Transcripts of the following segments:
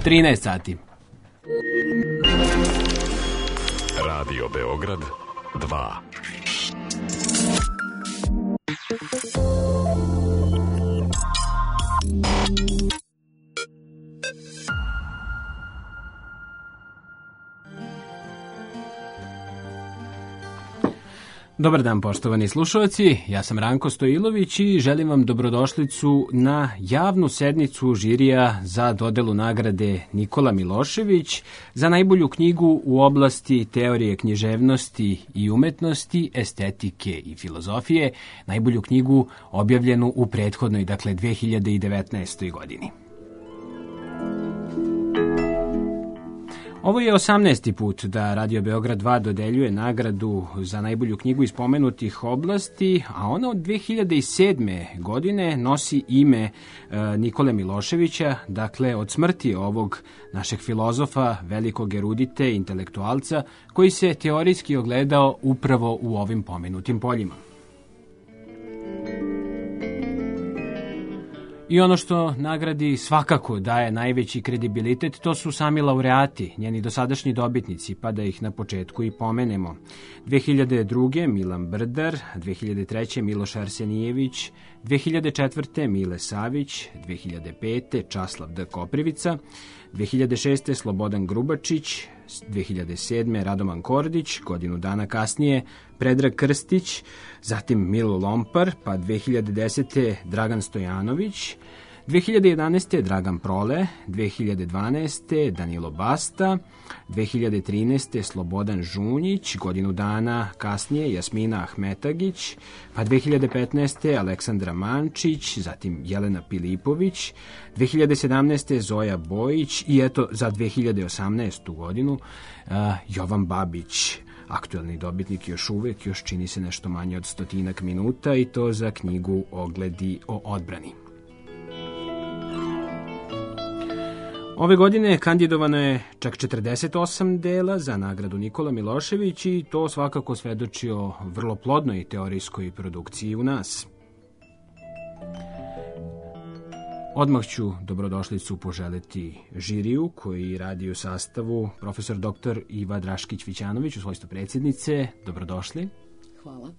13 sati. Radio Beograd 2. Dobar dan, poštovani slušalci, ja sam Ranko Stojilović i želim vam dobrodošlicu na javnu sednicu žirija za dodelu nagrade Nikola Milošević za najbolju knjigu u oblasti teorije književnosti i umetnosti, estetike i filozofije, najbolju knjigu objavljenu u prethodnoj, dakle 2019. godini. Ovo je 18. put da Radio Beograd 2 dodeljuje nagradu za najbolju knjigu iz pomenutih oblasti, a ona od 2007. godine nosi ime Nikole Miloševića, dakle od smrti ovog našeg filozofa, velikog erudite, intelektualca, koji se teorijski ogledao upravo u ovim pomenutim poljima. I ono što nagradi svakako daje najveći kredibilitet, to su sami laureati, njeni dosadašnji dobitnici, pa da ih na početku i pomenemo. 2002. Milan Brdar, 2003. Miloš Arsenijević, 2004. Mile Savić, 2005. Časlav D. Koprivica, 2006. Slobodan Grubačić, 2007. Radoman Kordić, godinu dana kasnije Predrag Krstić, zatim Milo Lompar, pa 2010. Dragan Stojanović, 2011. Dragan Prole, 2012. Danilo Basta, 2013. Slobodan Žunjić, godinu dana kasnije Jasmina Ahmetagić, pa 2015. Aleksandra Mančić, zatim Jelena Pilipović, 2017. Zoja Bojić i eto za 2018. godinu Jovan Babić. Aktuelni dobitnik još uvek, još čini se nešto manje od 100 minuta i to za knjigu Ogledi o odbrani. Ove godine kandidovano je čak 48 dela za nagradu Nikola Milošević i to svakako svedoči o vrlo plodnoj teorijskoj produkciji u nas. Odmah ću dobrodošlicu poželeti žiriju koji radi u sastavu profesor dr. Iva Draškić-Vićanović u svojstvu predsjednice. Dobrodošli. Hvala.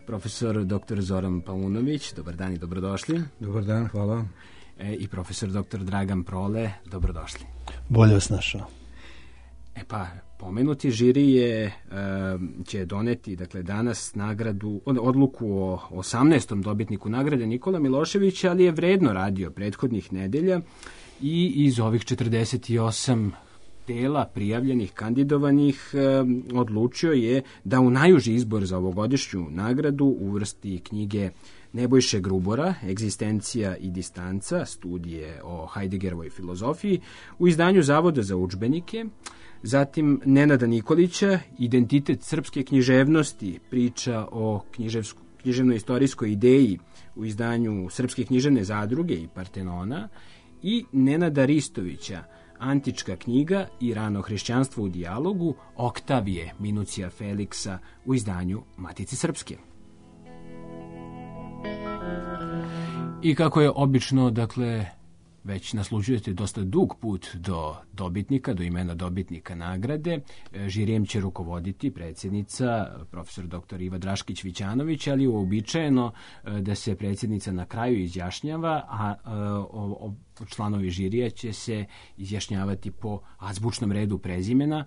Profesor dr. Zoran Paunović, dobar dan i dobrodošli. Dobar dan, hvala. I profesor dr. Dragan Prole, dobrodošli. Bolje vas našao. Pomenuti žiri će doneti, dakle, danas odluku o 18. dobitniku nagrade Nikola Miloševića, ali je vredno radio prethodnih nedelja i iz ovih 48 dela prijavljenih, kandidovanih, odlučio je da u najuži izbor za ovogodišnju nagradu uvrsti knjige Nebojše Grubora, Egzistencija i distanca, studije o Heideggerovoj filozofiji, u izdanju Zavoda za udžbenike, zatim Nenada Nikolića, Identitet srpske književnosti, priča o književno-istorijskoj ideji u izdanju Srpske književne zadruge i Partenona, i Nenada Ristovića, Antička knjiga i rano hrišćanstvo u dijalogu, Oktavije Minucija Feliksa u izdanju Matice Srpske. I kako je obično, dakle, već naslužujete dosta dug put do dobitnika, do imena dobitnika nagrade. Žirijem će rukovoditi predsjednica, profesor dr. Iva Draškić-Vićanović, ali uobičajeno da se predsjednica na kraju izjašnjava, a članovi žirija će se izjašnjavati po azbučnom redu prezimena,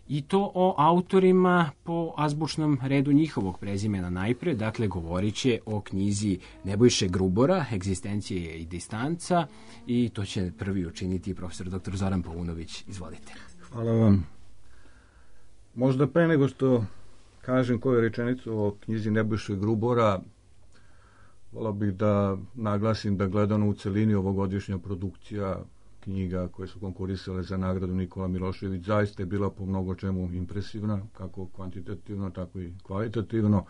i to o autorima po azbučnom redu njihovog prezimena najpre. Dakle, govorit će o knjizi Nebojše Grubora, Egzistencija i distanca, i to će prvi učiniti profesor dr. Zoran Paunović. Izvolite. Hvala vam. Možda pre nego što kažem koju rečenicu o knjizi Nebojše Grubora, volao bih da naglasim da gledano u celini ovogodišnja produkcija knjiga koje su konkurisale za nagradu Nikola Milošević zaista je bila po mnogo čemu impresivna, kako kvantitativno, tako i kvalitativno.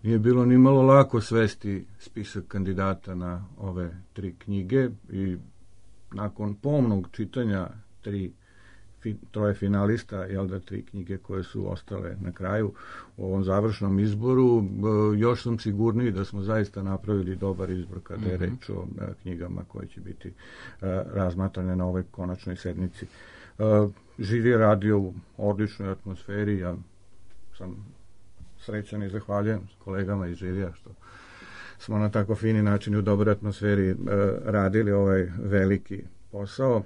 Nije bilo ni malo lako svesti spisak kandidata na ove 3 knjige i nakon pomnog čitanja 3 troje finalista, jel da 3 knjige koje su ostale na kraju u ovom završnom izboru. Još sam sigurniji da smo zaista napravili dobar izbor kada je reč o knjigama koje će biti razmatrane na ovoj konačnoj sednici. Žiri je radio u odličnoj atmosferi, ja sam srećan i zahvaljujem kolegama iz žirija što smo na tako fini način i u dobroj atmosferi radili ovaj veliki posao.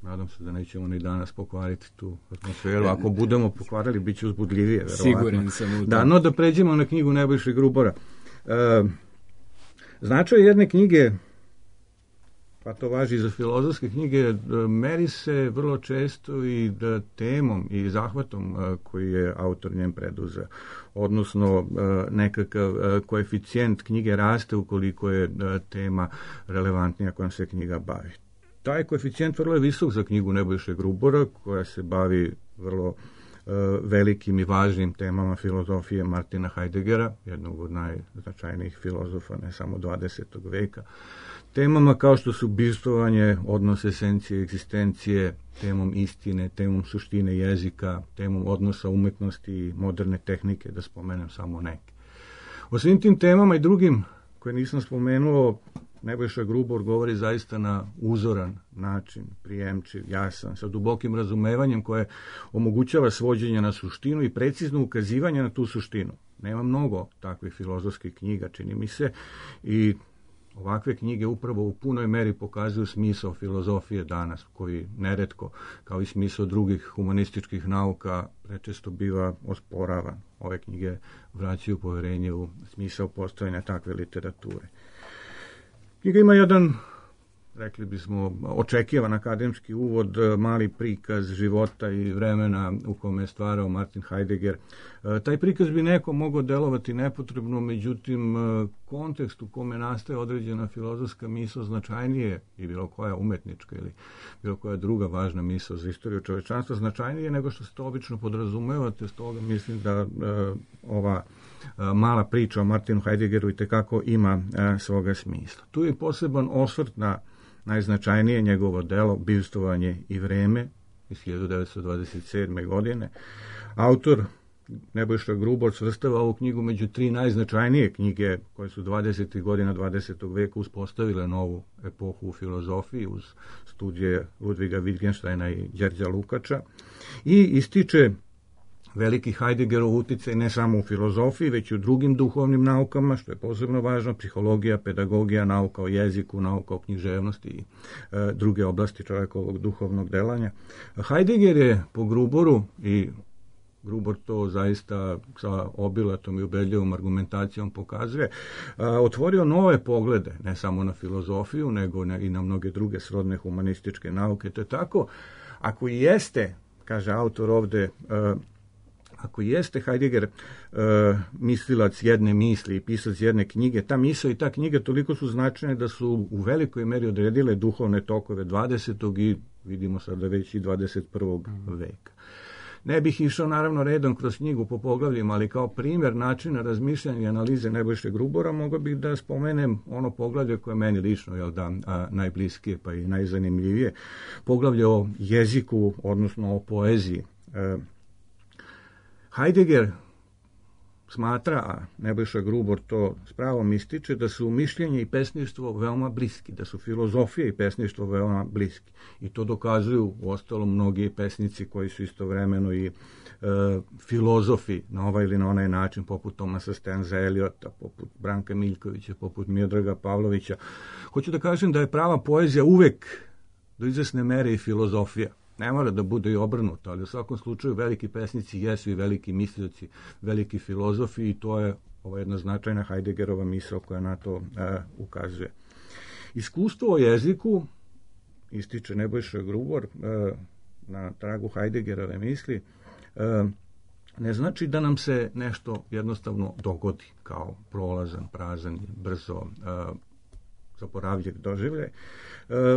Nadam se da nećemo ni danas pokvariti tu atmosferu. Ako budemo pokvarili, bit će uzbudljivije, verovatno. Siguran sam u to. Da, no da pređemo na knjigu Nebojše Grubora. Značaj jedne knjige, pa to važi za filozofske knjige, meri se vrlo često i temom i zahvatom koji je autor njem preduzeo. Odnosno, nekakav koeficijent knjige raste ukoliko je tema relevantnija kojom se knjiga bavi. Taj koeficijent vrlo je visok za knjigu Nebojše Grubora, koja se bavi vrlo velikim i važnim temama filozofije Martina Heideggera, jednog od najznačajnijih filozofa, ne samo 20. veka. Temama kao što su bivstvovanje, odnos esencije, egzistencije, temom istine, temom suštine jezika, temom odnosa umetnosti i moderne tehnike, da spomenem samo neke. O svim tim temama i drugim koje nisam spomenuo, Nebojša Grubor govori zaista na uzoran način, prijemčiv, jasan, sa dubokim razumevanjem koje omogućava svođenje na suštinu i precizno ukazivanje na tu suštinu. Nema mnogo takvih filozofskih knjiga, čini mi se, i ovakve knjige upravo u punoj meri pokazuju smisao filozofije danas, koji neretko, kao i smisao drugih humanističkih nauka, prečesto biva osporavan. Ove knjige vraćaju poverenje u smisao postojanja takve literature. Knjiga ima jedan, rekli bismo, očekivan akademski uvod, mali prikaz života i vremena u kome je stvarao Martin Heidegger. Taj prikaz bi neko mogao delovati nepotrebno, međutim, kontekst u kome nastaje određena filozofska misao značajnije i bilo koja umetnička ili bilo koja druga važna misao za istoriju čovečanstva značajnije nego što se to obično podrazumevate. Stoga mislim da ova mala priča o Martinu Heideggeru itekako ima svoga smisla. Tu je poseban osvrt na najznačajnije njegovo delo Bivstvovanje i vreme iz 1927. godine. Autor Nebojša Grubor svrstava ovu knjigu među 3 najznačajnije knjige koje su 20. godina 20. veka uspostavile novu epohu u filozofiji uz studije Ludviga Wittgensteina i Đerđa Lukača i ističe veliki Heideggerov uticaj ne samo u filozofiji, već i u drugim duhovnim naukama, što je posebno važno, psihologija, pedagogija, nauka o jeziku, nauka o književnosti i druge oblasti čovjekovog duhovnog delanja. Heidegger je po Gruboru, i Grubor to zaista sa obilatom i ubedljivom argumentacijom pokazuje, otvorio nove poglede, ne samo na filozofiju, nego i na mnoge druge srodne humanističke nauke. To je tako, ako jeste, kaže autor ovde, ako jeste Heidegger mislilac jedne misli i pisac jedne knjige, ta misao i ta knjiga toliko su značajne da su u velikoj meri odredile duhovne tokove 20. i vidimo sada već i 21. veka. Ne bih išao naravno redom kroz knjigu po poglavljima, ali kao primjer načina razmišljanja i analize Nebojše Grubora mogao bih da spomenem ono poglavlje koje je meni lično najbliskije pa i najzanimljivije. Poglavlje o jeziku, odnosno o poeziji. Heidegger smatra, a Nebojša Grubor to s pravom ističe, da su mišljenje i pesništvo veoma bliski, da su filozofija i pesništvo veoma bliski. I to dokazuju uostalom mnogi pesnici koji su istovremeno i filozofi na ovaj ili na onaj način, poput Thomasa Stensa Eliota, poput Branka Miljkovića, poput Miodraga Pavlovića. Hoću da kažem da je prava poezija uvek do izvesne mere i filozofija. Ne mora da bude i obrnuto, ali u svakom slučaju veliki pesnici jesu i veliki mislioci, veliki filozofi i to je ova jedna značajna Heideggerova misao koja na to ukazuje. Iskustvo o jeziku, ističe Nebojša Grubor na tragu Heideggerove misli, ne znači da nam se nešto jednostavno dogodi kao prolazan, prazan, brzo zaboravljiv doživljaj,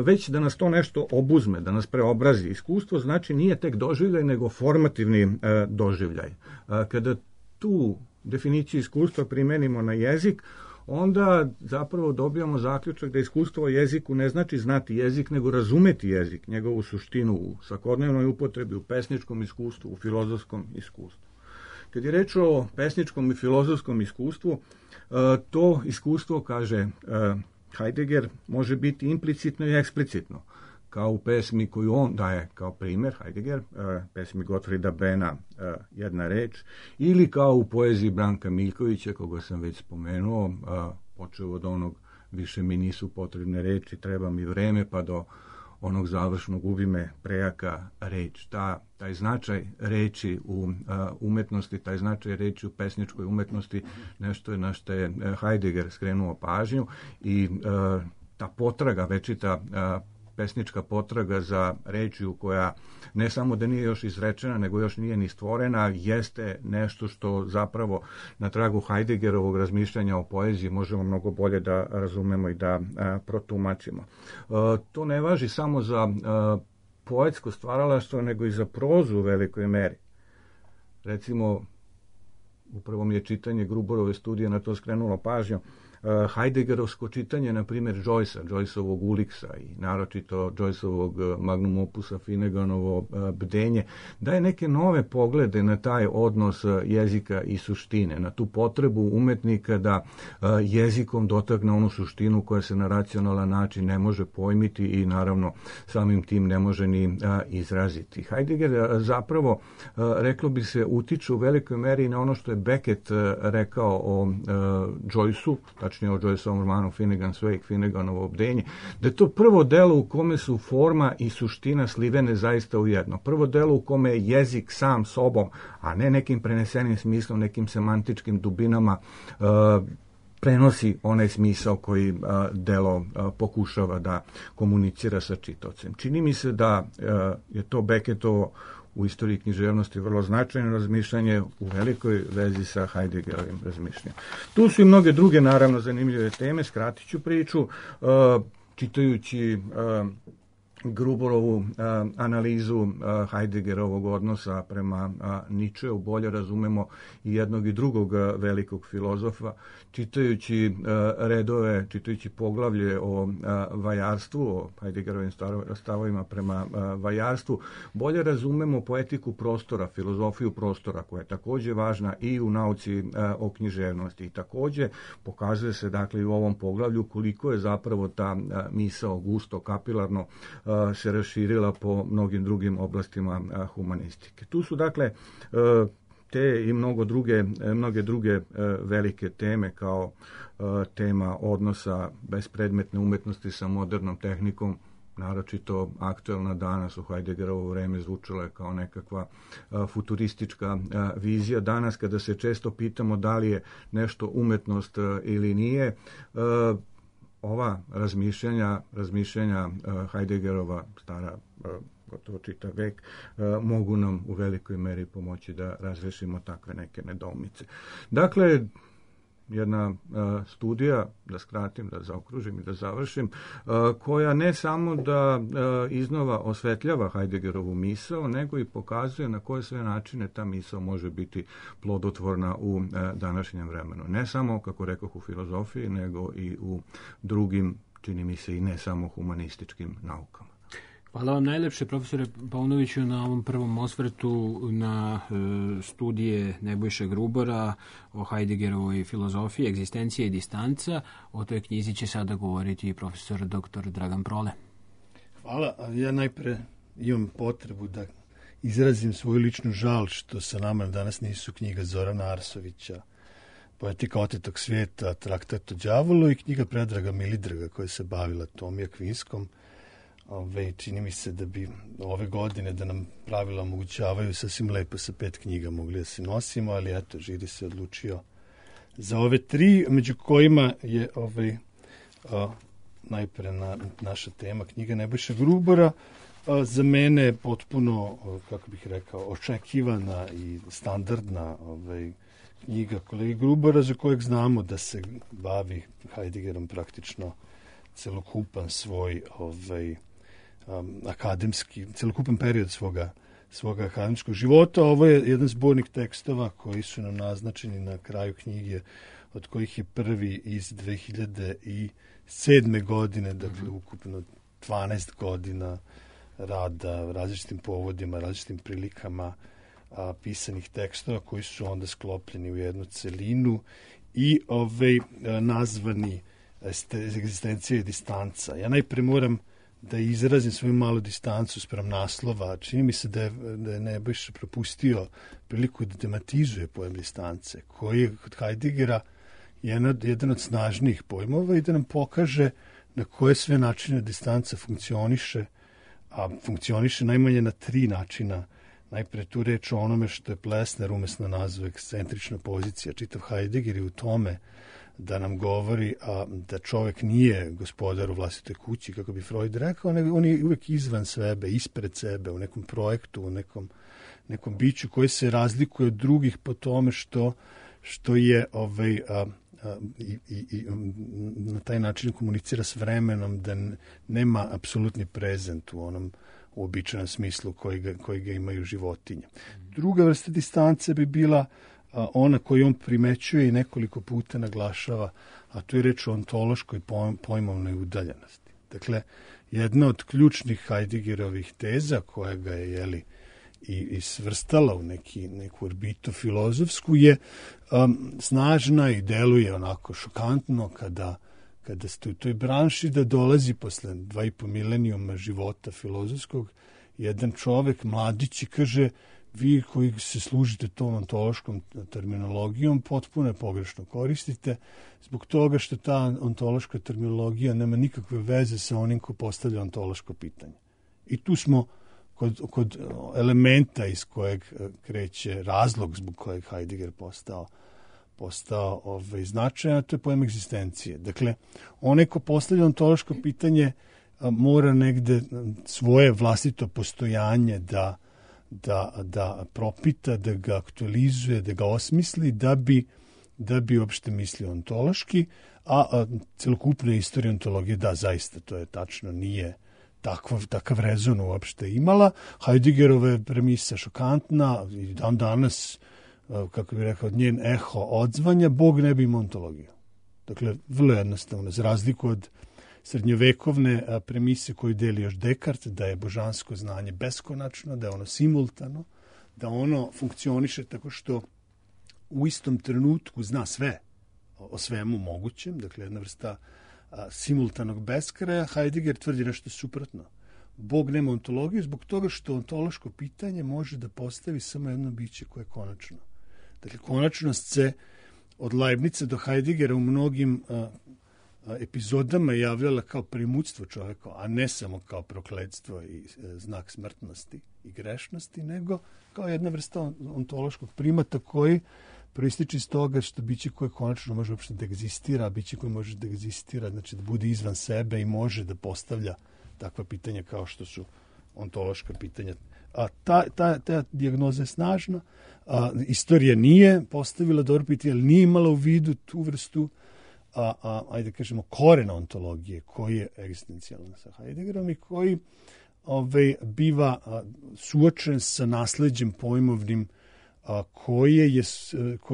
već da nas to nešto obuzme, da nas preobrazi. Iskustvo znači nije tek doživljaj, nego formativni doživljaj. Kada tu definiciju iskustva primenimo na jezik, onda zapravo dobijamo zaključak da iskustvo o jeziku ne znači znati jezik, nego razumeti jezik, njegovu suštinu u svakodnevnoj upotrebi, u pesničkom iskustvu, u filozofskom iskustvu. Kad je reč o pesničkom i filozofskom iskustvu, to iskustvo, kaže Heidegger, može biti implicitno i eksplicitno, kao u pesmi koju on daje kao primjer, Heidegger, pesmi Gottfrieda Benna, Jedna reč, ili kao u poeziji Branka Miljkovića, koga sam već spomenuo, počeo od onog Više mi nisu potrebne reči, treba mi vreme, pa do onog završnog Ubi me prejaka reč. Taj značaj reči u umetnosti, taj značaj reči u pesničkoj umetnosti, nešto je na što je Heidegger skrenuo pažnju i ta potraga, večita pesnička potraga za rečju koja ne samo da nije još izrečena, nego još nije ni stvorena, jeste nešto što zapravo na tragu Heideggerovog razmišljanja o poeziji možemo mnogo bolje da razumemo i da protumačimo. To ne važi samo za poetsko stvaralaštvo, nego i za prozu u velikoj meri. Recimo, upravo mi je čitanje Gruborove studije na to skrenulo pažnju. Heideggerovsko čitanje, na primjer, Joyceovog Uliksa i naročito Joyceovog magnum opusa Finneganovo Bdenje, daje neke nove poglede na taj odnos jezika i suštine, na tu potrebu umetnika da jezikom dotakne onu suštinu koja se na racionalan način ne može pojmiti i naravno samim tim ne može ni izraziti. Heidegger zapravo, reklo bi se, utiče u velikoj meri na ono što je Beckett rekao o Joyceu, tačnije o Joyceovom romanu Finnegan's Wake, Finneganovo Bdenje, da je to prvo delo u kome su forma i suština slivene zaista u jedno. Prvo delo u kome je jezik sam sobom, a ne nekim prenesenim smislom, nekim semantičkim dubinama, prenosi onaj smisao koji delo pokušava da komunicira sa čitaocem. Čini mi se da je to Beckettovo u istoriji književnosti vrlo značajno razmišljanje u velikoj vezi sa Heideggerovim razmišljanjem. Tu su i mnoge druge, naravno, zanimljive teme, skratit ću priču, čitajući Gruborovu analizu Heideggerovog odnosa prema Nietzscheu, bolje razumemo i jednog i drugog velikog filozofa, čitajući redove, čitajući poglavlje o vajarstvu, o Heideggerovim stavovima prema vajarstvu, bolje razumemo poetiku prostora, filozofiju prostora, koja je također važna i u nauci o književnosti. I također pokazuje se, dakle, i u ovom poglavlju koliko je zapravo ta misao gusto, kapilarno se raširila po mnogim drugim oblastima humanistike. Tu su, dakle, te i mnoge druge velike teme, kao tema odnosa bespredmetne umetnosti sa modernom tehnikom, naročito aktuelna danas u Heideggerovo vreme zvučala je kao nekakva futuristička vizija. Danas, kada se često pitamo da li je nešto umetnost ili nije, ova razmišljanja Heideggerova, stara gotovo čitav vek, mogu nam u velikoj meri pomoći da razrešimo takve neke nedoumice. Dakle, jedna studija, da skratim, da zaokružim i da završim, koja ne samo da iznova osvetljava Heideggerovu misao, nego i pokazuje na koje sve načine ta misao može biti plodotvorna u današnjem vremenu. Ne samo, kako rekoh, u filozofiji, nego i u drugim, čini mi se, i ne samo humanističkim naukama. Hvala vam najlepše, profesore Paunoviću, na ovom prvom osvrtu na studije Nebojše Grubora o Heideggerovoj filozofiji, egzistencija i distanca. O toj knjizi će sada govoriti i profesor dr. Dragan Prole. Hvala. Ja najpre imam potrebu da izrazim svoju ličnu žal što sa nama danas nisu knjiga Zorana Arsovića, Poetika otetog svijeta, Traktat o đavolu, i knjiga Predraga Milidraga koja se bavila Tomija Kvinskom. Čini mi se da bi ove godine, da nam pravila omogućavaju, sasvim lepo sa 5 knjiga mogli da se nosimo, ali eto, Žiri se odlučio za ove 3, među kojima je najpre naša tema knjiga Nebojše Grubora, za mene potpuno, kako bih rekao, očekivana i standardna knjiga kolege Grubora, za kojeg znamo da se bavi Heideggerom praktično celokupan svoj akademski, celokupan period svoga akademskog života. Ovo je jedan zbornik tekstova koji su nam naznačeni na kraju knjige, od kojih je prvi iz 2007. godine, dakle ukupno 12 godina rada, različitim povodima, različitim prilikama, pisanih tekstova koji su onda sklopljeni u jednu celinu i nazvani egzistencija i distanca. Ja najpre moram da izrazim svoju malu distancu spram naslova. Čini mi se da je Nebojša propustio priliku da tematizuje pojam distance, koji je kod Heideggera jedan od snažnijih pojmova i da nam pokaže na koje sve načine distanca funkcioniše, a funkcioniše najmanje na 3 načina. Najpre tu reč o onome što je Plessner umesno nazvao ekscentrična pozicija. Čitav Heidegger je u tome da nam govori da čovjek nije gospodar u vlastitoj kući, kako bi Freud rekao, nego on je uvek izvan sebe, ispred sebe, u nekom projektu, u nekom biću koji se razlikuje od drugih po tome što je i na taj način komunicira s vremenom, da nema apsolutni prezent u onom uobičajenom smislu koji ga imaju životinje. Druga vrsta distance bi bila ona koju on primećuje i nekoliko puta naglašava, a to je reč o ontološkoj pojmovnoj udaljenosti. Dakle, jedna od ključnih Heideggerovih teza, koja ga je i svrstala u neku orbitu filozofsku, je snažna i deluje onako šokantno kada ste u toj branši, da dolazi posle 2,5 milenijuma života filozofskog jedan čovek, mladić, i kaže: vi koji se služite tom ontološkom terminologijom potpuno je pogrešno koristite, zbog toga što ta ontološka terminologija nema nikakve veze sa onim ko postavlja ontološko pitanje. I tu smo kod elementa iz kojeg kreće razlog zbog kojeg Heidegger postao značajan, a to je pojam egzistencije. Dakle, onaj ko postavlja ontološko pitanje mora negde svoje vlastito postojanje da propita, da ga aktualizuje, da ga osmisli, da bi uopšte mislio ontološki, a celokupna istorija ontologije, da, zaista, to je tačno, nije takav rezon uopšte imala. Heideggerova je premisa šokantna i dan danas, kako bih rekao, njen eho odzvanja, Bog ne bi imao ontologiju. Dakle, vrlo jednostavno, za razliku od srednjovekovne premise koju deli još Descartes, da je božansko znanje beskonačno, da je ono simultano, da ono funkcioniše tako što u istom trenutku zna sve o svemu mogućem, dakle jedna vrsta simultanog beskraja. Heidegger tvrdi nešto suprotno. Bog nema ontologiju zbog toga što ontološko pitanje može da postavi samo jedno biće koje je konačno. Dakle, konačnost se od Leibniza do Heideggera u mnogim epizodama javljala kao primućstvo čoveka, a ne samo kao prokletstvo i znak smrtnosti i grešnosti, nego kao jedna vrsta ontološkog primata koji proističe iz toga što biće koje konačno može uopšte da egzistira, a biće koje može da egzistira, znači da bude izvan sebe i može da postavlja takva pitanja kao što su ontološka pitanja. A ta dijagnoza je snažna. Istorija nije postavila dobro pitanje, ali nije imala u vidu tu vrstu ajde kažemo, korena ontologije koji je egzistencijalan sa Heideggerom i koji biva suočen sa nasleđem pojmovnim koje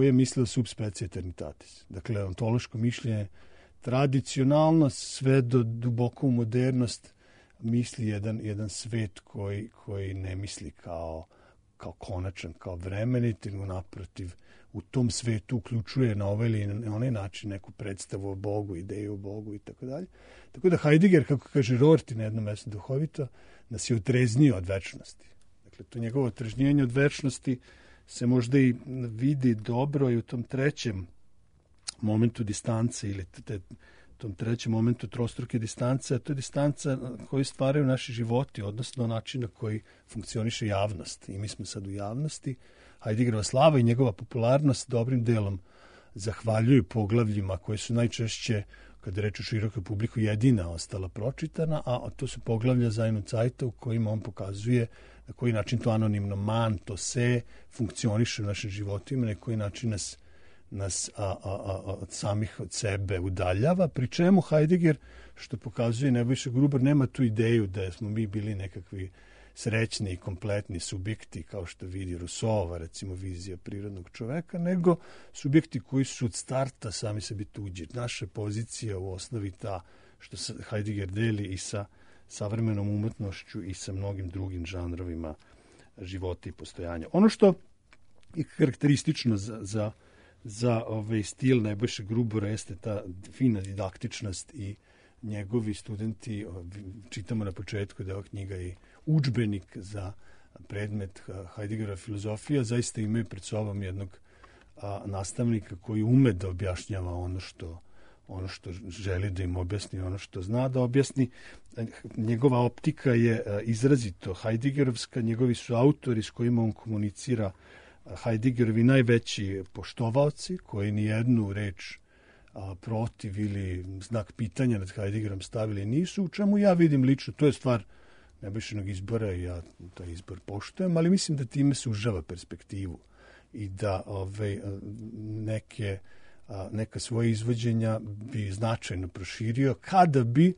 je mislio subspecie eternitatis. Dakle, ontološko mišljenje tradicionalno sve do duboko u modernost misli jedan svet koji ne misli kao konačan, kao vremenit, nego naprotiv u tom svetu uključuje na ovaj ili na onaj način neku predstavu o Bogu, ideju o Bogu i tako dalje. Tako da Heidegger, kako kaže Rorty na jednom mjestu duhovito, nas je otreznio od večnosti. Dakle, to njegovo otrežnjenje od večnosti se možda i vidi dobro i u tom trećem momentu distance ili tom trećem momentu trostruke distance, a to je distanca koju stvaraju naši životi, odnosno način na koji funkcioniše javnost. I mi smo sad u javnosti. Heideggerova slava i njegova popularnost dobrim delom zahvaljuju poglavljima koje su najčešće, kada reč o širokoj publiku, jedina ostala pročitana, a to su poglavlja Sein Zeita u kojima on pokazuje na koji način to anonimno man, to se funkcioniše u našim životima, na koji način nas od samih od sebe udaljava, pri čemu Heidegger, što pokazuje Nebojša Gruber, nema tu ideju da smo mi bili nekakvi srećni i kompletni subjekti, kao što vidi Rousseauova, recimo, vizija prirodnog čoveka, nego subjekti koji su od starta sami sebi tuđi. Naša pozicija u osnovi ta što se Heidegger deli i sa savremenom umetnošću i sa mnogim drugim žanrovima života i postojanja. Ono što je karakteristično za stil Nebojše Grubora jeste ta fina didaktičnost i njegovi studenti, čitamo na početku da je ova knjiga i udžbenik za predmet Heideggera filozofija, zaista imaju pred sobom jednog nastavnika koji ume da objašnjava ono što želi da im objasni, ono što zna da objasni. Njegova optika je izrazito Heideggerovska, njegovi su autori s kojima on komunicira Heideggerovi najveći poštovaoci, koji nijednu reč protiv ili znak pitanja nad Heideggerom stavili nisu, u čemu ja vidim lično, to je stvar Nebojšinog izbora i ja taj izbor poštujem, ali mislim da time sužava perspektivu i da neka svoje izvođenja bi značajno proširio kada bi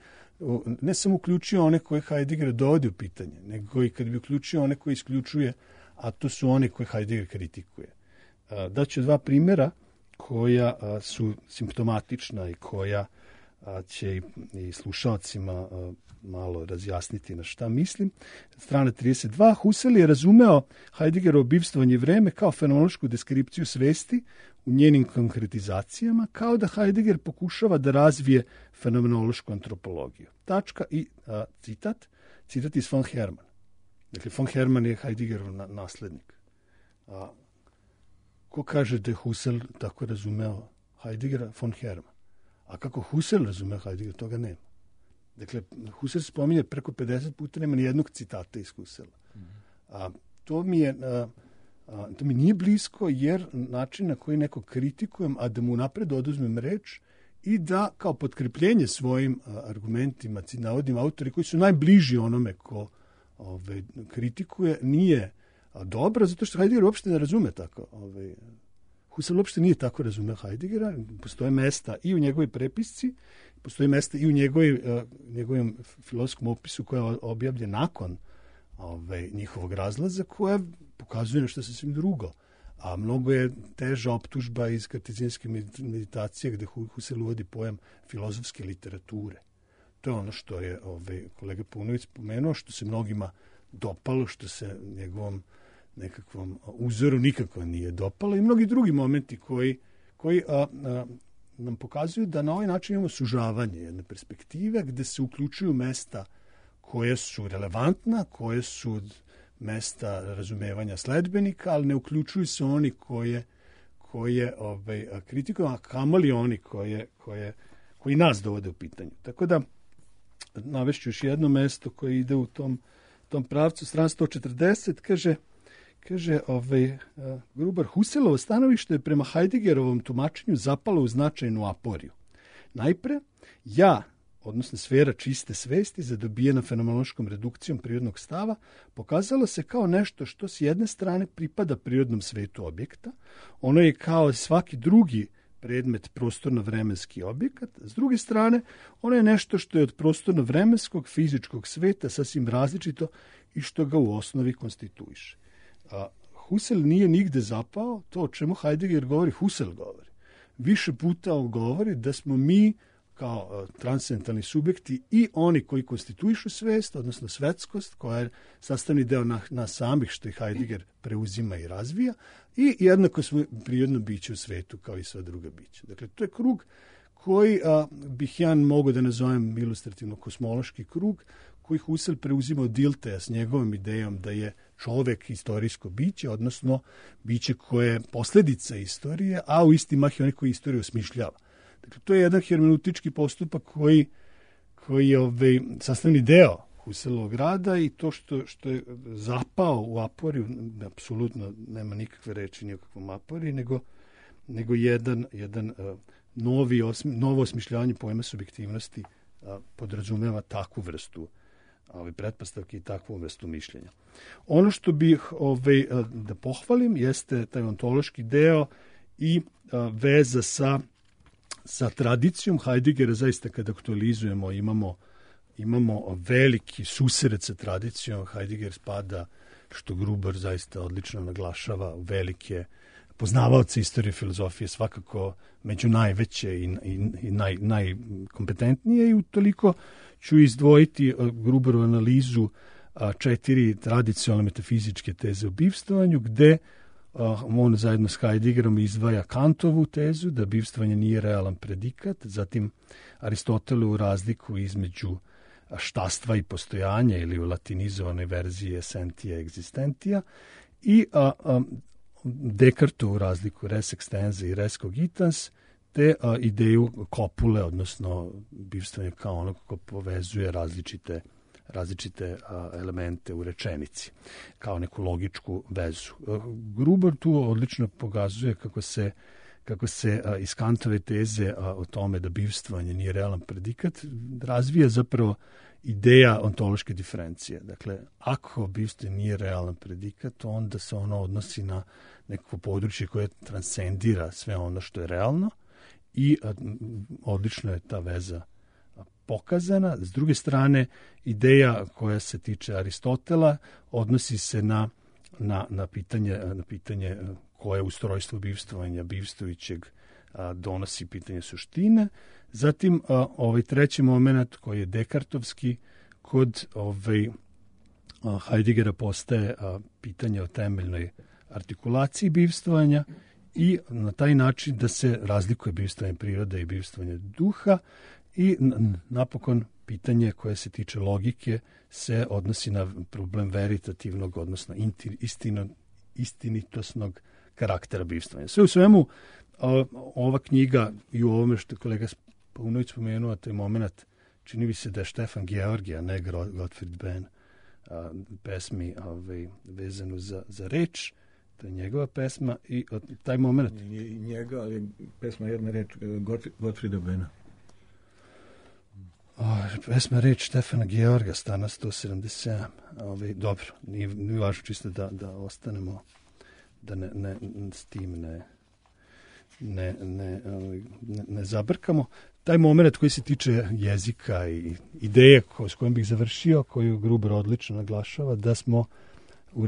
ne samo uključio one koje Heidegger dovodi u pitanje, nego i kad bi uključio one koje isključuje, a to su one koje Heidegger kritikuje. Daću dva primjera koja su simptomatična i koja će i slušalcima malo razjasniti na šta mislim. Strana 32. Husserl je razumeo Heideggerovo bivstvovanje vreme kao fenomenološku deskripciju svesti u njenim konkretizacijama, kao da Heidegger pokušava da razvije fenomenološku antropologiju. Tačka i citat iz von Hermann. Dakle, von Hermann je Heideggerov naslednik. Ko kaže da je Husserl tako razumeo Heideggera? Von Hermann. A kako Husserl razumeo Heidegger, toga nema. Dakle, Husserl spominje preko 50 puta, nema ni jednog citata iz Husserla. To mi nije blisko, jer način na koji neko kritikujem, a da mu napred oduzmem reč i da kao potkrepljenje svojim argumentima navodim autori koji su najbliži onome ko kritikuje, nije dobro, zato što Heidegger uopšte ne razume tako. Husserl uopšte nije tako razumeo Heideggera. Postoje mesta i u njegovoj prepisci, postoje mesta i u njegovom filozofskom opisu koja je objavljen nakon njihovog razlaza, koja pokazuje nešto sasvim drugo. A mnogo je teža optužba iz kartezijanske meditacije, gde Husserl uvodi pojam filozofske literature. To je ono što je kolega Paunović spomenuo, što se mnogima dopalo, što se njegovom nekakvom uzoru nikako nije dopalo, i mnogi drugi momenti koji nam pokazuju da na ovaj način imamo sužavanje jedne perspektive gde se uključuju mesta koje su relevantna, koje su mesta razumevanja sledbenika, ali ne uključuju se oni koje kritikuju, a kamoli oni koji nas dovode u pitanje. Tako da navešću još jedno mesto koje ide u tom pravcu. Strana 140 kaže Gruber, Husserlovo stanovište je prema Heideggerovom tumačenju zapalo u značajnu aporiju. Najpre, odnosno sfera čiste svesti zadobijena fenomenološkom redukcijom prirodnog stava, pokazalo se kao nešto što s jedne strane pripada prirodnom svetu objekta, ono je kao svaki drugi predmet prostorno-vremenski objekat, s druge strane, ono je nešto što je od prostorno-vremenskog fizičkog sveta sasvim različito i što ga u osnovi konstituiše. Husserl nije nigde zapao, to o čemu Heidegger govori, Husserl govori. Više puta on govori da smo mi kao transcendentalni subjekti i oni koji konstituišu svest, odnosno svetskost, koja je sastavni deo nas samih, što i Heidegger preuzima i razvija, i jednako smo prirodno biće u svetu kao i sva druga bića. Dakle, to je krug koji bih ja mogao da nazovem ilustrativno kosmološki krug, koji Husserl preuzima od Dilthea s njegovom idejom da je čovek istorijsko biće, odnosno biće koje je posledica istorije, a u isti mah je onaj koji istoriju osmišljava. Dakle, to je jedan hermeneutički postupak koji je sastavni deo Husserlovog rada, i to što je zapao u aporiju, apsolutno nema nikakve reči ni o kakvom aporiji, nego jedan novo osmišljavanje pojma subjektivnosti podrazumeva takvu vrstu pretpostavke i takvu vrstu mišljenja. Ono što bih da pohvalim jeste taj ontološki deo i veza sa tradicijom Heideggera. Zaista kada aktualizujemo imamo veliki susret sa tradicijom. Heidegger spada, što Gruber zaista odlično naglašava, velike poznavaoce istorije filozofije, svakako među najveće i najkompetentnije, i utoliko ću izdvojiti Gruberovu analizu 4 tradicionalne metafizičke teze o bivstvanju, gde on zajedno s Heideggerom izdvaja Kantovu tezu da bivstvanje nije realan predikat, zatim Aristotelovu razliku između štastva i postojanja, ili u latinizovanoj verziji essentia existentia, i Descartovu razliku res extensa i res cogitans, te ideju kopule, odnosno bivstvanje kao ono ko povezuje različite elemente u rečenici, kao neku logičku vezu. Gruber tu odlično pokazuje kako se iz Kantove teze o tome da bivstvanje nije realan predikat razvija zapravo ideja ontološke diferencije. Dakle, ako bivstvanje nije realan predikat, onda se ono odnosi na neko područje koje transcendira sve ono što je realno, i odlično je ta veza pokazana. S druge strane, ideja koja se tiče Aristotela odnosi se na pitanje koje ustrojstvo bivstvovanja bivstvujućeg donosi pitanje suštine. Zatim, ovaj treći moment koji je dekartovski, kod Heideggera postaje pitanje o temeljnoj artikulaciji bivstvovanja, i na taj način da se razlikuje bivstvovanje prirode i bivstvovanje duha. I napokon pitanje koje se tiče logike se odnosi na problem veritativnog, odnosno istinitosnog karaktera bivstvovanja. Sve u svemu, ova knjiga i u ovome što je kolega Paunović spomenuo, taj moment, čini mi se da je Štefan Georgi, a ne Gottfried Benn, pesmi vezanu za reč, to je njegova pesma, i taj moment... I njega, ali pesma jedna reč Gottfrieda Benna. Pesma reč Štefana Georga, strana 177. Dobro, nije važno, čisto da ostanemo, da s tim ne zabrkamo. Taj moment koji se tiče jezika i ideje s kojom bih završio, koju Gruber odlično naglašava, da smo u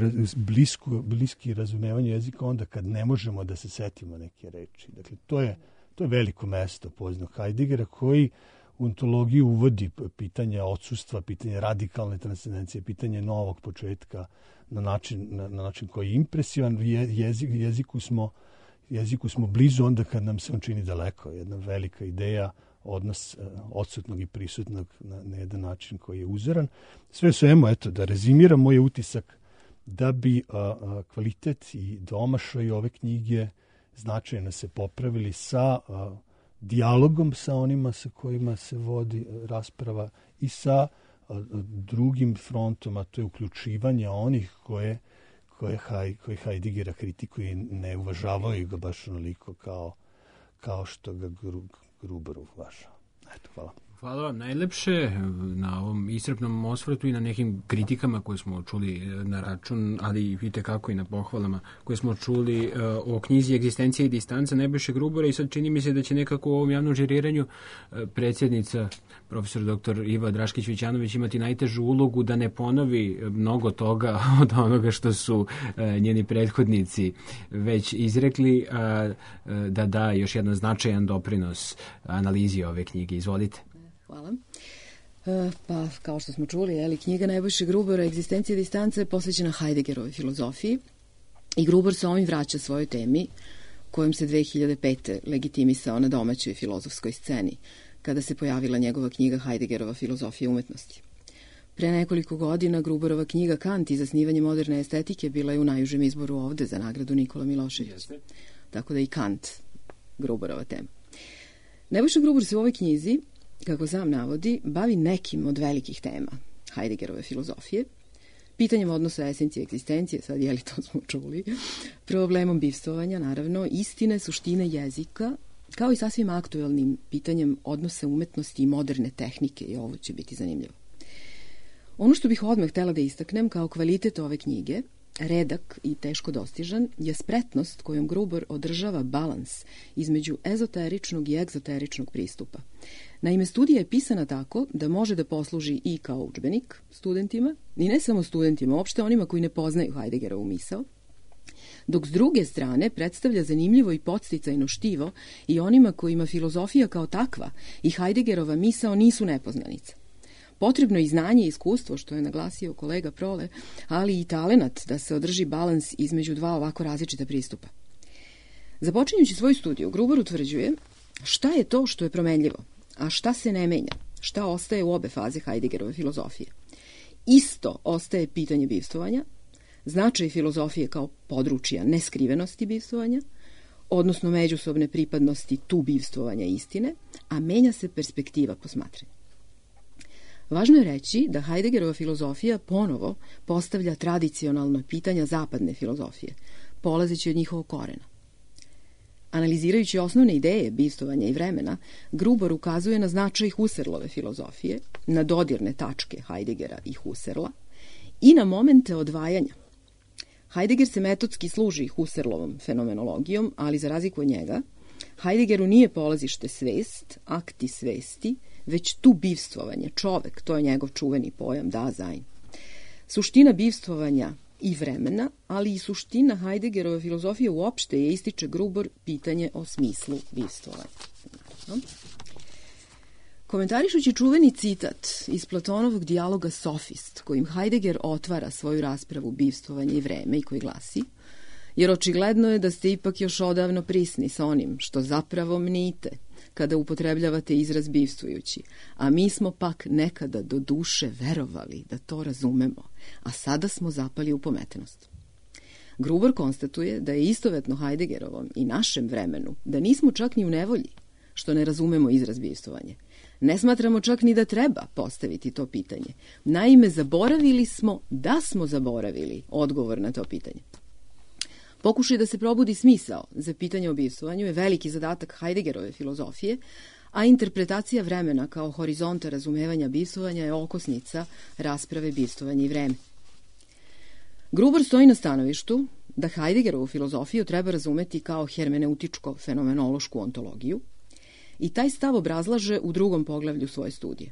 bliski razumevanju jezika onda kad ne možemo da se setimo neke reči. Dakle, to je veliko mesto poznanog Heideggera, koji u ontologiju uvodi pitanje odsustva, pitanje radikalne transcendencije, pitanje novog početka na način koji je impresivan. Jeziku smo blizu onda kad nam se on čini daleko. Jedna velika ideja, odnos odsutnog i prisutnog na jedan način koji je uzoran. Sve u svemu, eto, da rezimiram, moj utisak da bi kvalitet i domašaj ove knjige značajno se popravili sa dijalogom sa onima sa kojima se vodi rasprava i sa drugim frontom, a to je uključivanje onih koje Heideggera kritikuje i ne uvažavaju ga baš onoliko kao što ga Gruber uvažava. Eto, hvala. Hvala vam najlepše na ovom iscrpnom osvrtu i na nekim kritikama koje smo čuli na račun, ali i kako i na pohvalama koje smo čuli o knjizi Egzistencija i distanca Nebojše Grubora. I sad čini mi se da će nekako u ovom javnom žiriranju predsjednica, profesor dr. Iva Draškić-Vićanović, imati najtežu ulogu da ne ponovi mnogo toga od onoga što su njeni prethodnici već izrekli, da da još jedan značajan doprinos analizi ove knjige. Izvolite. Hvala. Pa, kao što smo čuli, knjiga Nebojše Grubora Egzistencija i distanca je posvećena Heideggerovoj filozofiji i Gruber se ovim vraća svojoj temi kojom se 2005. legitimisao na domaćoj filozofskoj sceni kada se pojavila njegova knjiga Heideggerova filozofija umetnosti. Pre nekoliko godina Gruberova knjiga Kant i zasnivanje moderne estetike bila je u najužem izboru ovde za nagradu Nikola Milošević. Tako da i Kant Gruberova tema. Nebojša Gruber se u ovoj knjizi, kako sam navodi, bavi nekim od velikih tema Heideggerove filozofije, pitanjem odnosa esencije i egzistencije, sad to smo čuli, problemom bivstvovanja, naravno, istine, suštine jezika, kao i sasvim aktuelnim pitanjem odnosa umetnosti i moderne tehnike, i ovo će biti zanimljivo. Ono što bih odmah htela da istaknem kao kvalitet ove knjige redak i teško dostižan, je spretnost kojom Gruber održava balans između ezoteričnog i egzoteričnog pristupa. Naime, studija je pisana tako da može da posluži i kao udžbenik studentima, i ne samo studentima, uopšte onima koji ne poznaju Heideggerovu misao, dok s druge strane predstavlja zanimljivo i podsticajno štivo i onima kojima filozofija kao takva i Heideggerova misao nisu nepoznanica. Potrebno je i znanje i iskustvo, što je naglasio kolega Prole, ali i talenat da se održi balans između dva ovako različita pristupa. Započinjući svoju studiju, Gruber utvrđuje šta je to što je promenljivo, a šta se ne menja, šta ostaje u obe faze Heideggerove filozofije. Isto ostaje pitanje bivstvovanja, značaj filozofije kao područja neskrivenosti bivstvovanja, odnosno međusobne pripadnosti tu bivstvovanja istine, a menja se perspektiva posmatranja. Važno je reći da Heideggerova filozofija ponovo postavlja tradicionalna pitanja zapadne filozofije, polazeći od njihovog korena. Analizirajući osnovne ideje bivstvovanja i vremena, Gruber ukazuje na značaj Husserlove filozofije, na dodirne tačke Heideggera i Husserla i na momente odvajanja. Heidegger se metodski služi Husserlovom fenomenologijom, ali za razliku od njega, Heideggeru nije polazište svest, akti svesti, već tu bivstvovanje, čovek, to je njegov čuveni pojam Dasein. Suština bivstvovanja i vremena, ali i suština Heideggerove filozofije uopšte je, ističe Gruber, pitanje o smislu bivstvovanja. Komentarišući čuveni citat iz Platonovog dijaloga Sofist, kojim Heidegger otvara svoju raspravu bivstvovanje i vreme i koji glasi: jer očigledno je da ste ipak još odavno prisni sa onim što zapravo mnite kada upotrebljavate izraz bivstvujući, a mi smo pak nekada do duše verovali da to razumemo, a sada smo zapali u pometenost. Gruber konstatuje da je istovetno Heideggerovom i našem vremenu da nismo čak ni u nevolji što ne razumemo izraz bivstvovanje. Ne smatramo čak ni da treba postaviti to pitanje. Naime, zaboravili smo da smo zaboravili odgovor na to pitanje. Pokušaj da se probudi smisao za pitanje o bivstvovanju je veliki zadatak Heideggerove filozofije, a interpretacija vremena kao horizonta razumevanja bivstvovanja je okosnica rasprave bivstvovanja i vreme. Gruber stoji na stanovištu da Heideggerovu filozofiju treba razumeti kao hermeneutičko-fenomenološku ontologiju i taj stav obrazlaže u drugom poglavlju svoje studije.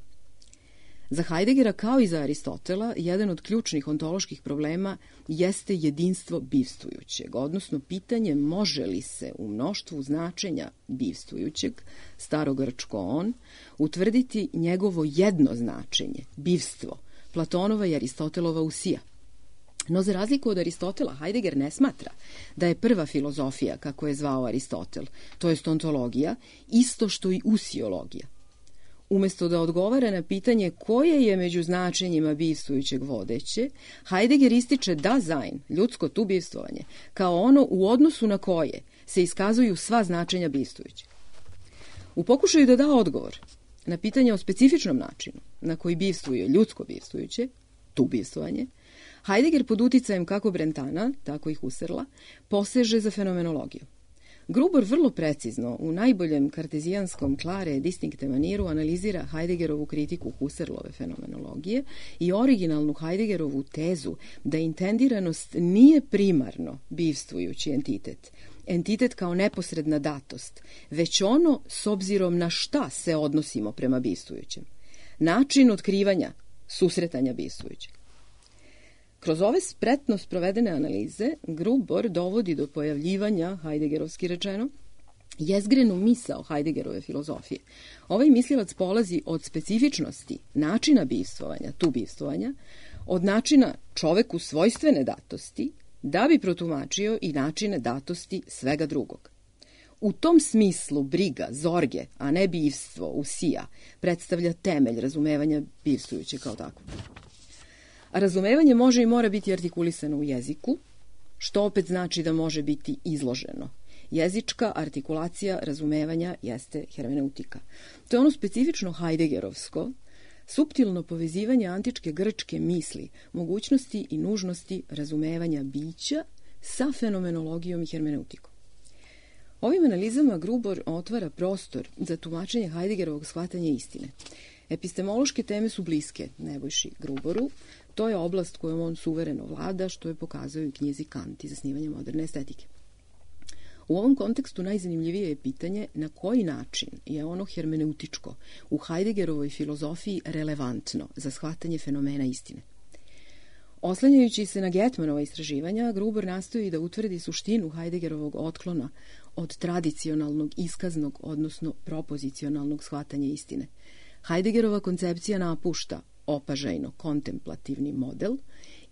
Za Heideggera, kao i za Aristotela, jedan od ključnih ontoloških problema jeste jedinstvo bivstvujućeg, odnosno pitanje može li se u mnoštvu značenja bivstvujućeg, starogrčko on, utvrditi njegovo jedno značenje, bivstvo, Platonova i Aristotelova usija. No za razliku od Aristotela, Heidegger ne smatra da je prva filozofija, kako je zvao Aristotel, to jest ontologija, isto što i usiologija. Umesto da odgovara na pitanje koje je među značenjima bivstvujućeg vodeće, Heidegger ističe Dasein, ljudsko tu bivstvovanje, kao ono u odnosu na koje se iskazuju sva značenja bivstvujućeg. U pokušaju da da odgovor na pitanje o specifičnom načinu na koji bivstvuje ljudsko bivstvujuće, tu bivstvovanje, Heidegger pod uticajem kako Brentana, tako i Husserla, poseže za fenomenologiju. Gruber vrlo precizno, u najboljem kartezijanskom klare distinkte maniru, analizira Heideggerovu kritiku Husserlove fenomenologije i originalnu Heideggerovu tezu da intendiranost nije primarno bivstvujući entitet, entitet kao neposredna datost, već ono s obzirom na šta se odnosimo prema bivstvujućem, način otkrivanja, susretanja bivstvujućeg. Kroz ove spretno sprovedene analize, Gruber dovodi do pojavljivanja, heideggerovski rečeno, jezgrenu misao Heideggerove filozofije. Ovaj mislilac polazi od specifičnosti načina bivstvovanja, tu bivstvovanja, od načina čoveku svojstvene datosti, da bi protumačio i načine datosti svega drugog. U tom smislu briga, zorge, a ne bivstvo, usija, predstavlja temelj razumevanja bivstvujuće kao tako. A razumevanje može i mora biti artikulisano u jeziku, što opet znači da može biti izloženo. Jezička artikulacija razumevanja jeste hermeneutika. To je ono specifično heideggerovsko, suptilno povezivanje antičke grčke misli, mogućnosti i nužnosti razumevanja bića sa fenomenologijom i hermeneutikom. Ovim analizama Gruber otvara prostor za tumačenje Heideggerovog shvatanja istine. Epistemološke teme su bliske Nebojši Gruberu, To je oblast kojom on suvereno vlada, što je pokazao i knjizi Kant i zasnivanje moderne estetike. U ovom kontekstu najzanimljivije je pitanje na koji način je ono hermeneutičko u Heideggerovoj filozofiji relevantno za shvatanje fenomena istine. Oslanjajući se na Getmanova istraživanja, Gruber nastoji da utvrdi suštinu Heideggerovog otklona od tradicionalnog iskaznog, odnosno propozicionalnog shvatanja istine. Heideggerova koncepcija napušta opažajno-kontemplativni model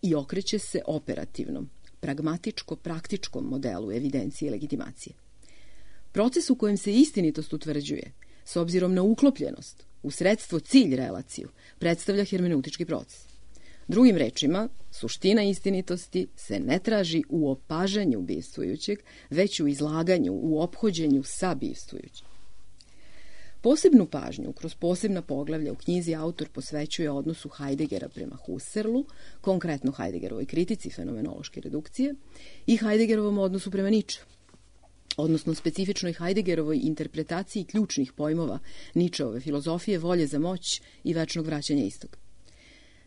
i okreće se operativnom, pragmatičko-praktičkom modelu evidencije i legitimacije. Proces u kojem se istinitost utvrđuje, s obzirom na uklopljenost, u sredstvo cilj relaciju, predstavlja hermeneutički proces. Drugim rečima, suština istinitosti se ne traži u opažanju bivstvujućeg, već u izlaganju, u ophođenju sa bivstvujućim. Posebnu pažnju kroz posebna poglavlja u knjizi autor posvećuje odnosu Heideggera prema Husserlu, konkretno Heideggerovoj kritici fenomenološke redukcije, i Heideggerovom odnosu prema Nietzscheu, odnosno specifičnoj Heideggerovoj interpretaciji ključnih pojmova Nietzscheove filozofije, volje za moć i večnog vraćanja istog.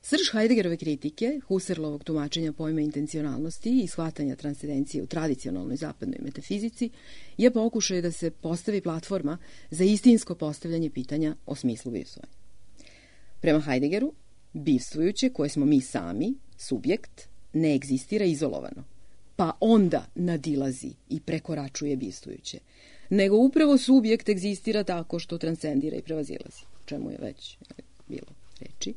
Srž Heideggerove kritike, Husserlovog tumačenja pojma intencionalnosti i shvatanja transcendencije u tradicionalnoj zapadnoj metafizici je pokušaj da se postavi platforma za istinsko postavljanje pitanja o smislu bivstvovanja. Prema Heideggeru, bivstvujuće, koje smo mi sami, subjekt, ne egzistira izolovano, pa onda nadilazi i prekoračuje bivstvujuće, nego upravo subjekt egzistira tako što transcendira i prevazilazi, o čemu je već bilo reči.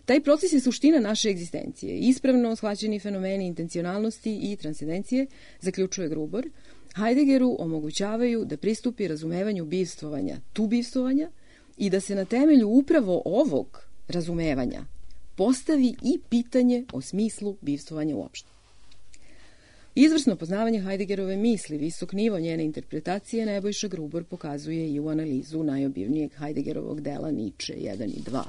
Taj proces je suština naše egzistencije. Ispravno shvaćeni fenomeni intencionalnosti i transcendencije, zaključuje Gruber, Heideggeru omogućavaju da pristupi razumevanju bivstvovanja, tu bivstvovanja, i da se na temelju upravo ovog razumevanja postavi i pitanje o smislu bivstvovanja uopšte. Izvrsno poznavanje Heideggerove misli, visok nivo njene interpretacije, Nebojša Gruber pokazuje i u analizu najobimnijeg Heideggerovog dela Nietzsche 1 i 2,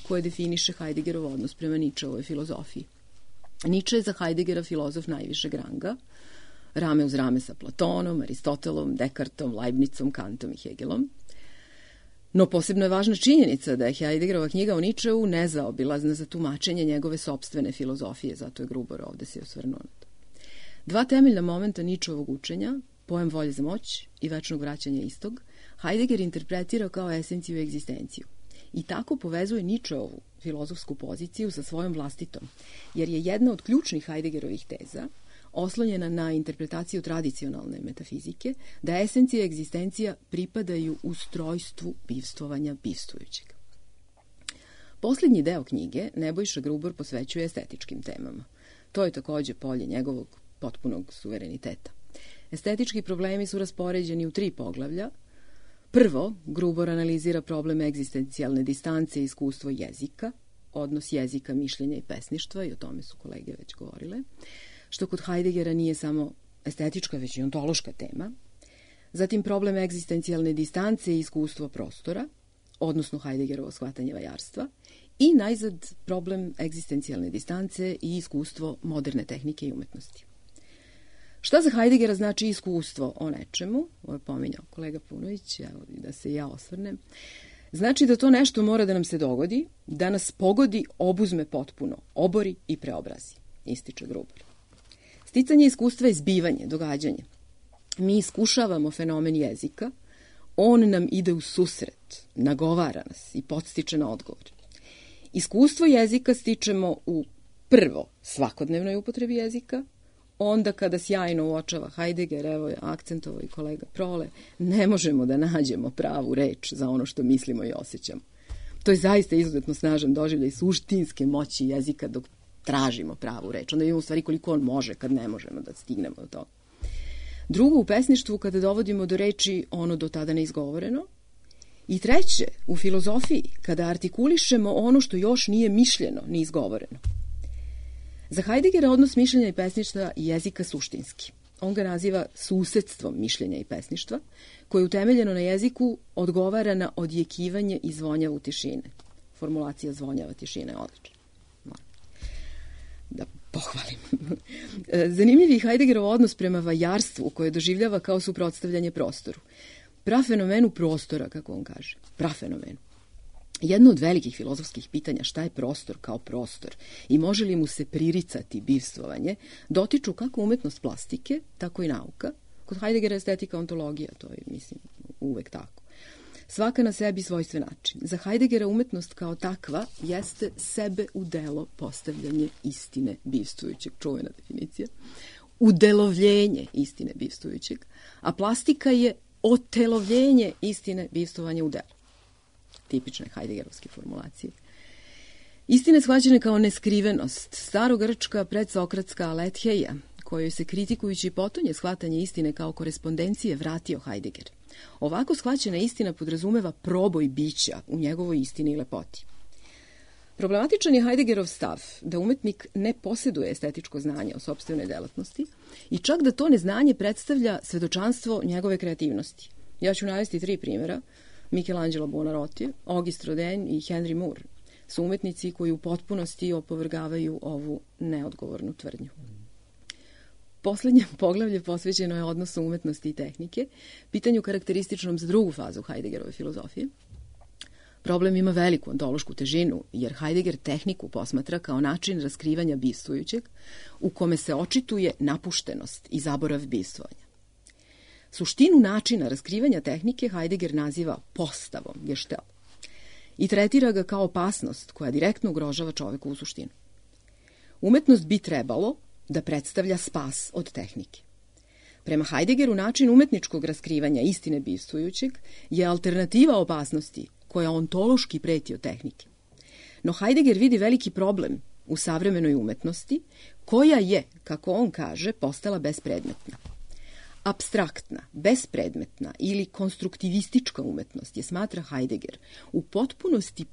koje definiše Heideggerov odnos prema Nietzscheovoj filozofiji. Nietzsche je za Heideggera filozof najvišeg ranga, rame uz rame sa Platonom, Aristotelom, Descartesom, Leibnicom, Kantom i Hegelom. No posebno je važna činjenica da je Heideggerova knjiga o Nietzscheu nezaobilazna za tumačenje njegove sopstvene filozofije, zato je Gruber ovde se osvrnuo na to. Dva temeljna momenta Nietzscheovog učenja, pojam volje za moć i večnog vraćanja istog, Heidegger interpretira kao esenciju i egzistenciju. I tako povezuje Nietzscheovu filozofsku poziciju sa svojom vlastitom, jer je jedna od ključnih Heideggerovih teza oslonjena na interpretaciju tradicionalne metafizike, da esencija i egzistencija pripadaju ustrojstvu bivstvovanja bivstvujućeg. Poslednji deo knjige Nebojša Gruber posvećuje estetičkim temama. To je takođe polje njegovog potpunog suvereniteta. Estetički problemi su raspoređeni u 3 poglavlja. Prvo, Gruber analizira problem egzistencijalne distance i iskustvo jezika, odnos jezika, mišljenja i pesništva, i o tome su kolege već govorile, što kod Heideggera nije samo estetička, već i ontološka tema. Zatim problem egzistencijalne distance i iskustvo prostora, odnosno Heideggerovo shvatanje vajarstva, i najzad problem egzistencijalne distance i iskustvo moderne tehnike i umetnosti. Šta za Heideggera znači iskustvo o nečemu? Ovo je pominjao kolega Punović, evo da se ja osvrnem. Znači da to nešto mora da nam se dogodi, da nas pogodi, obuzme potpuno, obori i preobrazi, ističe Gruber. Sticanje iskustva je zbivanje, događanje. Mi iskušavamo fenomen jezika, on nam ide u susret, nagovara nas i podstiče na odgovor. Iskustvo jezika stičemo u prvo svakodnevnoj upotrebi jezika, onda kada sjajno uočava Heidegger, evo je akcentovao i kolega Prole, ne možemo da nađemo pravu reč za ono što mislimo i osjećamo. To je zaista izuzetno snažan doživljaj suštinske moći jezika dok tražimo pravu reč. Onda vidimo u stvari koliko on može kad ne možemo da stignemo do toga. Drugo, u pesništvu kada dovodimo do reči ono do tada neizgovoreno. I treće, u filozofiji kada artikulišemo ono što još nije mišljeno ni izgovoreno. Za Heideggera odnos mišljenja i pesništva i jezika suštinski. On ga naziva susedstvom mišljenja i pesništva, koje utemeljeno na jeziku odgovara na odjekivanje i zvonjavu tišine. Formulacija zvonjava tišina je odlična. Da pohvalim. Zanimljiv je Heideggerov odnos prema vajarstvu koje doživljava kao suprotstavljanje prostoru. Prafenomenu prostora, kako on kaže. Prafenomenu. Jedno od velikih filozofskih pitanja šta je prostor kao prostor i može li mu se priricati bivstvovanje, dotiču kako umetnost plastike, tako i nauka. Kod Heideggera estetika ontologija, to je, mislim, uvek tako. Svaka na sebi svojstven način. Za Heideggera umetnost kao takva jeste sebe u delo postavljanje istine bivstvujućeg, čuvena definicija, udelovljenje istine bivstvujućeg, a plastika je otelovljenje istine bivstvovanja u delu. Tipične Heideggerovske formulacije. Istine shvaćene kao neskrivenost, starogrčka predsokratska aletheia, kojoj se kritikujući potonje shvatanje istine kao korespondencije vratio Heidegger. Ovako shvaćena istina podrazumeva proboj bića u njegovoj istini i lepoti. Problematičan je Heideggerov stav da umetnik ne posjeduje estetičko znanje o sopstvenoj delatnosti i čak da to neznanje predstavlja svedočanstvo njegove kreativnosti. Ja ću navesti 3 primjera. Michelangelo Buonarroti, Auguste Rodin i Henry Moore su umetnici koji u potpunosti opovrgavaju ovu neodgovornu tvrdnju. Poslednje poglavlje posvećeno je odnosu umetnosti i tehnike, pitanju karakterističnom za drugu fazu Heideggerove filozofije. Problem ima veliku ontološku težinu, jer Heidegger tehniku posmatra kao način raskrivanja bivstvujućeg, u kome se očituje napuštenost i zaborav bivstvovanja. Suštinu načina raskrivanja tehnike Heidegger naziva postavom, gestell, i tretira ga kao opasnost koja direktno ugrožava čovekovu suštinu. Umetnost bi trebalo da predstavlja spas od tehnike. Prema Heideggeru način umetničkog raskrivanja istine bivstvujućeg je alternativa opasnosti koja ontološki preti od tehnike. No Heidegger vidi veliki problem u savremenoj umetnosti koja je, kako on kaže, postala bespredmetna. Apstraktna, bespredmetna ili konstruktivistička umetnost je, smatra Heidegger, u potpunosti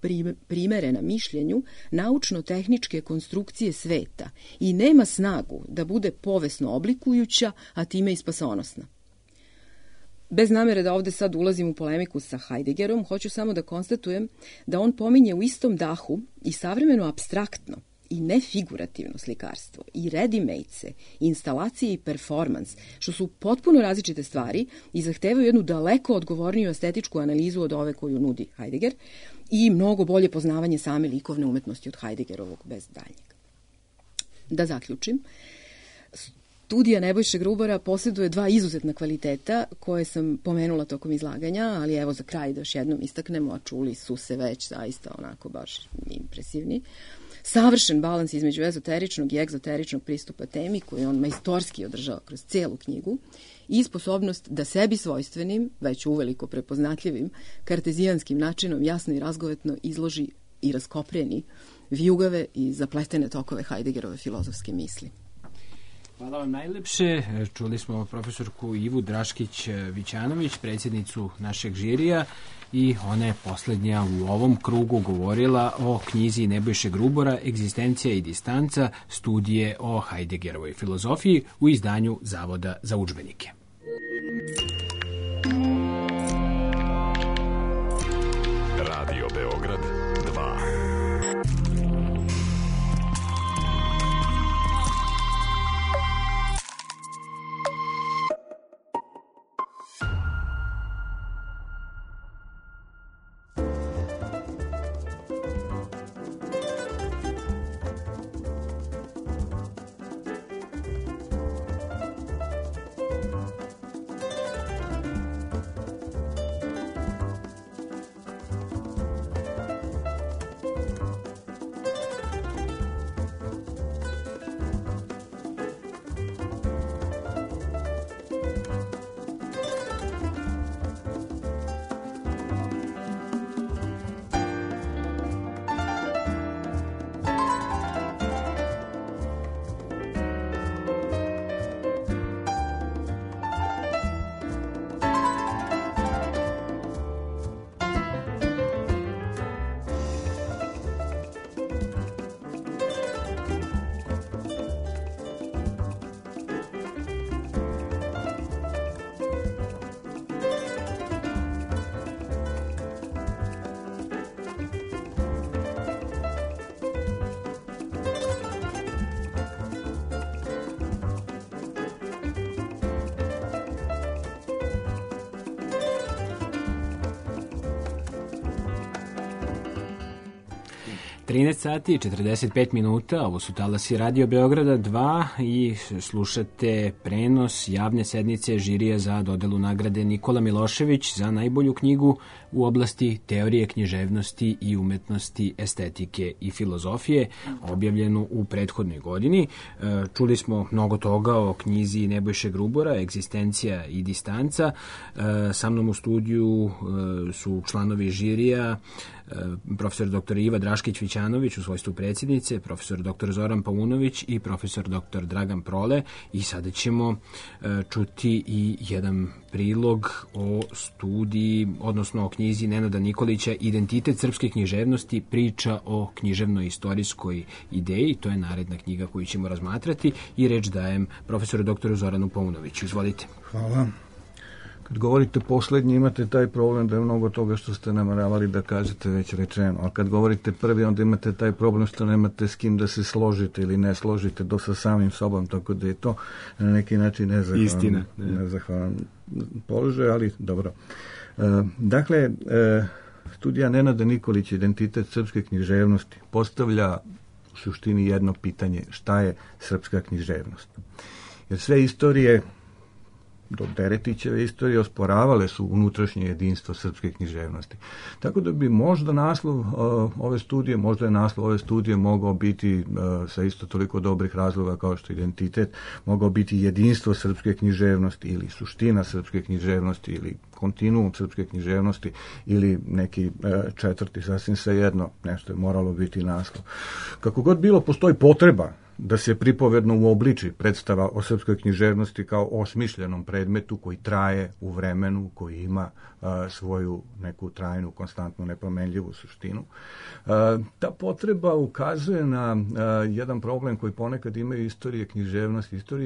primerena mišljenju naučno-tehničke konstrukcije sveta i nema snagu da bude povesno oblikujuća, a time i spasonosna. Bez namere da ovde sad ulazim u polemiku sa Heideggerom, hoću samo da konstatujem da on pominje u istom dahu i savremeno apstraktno i nefigurativno slikarstvo, i ready-made-se, instalacije i performans, što su potpuno različite stvari i zahtevaju jednu daleko odgovorniju estetičku analizu od ove koju nudi Heidegger i mnogo bolje poznavanje same likovne umetnosti od Heideggerovog bez daljnjeg. Da zaključim, studija Nebojše Grubora posjeduje 2 izuzetna kvaliteta koje sam pomenula tokom izlaganja, ali evo za kraj da još jednom istaknemo, a čuli su se već zaista onako baš impresivni. Savršen balans između ezoteričnog i egzoteričnog pristupa temi koju on majstorski održava kroz cijelu knjigu i sposobnost da sebi svojstvenim, već uveliko prepoznatljivim, kartezijanskim načinom jasno i razgovetno izloži i raskopreni vijugave i zapletene tokove Heideggerove filozofske misli. Hvala vam najlepše. Čuli smo profesorku Ivu Draškić-Vićanović, predsjednicu našeg žirija, i ona je posljednja u ovom krugu govorila o knjizi Nebojše Grubora Egzistencija i distanca, studije o Heideggerovoj filozofiji u izdanju Zavoda za udžbenike. Radio Beograd 2. 13 sati i 45 minuta, ovo su talasi Radio Beograda 2 i slušate prenos javne sednice žirija za dodelu nagrade Nikola Milošević za najbolju knjigu u oblasti teorije književnosti i umetnosti, estetike i filozofije, objavljenu u prethodnoj godini. Čuli smo mnogo toga o knjizi Nebojše Grubora, Egzistencija i distanca. Sa mnom u studiju su članovi žirija, profesor dr. Iva Draškić-Vićanović u svojstvu predsjednice, profesor dr. Zoran Paunović i profesor dr. Dragan Prole. I sada ćemo čuti i jedan prilog o studiji, odnosno o knjizi Nenada Nikolića Identitet srpske književnosti, priča o književno-istorijskoj ideji. To je naredna knjiga koju ćemo razmatrati i reč dajem profesoru dr. Zoranu Paunoviću. Izvolite. Hvala. Kad govorite poslednji, imate taj problem da je mnogo toga što ste nameravali da kažete već rečeno, a kad govorite prvi, onda imate taj problem što nemate s kim da se složite ili ne složite sa samim sobom, tako da je to na neki način nezahvalan položaj, ali dobro. Dakle, studija Nenada Nikolića Identitet srpske književnosti postavlja u suštini jedno pitanje: šta je srpska književnost? Jer sve istorije do Deretićeve istorije osporavale su unutrašnje jedinstvo srpske književnosti. Tako da bi možda naslov ove studije mogao biti sa isto toliko dobrih razloga kao što identitet, mogao biti jedinstvo srpske književnosti ili suština srpske književnosti ili kontinuum srpske književnosti ili neki četvrti, sasvim svejedno, nešto je moralo biti naslov. Kako god bilo, postoji potreba da se pripovedno uobliči predstava o srpskoj književnosti kao osmišljenom predmetu koji traje u vremenu, koji ima svoju neku trajnu, konstantnu, nepromenljivu suštinu. Ta potreba ukazuje na jedan problem koji ponekad imaju istorije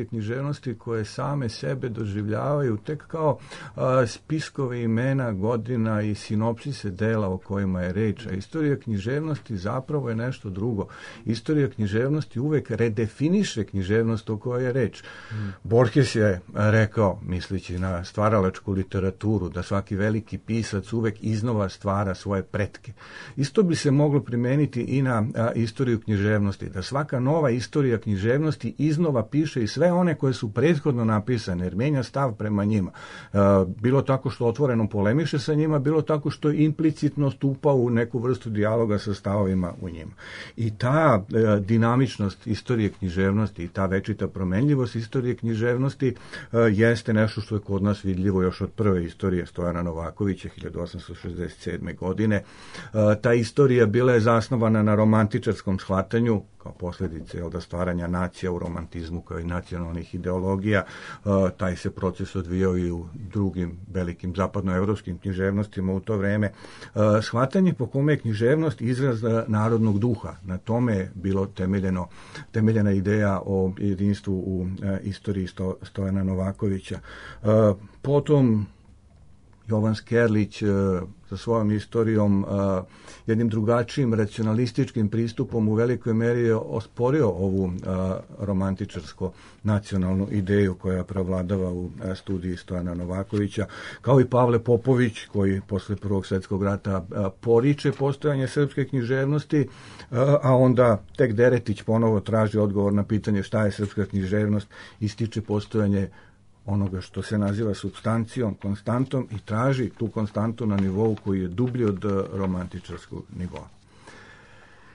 književnosti koje same sebe doživljavaju tek kao spiskove imena, godina i sinopsise dela o kojima je reč. A istorija književnosti zapravo je nešto drugo. Istorija književnosti uvek redefiniše književnost o kojoj je reč. Borges je rekao, misleći na stvaralačku literaturu, da svaki veliki pisac uvek iznova stvara svoje pretke. Isto bi se moglo primeniti i na istoriju književnosti, da svaka nova istorija književnosti iznova piše i sve one koje su prethodno napisane, jer menja stav prema njima. Bilo tako što otvoreno polemiše sa njima, bilo tako što implicitno stupa u neku vrstu dijaloga sa stavovima u njima. I ta dinamičnost istorije književnosti i ta večita promenljivost istorije književnosti jeste nešto što je kod nas vidljivo još od prve istorije Stojana Novakovića 1867. godine. Ta istorija bila je zasnovana na romantičarskom shvatanju kao posljedice stvaranja nacija u romantizmu kao i nacionalnih ideologija. Taj se proces odvijao i u drugim velikim zapadnoevropskim književnostima u to vreme. Shvatanje po kome je književnost izraz narodnog duha. Na tome je bilo temeljena ideja o jedinstvu u istoriji Stojana Novakovića. Potom Jovan Skerlić sa svojom istorijom, jednim drugačijim racionalističkim pristupom u velikoj meri je osporio ovu romantičarsko nacionalnu ideju koja prevladava u studiji Stojana Novakovića, kao i Pavle Popović koji posle Prvog svjetskog rata poriče postojanje srpske književnosti, a onda tek Deretić ponovo traži odgovor na pitanje šta je srpska književnost, ističe postojanje onoga što se naziva supstancijom, konstantom i traži tu konstantu na nivou koji je dublji od romantičarskog nivoa.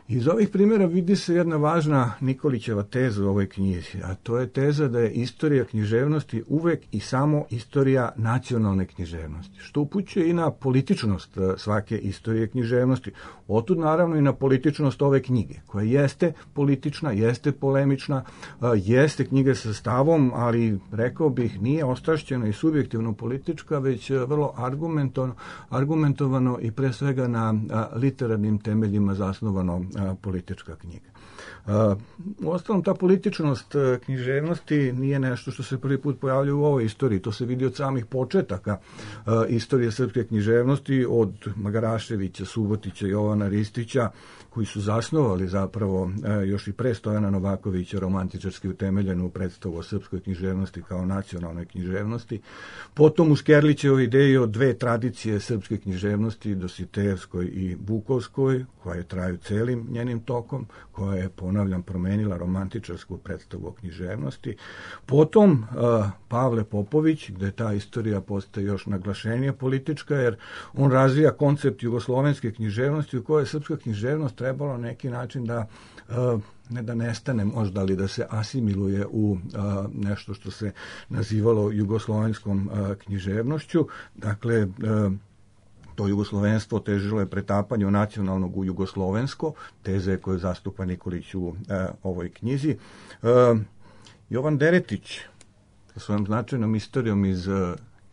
Iz ovih primjera vidi se jedna važna Nikolićeva teza u ovoj knjizi, a to je teza da je istorija književnosti uvek i samo istorija nacionalne književnosti, što upućuje i na političnost svake istorije književnosti. Otud naravno i na političnost ove knjige, koja jeste politična, jeste polemična, jeste knjiga sa stavom, ali rekao bih nije ostrašćena i subjektivno politička, već vrlo argumentovano i pre svega na literarnim temeljima zasnovano politička knjiga. Uostalom, ta političnost književnosti nije nešto što se prvi put pojavljuje u ovoj istoriji. To se vidi od samih početaka istorije srpske književnosti, od Magaraševića, Subotića, Jovana Ristića, koji su zasnovali zapravo još i pre Stojana Novakovića romantičarski utemeljenu predstavu o srpskoj književnosti kao nacionalnoj književnosti. Potom u Skerlićevoj ideji o dve tradicije srpske književnosti, Dositejevskoj i Vukovskoj, koja traju celim njenim tokom, koja je, ponavljam, promenila romantičarsku predstavu o književnosti. Potom Pavle Popović, gde ta istorija postaje još naglašenije politička, jer on razvija koncept jugoslovenske književnosti u kojoj je srpska književnost trebalo na neki način da ne da nestane možda, ali da se asimiluje u nešto što se nazivalo jugoslovenskom književnošću. Dakle, to jugoslovenstvo težilo je pretapanju nacionalnog u jugoslovensko, teze koje zastupa Nikolić u ovoj knjizi. Jovan Deretić sa svojom značajnom istorijom iz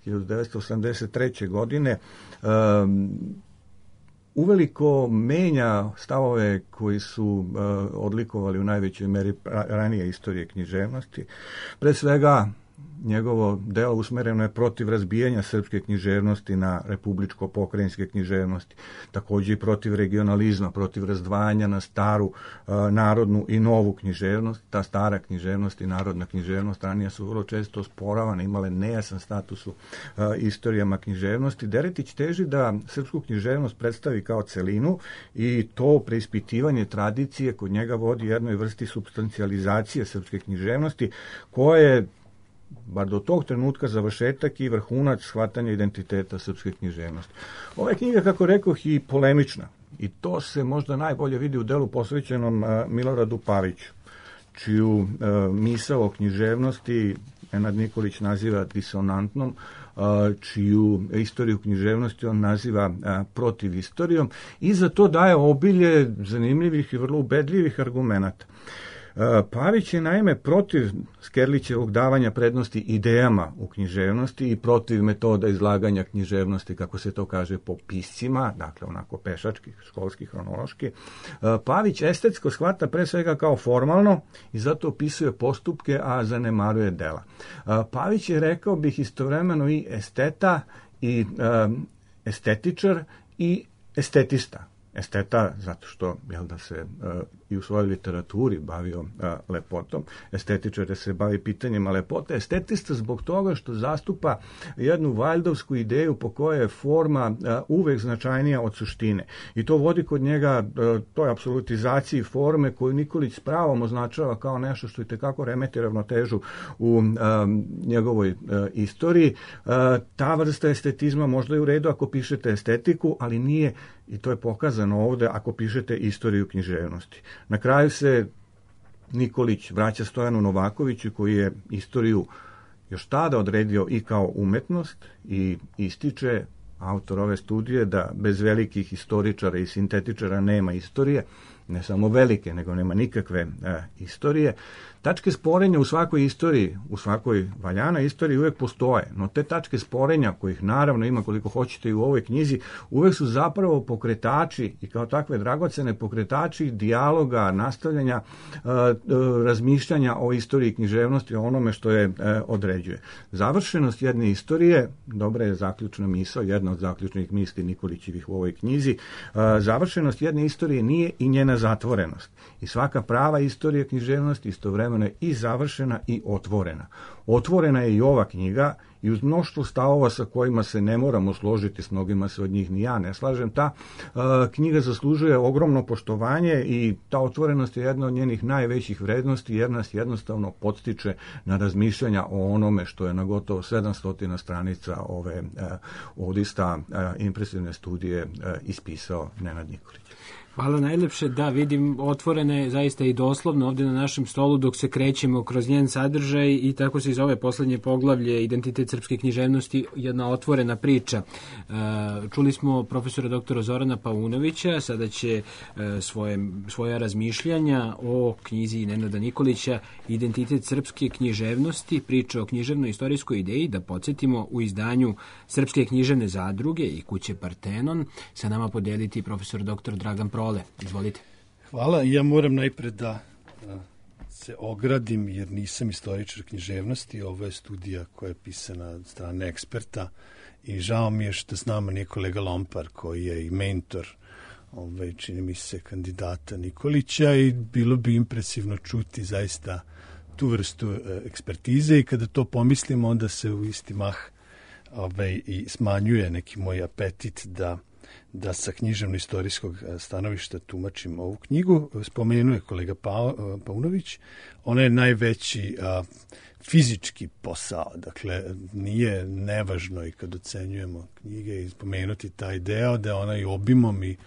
1983. godine uveliko menja stavove koji su odlikovali u najvećoj meri ranije istorije književnosti. Pre svega, njegovo delo usmereno je protiv razbijanja srpske književnosti na republičko-pokrajinske književnosti, takođe i protiv regionalizma, protiv razdvajanja na staru narodnu i novu književnost. Ta stara književnost i narodna književnost ranije su vrlo često osporavane, imale nejasan status u istorijama književnosti. Deretić teži da srpsku književnost predstavi kao celinu i to preispitivanje tradicije kod njega vodi jednoj vrsti supstancializacije srpske književnosti, koja je bar do tog trenutka završetak i vrhunac shvatanja identiteta srpske književnosti. Ova je knjiga, kako rekoh, i polemična. I to se možda najbolje vidi u delu posvećenom Miloradu Paviću, čiju misao o književnosti Nenad Nikolić naziva disonantnom, čiju istoriju književnosti on naziva protiv istorijom, i za to daje obilje zanimljivih i vrlo ubedljivih argumenata. Pavić je naime protiv Skerlićevog davanja prednosti idejama u književnosti i protiv metoda izlaganja književnosti, kako se to kaže, po piscima, dakle onako pešački, školski, hronološki. Pavić estetsko shvata pre svega kao formalno i zato opisuje postupke, a zanemaruje dela. Pavić je, rekao bih, istovremeno i esteta i estetičar i estetista. Esteta zato što se i u svojoj literaturi bavio lepotom, estetičar se bavi pitanjima lepote, estetista zbog toga što zastupa jednu valjdovsku ideju po kojoj je forma uvek značajnija od suštine. I to vodi kod njega toj apsolutizaciji forme koju Nikolić s pravom označava kao nešto što itekako remeti ravnotežu u njegovoj istoriji. Ta vrsta estetizma možda je u redu ako pišete estetiku, ali nije, i to je pokazano ovde, ako pišete istoriju književnosti. Na kraju se Nikolić vraća Stojanu Novakoviću, koji je istoriju još tada odredio i kao umetnost, i ističe, autor ove studije, da bez velikih historičara i sintetičara nema istorije, ne samo velike, nego nema nikakve istorije. Tačke sporenja u svakoj istoriji, u svakoj valjanoj istoriji uvek postoje, no te tačke sporenja, kojih naravno ima koliko hoćete i u ovoj knjizi, uvek su zapravo pokretači i kao takve dragocene pokretači dijaloga, nastavljanja, razmišljanja o istoriji književnosti, o onome što je određuje. Završenost jedne istorije, dobra je zaključna misao, jedna od zaključnih misli Nikolićevih u ovoj knjizi, završenost jedne istorije nije i njena zatvorenost. I svaka prava istorija književnosti istovremeno je i završena i otvorena. Otvorena je i ova knjiga i uz mnoštvo stavova sa kojima se ne moramo složiti, s mnogima se od njih ni ja ne slažem, ta knjiga zaslužuje ogromno poštovanje i ta otvorenost je jedna od njenih najvećih vrednosti, jer nas jednostavno podstiče na razmišljanja o onome što je na gotovo 700 stranica ove odista impresivne studije ispisao Nenad Nikolić. Hvala najlepše, da, vidim otvorene zaista i doslovno ovde na našem stolu dok se krećemo kroz njen sadržaj i tako se iz ove poslednje poglavlje Identitet srpske književnosti jedna otvorena priča. Čuli smo profesora doktora Zorana Paunovića, sada će svoja razmišljanja o knjizi Nenada Nikolića Identitet srpske književnosti, priča o književnoj istorijskoj ideji, da podsjetimo, u izdanju Srpske književne zadruge i kuće Partenon, sa nama podeliti profesor doktor Dragan Prole. Izvolite. Hvala. Ja moram najpred da se ogradim jer nisam istoričar književnosti. Ovo je studija koja je pisana od strane eksperta i žao mi je što s nama nije kolega Lompar koji je i mentor čini mi se kandidata Nikolića i bilo bi impresivno čuti zaista tu vrstu ekspertize i kada to pomislimo onda se u isti mah i smanjuje neki moj apetit da sa književno-istorijskog stanovišta tumačim ovu knjigu. Spomenuje kolega Paunović, ona je najveći fizički posao, dakle nije nevažno i kad ocenjujemo knjige i spomenuti taj deo da ona i obimom i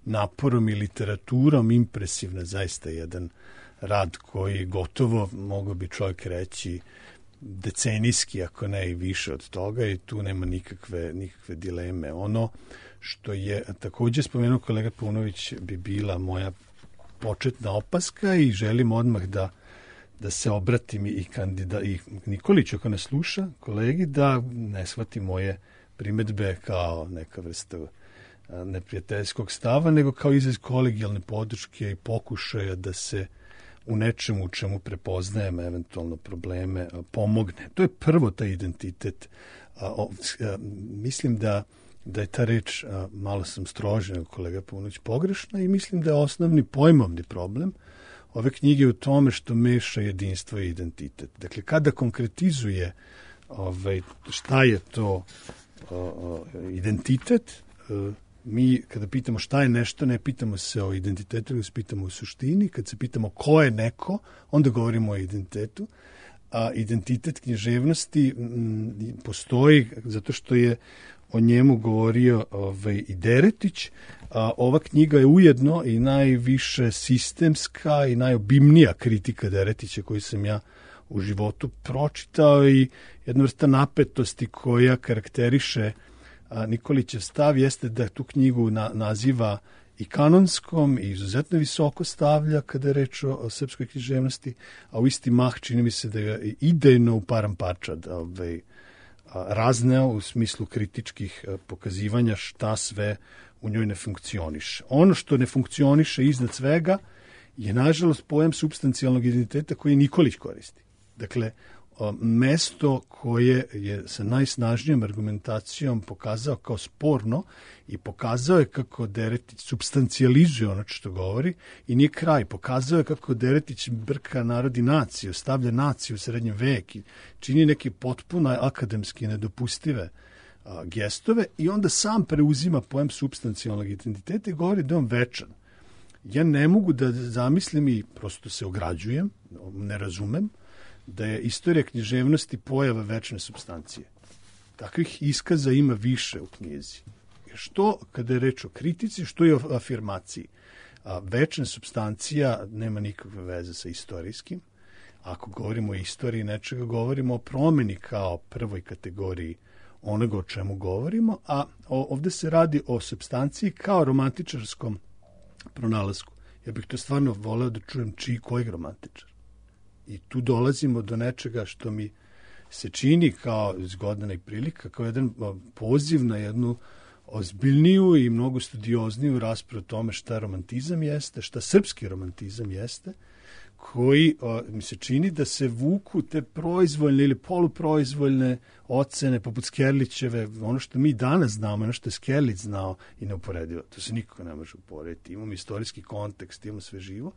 naporom i literaturom impresivna, zaista jedan rad koji gotovo, mogo bi čovjek reći, decenijski, ako ne i više od toga i tu nema nikakve dileme. Ono što je također spomenuo kolega Paunović bi bila moja početna opaska i želim odmah da se obratim i Nikoliću ako nas sluša, kolegi, da ne shvati moje primedbe kao neka vrsta neprijateljskog stava, nego kao izraz kolegijalne podrške i pokušaja da se u nečemu u čemu prepoznajemo eventualno probleme pomogne. To je prvo taj identitet. Mislim da je ta reč, malo sam strožen nego kolega Paunović, pogrešna i mislim da je osnovni pojmovni problem ove knjige u tome što meša jedinstvo i identitet. Dakle, kada konkretizuje šta je to identitet, mi kada pitamo šta je nešto, ne pitamo se o identitetu, nego se pitamo o suštini. Kad se pitamo ko je neko, onda govorimo o identitetu. A identitet književnosti postoji zato što je o njemu govorio i Deretić. Ova knjiga je ujedno i najviše sistemska i najobimnija kritika Deretića koju sam ja u životu pročitao i jedna vrsta napetosti koja karakteriše Nikolićev stav jeste da tu knjigu naziva i kanonskom i izuzetno visoko stavlja kada je reč o srpskoj književnosti, a u isti mah čini mi se da je idejno u param parčad razneo u smislu kritičkih pokazivanja šta sve u njoj ne funkcioniše. Ono što ne funkcioniše iznad svega je nažalost pojam supstancijalnog identiteta koji Nikolić koristi. Dakle, mesto koje je sa najsnažnijom argumentacijom pokazao kao sporno i pokazao je kako Deretić supstancijalizuje ono što govori i nije kraj. Pokazao je kako Deretić brka narod i naciju, stavlja naciju u srednjem vek i čini neke potpuno akademski nedopustive gestove i onda sam preuzima pojam supstancijalnog identiteta i govori da je on večan. Ja ne mogu da zamislim i prosto se ograđujem, ne razumem, da je istorija književnosti pojava večne supstancije. Takvih iskaza ima više u knjizi. Što kada je reč o kritici, što je o afirmaciji. Večna supstancija nema nikakve veze sa istorijskim. Ako govorimo o istoriji nečega, govorimo o promeni kao prvoj kategoriji onoga o čemu govorimo, a ovdje se radi o supstanciji kao romantičarskom pronalasku. Ja bih to stvarno voleo da čujem kojeg romantičar. I tu dolazimo do nečega što mi se čini kao zgodna i prilika, kao jedan poziv na jednu ozbiljniju i mnogo studiozniju raspravu o tome šta romantizam jeste, šta srpski romantizam jeste, koji mi se čini da se vuku te proizvoljne ili poluproizvoljne ocene poput Skerlićeve, ono što mi danas znamo, ono što je Skerlić znao i neuporedivo. To se nikako ne može uporediti. Imamo istorijski kontekst, imamo sve živo.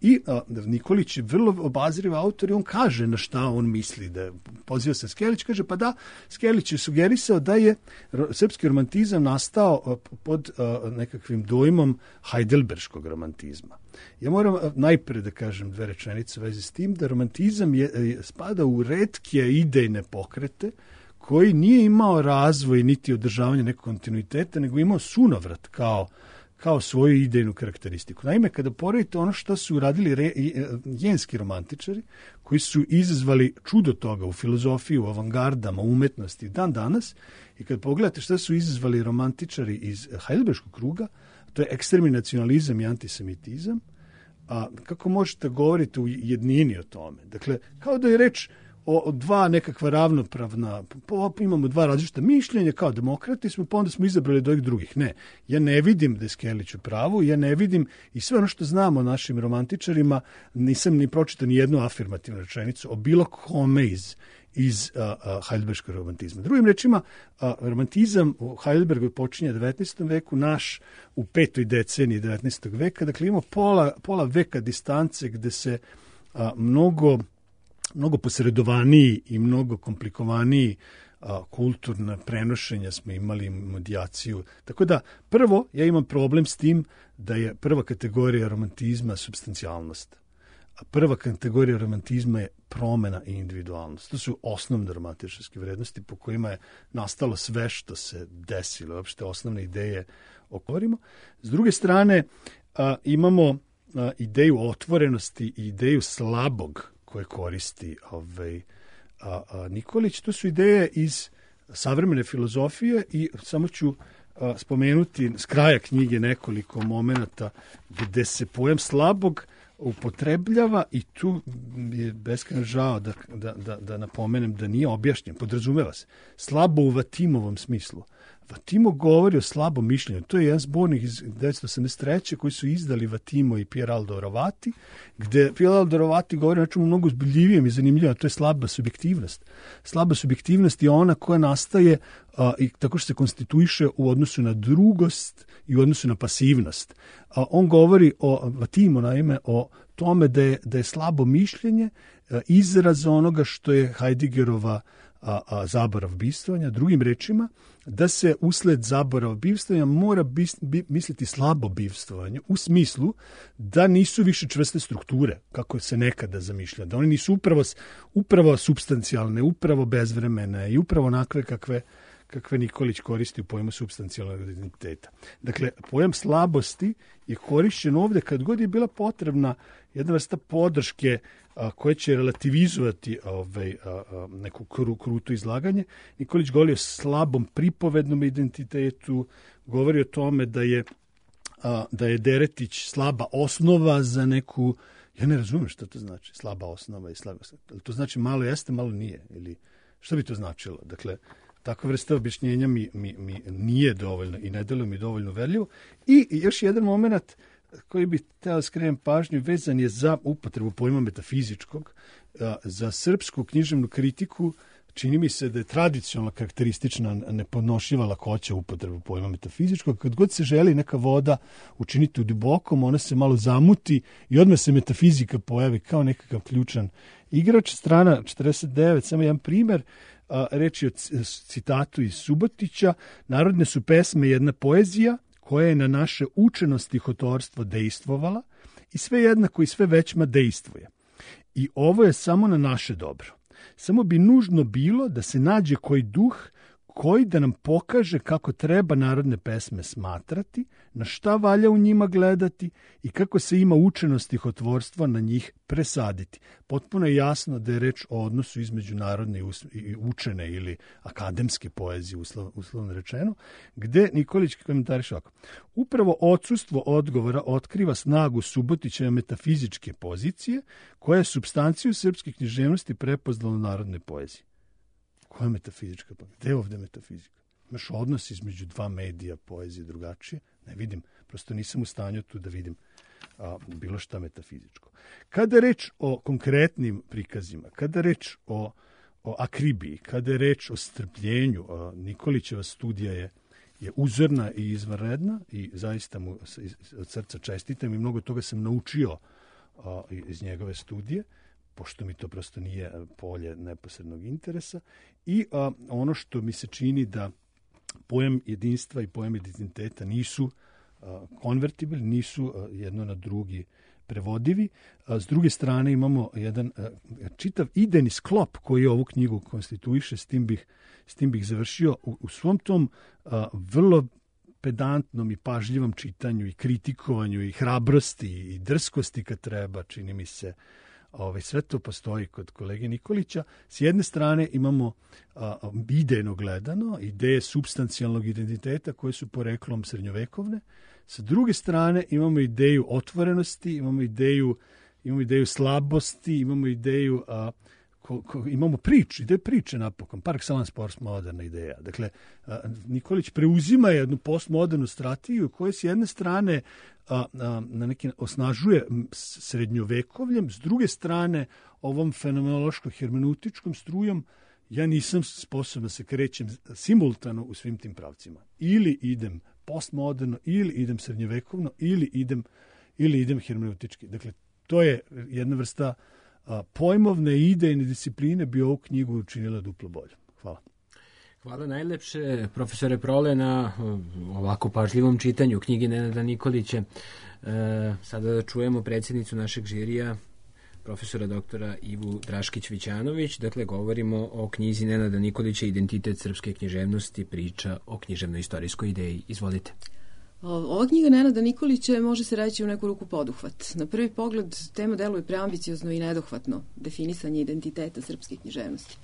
I Nikolić je vrlo obazriv autor i on kaže na šta on misli. Da poziva se Skerlić, kaže pa da, Skerlić je sugerisao da je srpski romantizam nastao pod nekakvim dojmom heidelberškog romantizma. Ja moram najpre da kažem dve rečenice u vezi s tim, da romantizam spada u retke idejne pokrete koji nije imao razvoj niti održavanje nekog kontinuiteta, nego imao sunovrat kao svoju idejnu karakteristiku. Naime, kada poredite ono što su uradili jenski romantičari, koji su izazvali čudo toga u filozofiji, u avangardama, u umetnosti dan danas, i kad pogledate šta su izazvali romantičari iz heidelberškog kruga, to je ekstremni nacionalizam i antisemitizam, a kako možete govoriti u jednini o tome? Dakle, kao da je reč o dva nekakva ravnopravna, imamo dva različita mišljenja, kao demokrati smo, pa onda smo izabrali od ovih drugih. Ne, ja ne vidim da je Skellić u pravu, ja ne vidim i sve ono što znamo o našim romantičarima, nisam ni pročitao ni jednu afirmativnu rečenicu o bilo kome iz Heidelberškog romantizma. Drugim rečima, romantizam u Heidelbergu počinje 19. veku, naš u 5. deceniji 19. veka, dakle imamo pola veka distance gde se mnogo posredovaniji i mnogo komplikovaniji kulturna prenošenja smo imali, medijaciju. Tako da, prvo, ja imam problem s tim da je prva kategorija romantizma supstancijalnost. A prva kategorija romantizma je promena i individualnost. To su osnovne romantičarske vrednosti po kojima je nastalo sve što se desilo, uopšte osnovne ideje o kojima. S druge strane, imamo ideju otvorenosti i ideju slabog koje koristi Nikolić. To su ideje iz savremene filozofije i samo ću spomenuti s kraja knjige nekoliko momenata gde se pojam slabog upotrebljava i tu je beskrajno žao da napomenem da nije objašnjen, podrazumeva se. Slabo u Vatimovom smislu. Vatimo govori o slabom mišljenju. To je jedan zbornik iz 1983. koji su izdali Vatimo i Pieraldo Rovati, gde Pieraldo Rovati govori o nečemu mnogo zbiljivijem i zanimljivom, a to je slaba subjektivnost. Slaba subjektivnost je ona koja nastaje i tako što se konstituiše u odnosu na drugost i u odnosu na pasivnost. On govori o Vatimo, naime, o tome da je slabo mišljenje izraz onoga što je Heideggerova zaborav bivstvovanja. Drugim rečima, da se usled zaborava bivstvovanja mora misliti slabo bivstvovanje u smislu da nisu više čvrste strukture, kako se nekada zamišlja, da one nisu upravo supstancijalne, upravo bezvremene i upravo onakve kakve Nikolić koristi u pojmu supstancijalnog identiteta. Dakle, pojam slabosti je korišćen ovde kad god je bila potrebna jedna vrsta podrške koja će relativizovati neku kruto izlaganje. Nikolić govori o slabom pripovednom identitetu, govori o tome da je Deretić slaba osnova za neku... Ja ne razumem šta to znači, slaba osnova i slaba... To znači malo jeste, malo nije. Ili šta bi to značilo? Dakle, takva vrsta objašnjenja mi nije dovoljno i ne deluje mi dovoljno verljivo. I još jedan moment koji bih hteo skrenem pažnju vezan je za upotrebu pojma metafizičkog. Za srpsku književnu kritiku čini mi se da je tradicionalno karakteristična nepodnošljiva lakoća upotrebu pojma metafizičkog. Kad god se želi neka voda učiniti u dubokom, ona se malo zamuti i odmah se metafizika pojavi kao nekakav ključan igrač. Strana 49, samo jedan primer, reč je o citatu iz Subotića: narodne su pesme jedna poezija koja je na naše učeno stihotorstvo dejstvovala i sve jednako i sve većma dejstvuje. I ovo je samo na naše dobro. Samo bi nužno bilo da se nađe koji duh koji da nam pokaže kako treba narodne pesme smatrati, na šta valja u njima gledati i kako se ima učeno stihotvorstva na njih presaditi. Potpuno je jasno da je reč o odnosu između narodne i učene ili akademske poezije, uslovno rečeno, gde Nikolić komentariše ovako: upravo odsustvo odgovora otkriva snagu Subotićeve metafizičke pozicije, koja je supstanciju srpske književnosti prepoznala u narodnoj poeziji. Koja je metafizička? Gde je ovde metafizika? Imaš odnos između dva medija, poezije drugačije? Ne vidim, prosto nisam u stanju tu da vidim bilo šta metafizičko. Kada je reč o konkretnim prikazima, kada je reč o akribiji, kada je reč o strpljenju, Nikolićeva studija je uzorna i izvanredna i zaista mu od srca čestitam i mnogo toga sam naučio iz njegove studije, pošto mi to prosto nije polje neposrednog interesa. I ono što mi se čini da pojam jedinstva i pojam identiteta nisu konvertibilni, nisu jedno na drugi prevodivi. S druge strane imamo jedan čitav idejni sklop koji ovu knjigu konstituiše, s tim bih završio. U svom tom vrlo pedantnom i pažljivom čitanju i kritikovanju i hrabrosti i drskosti kad treba, čini mi se, sve to postoji kod kolege Nikolića. S jedne strane imamo idejno gledano, ideje supstancijalnog identiteta koje su poreklom srednjovekovne. Sa druge strane imamo ideju otvorenosti, imamo ideju slabosti, imamo ideju imamo priču, ide priče napokon, par excellence postmoderna ideja. Dakle, Nikolić preuzima jednu postmodernu strategiju koja s jedne strane na neki osnažuje srednjovekovljem, s druge strane ovom fenomenološko-hermeneutičkom strujom ja nisam sposoban da se krećem simultano u svim tim pravcima. Ili idem postmoderno, ili idem srednjovekovno, ili idem hermeneutički. Dakle, to je jedna vrsta pojmovne i idejne discipline bi ovu knjigu učinila duplo bolje. Hvala. Hvala najlepše, profesore Prole, na ovako pažljivom čitanju knjige Nenada Nikolića. Sada da čujemo predsjednicu našeg žirija, profesora doktora Ivu Draškić-Vićanović. Dakle, govorimo o knjizi Nenada Nikolića Identitet srpske književnosti, priča o književno-istorijskoj ideji. Izvolite. Ova knjiga Nenada Nikolića može se reći u neku ruku poduhvat. Na prvi pogled tema deluje preambiciozno i nedohvatno, definisanje identiteta srpske književnosti.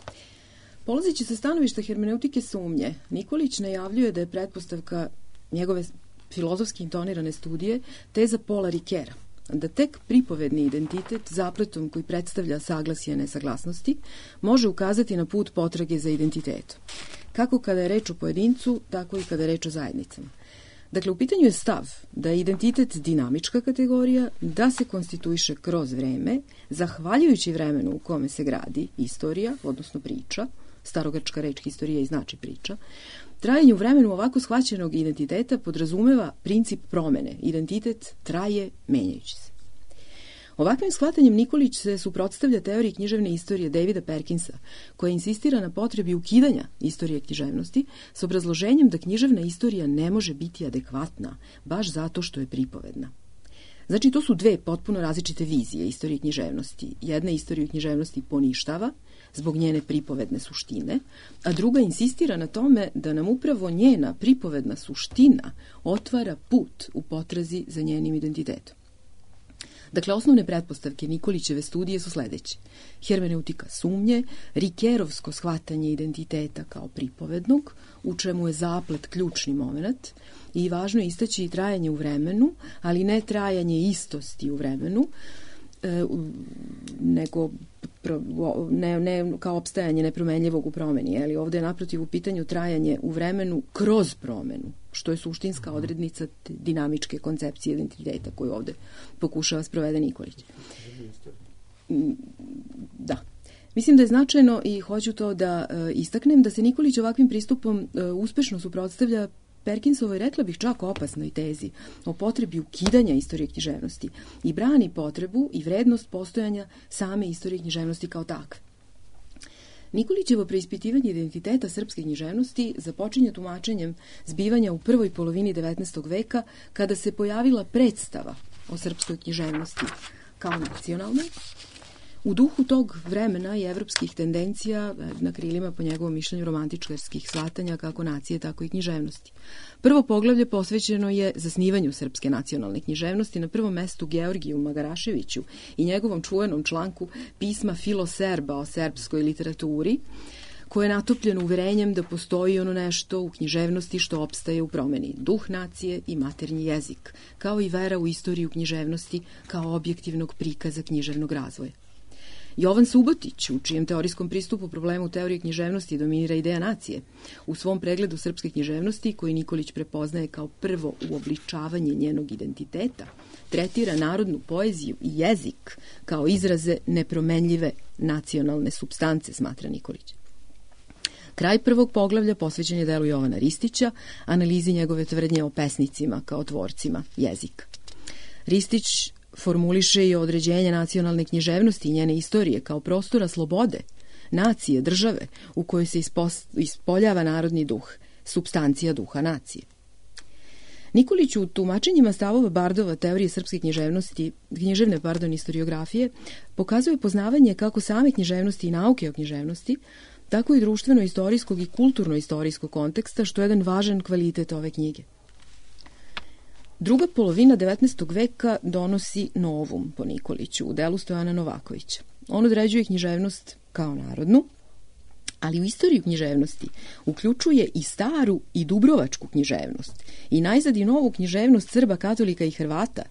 Polazeći sa stanovišta hermeneutike sumnje, Nikolić najavljuje da je pretpostavka njegove filozofski intonirane studije teza Paula Ricoeura, da tek pripovedni identitet zapletom koji predstavlja saglasje nesaglasnosti može ukazati na put potrage za identitetom. Kako kada je reč o pojedincu, tako i kada je reč o zajednicama. Dakle, u pitanju je stav da je identitet dinamička kategorija, da se konstituiše kroz vreme, zahvaljujući vremenu u kome se gradi istorija, odnosno priča, starogrčka reč historija i znači priča. Trajanje u vremenu ovako shvaćenog identiteta podrazumeva princip promene. Identitet traje menjajući se. Ovakvim shvatanjem Nikolić se suprotstavlja teoriji književne istorije Davida Perkinsa, koja insistira na potrebi ukidanja istorije književnosti s obrazloženjem da književna istorija ne može biti adekvatna, baš zato što je pripovedna. Znači, to su dve potpuno različite vizije istorije književnosti. Jedna istoriju književnosti poništava zbog njene pripovedne suštine, a druga insistira na tome da nam upravo njena pripovedna suština otvara put u potrazi za njenim identitetom. Dakle, osnovne pretpostavke Nikolićeve studije su sledeće. Hermeneutika sumnje, Ricoeurovsko shvatanje identiteta kao pripovednog, u čemu je zaplet ključni moment, i važno je istaći trajanje u vremenu, ali ne trajanje istosti u vremenu, nego ne kao opstajanje nepromenljivog u promeni. Ali ovdje je naprotiv u pitanju trajanje u vremenu kroz promenu, što je suštinska odrednica dinamičke koncepcije identiteta koju ovdje pokušava sprovede Nikolić. Da. Mislim da je značajno i hoću to da istaknem da se Nikolić ovakvim pristupom uspešno suprotstavlja Perkinsovoj, rekla bih čak opasnoj tezi o potrebi ukidanja istorije književnosti i brani potrebu i vrednost postojanja same istorije književnosti kao takve. Nikolićevo preispitivanje identiteta srpske književnosti započinje tumačenjem zbivanja u prvoj polovini 19. veka, kada se pojavila predstava o srpskoj književnosti kao nacionalnoj. U duhu tog vremena i evropskih tendencija, na krilima po njegovom mišljenju romantičkarskih shvatanja kako nacije, tako i književnosti. Prvo poglavlje posvećeno je zasnivanju srpske nacionalne književnosti, na prvom mestu Georgiju Magaraševiću i njegovom čuvenom članku pisma Filoserba o serbskoj literaturi, koje je natopljeno uverenjem da postoji ono nešto u književnosti što opstaje u promeni, duh nacije i maternji jezik, kao i vera u istoriju književnosti kao objektivnog prikaza književnog razvoja. Jovan Subotić, u čijem teorijskom pristupu problemu teorije književnosti dominira ideja nacije, u svom pregledu srpske književnosti, koji Nikolić prepoznaje kao prvo uobličavanje njenog identiteta, tretira narodnu poeziju i jezik kao izraze nepromenljive nacionalne supstance, smatra Nikolić. Kraj prvog poglavlja posvećen je delu Jovana Ristića, analizi njegove tvrdnje o pesnicima kao tvorcima jezika. Ristić formuliše i određenje nacionalne književnosti i njene istorije kao prostora slobode, nacije, države, u kojoj se ispoljava narodni duh, supstancija duha nacije. Nikolić u tumačenjima stavova Bardova teorije srpske književne istoriografije pokazuje poznavanje kako same književnosti i nauke o književnosti, tako i društveno-istorijskog i kulturno-istorijskog konteksta, što je jedan važan kvalitet ove knjige. Druga polovina 19. veka donosi novum po Nikoliću u delu Stojana Novakovića. On određuje književnost kao narodnu, Ali u istoriju književnosti uključuje i staru i dubrovačku književnost i najzad i novu književnost Srba, katolika i Hrvata,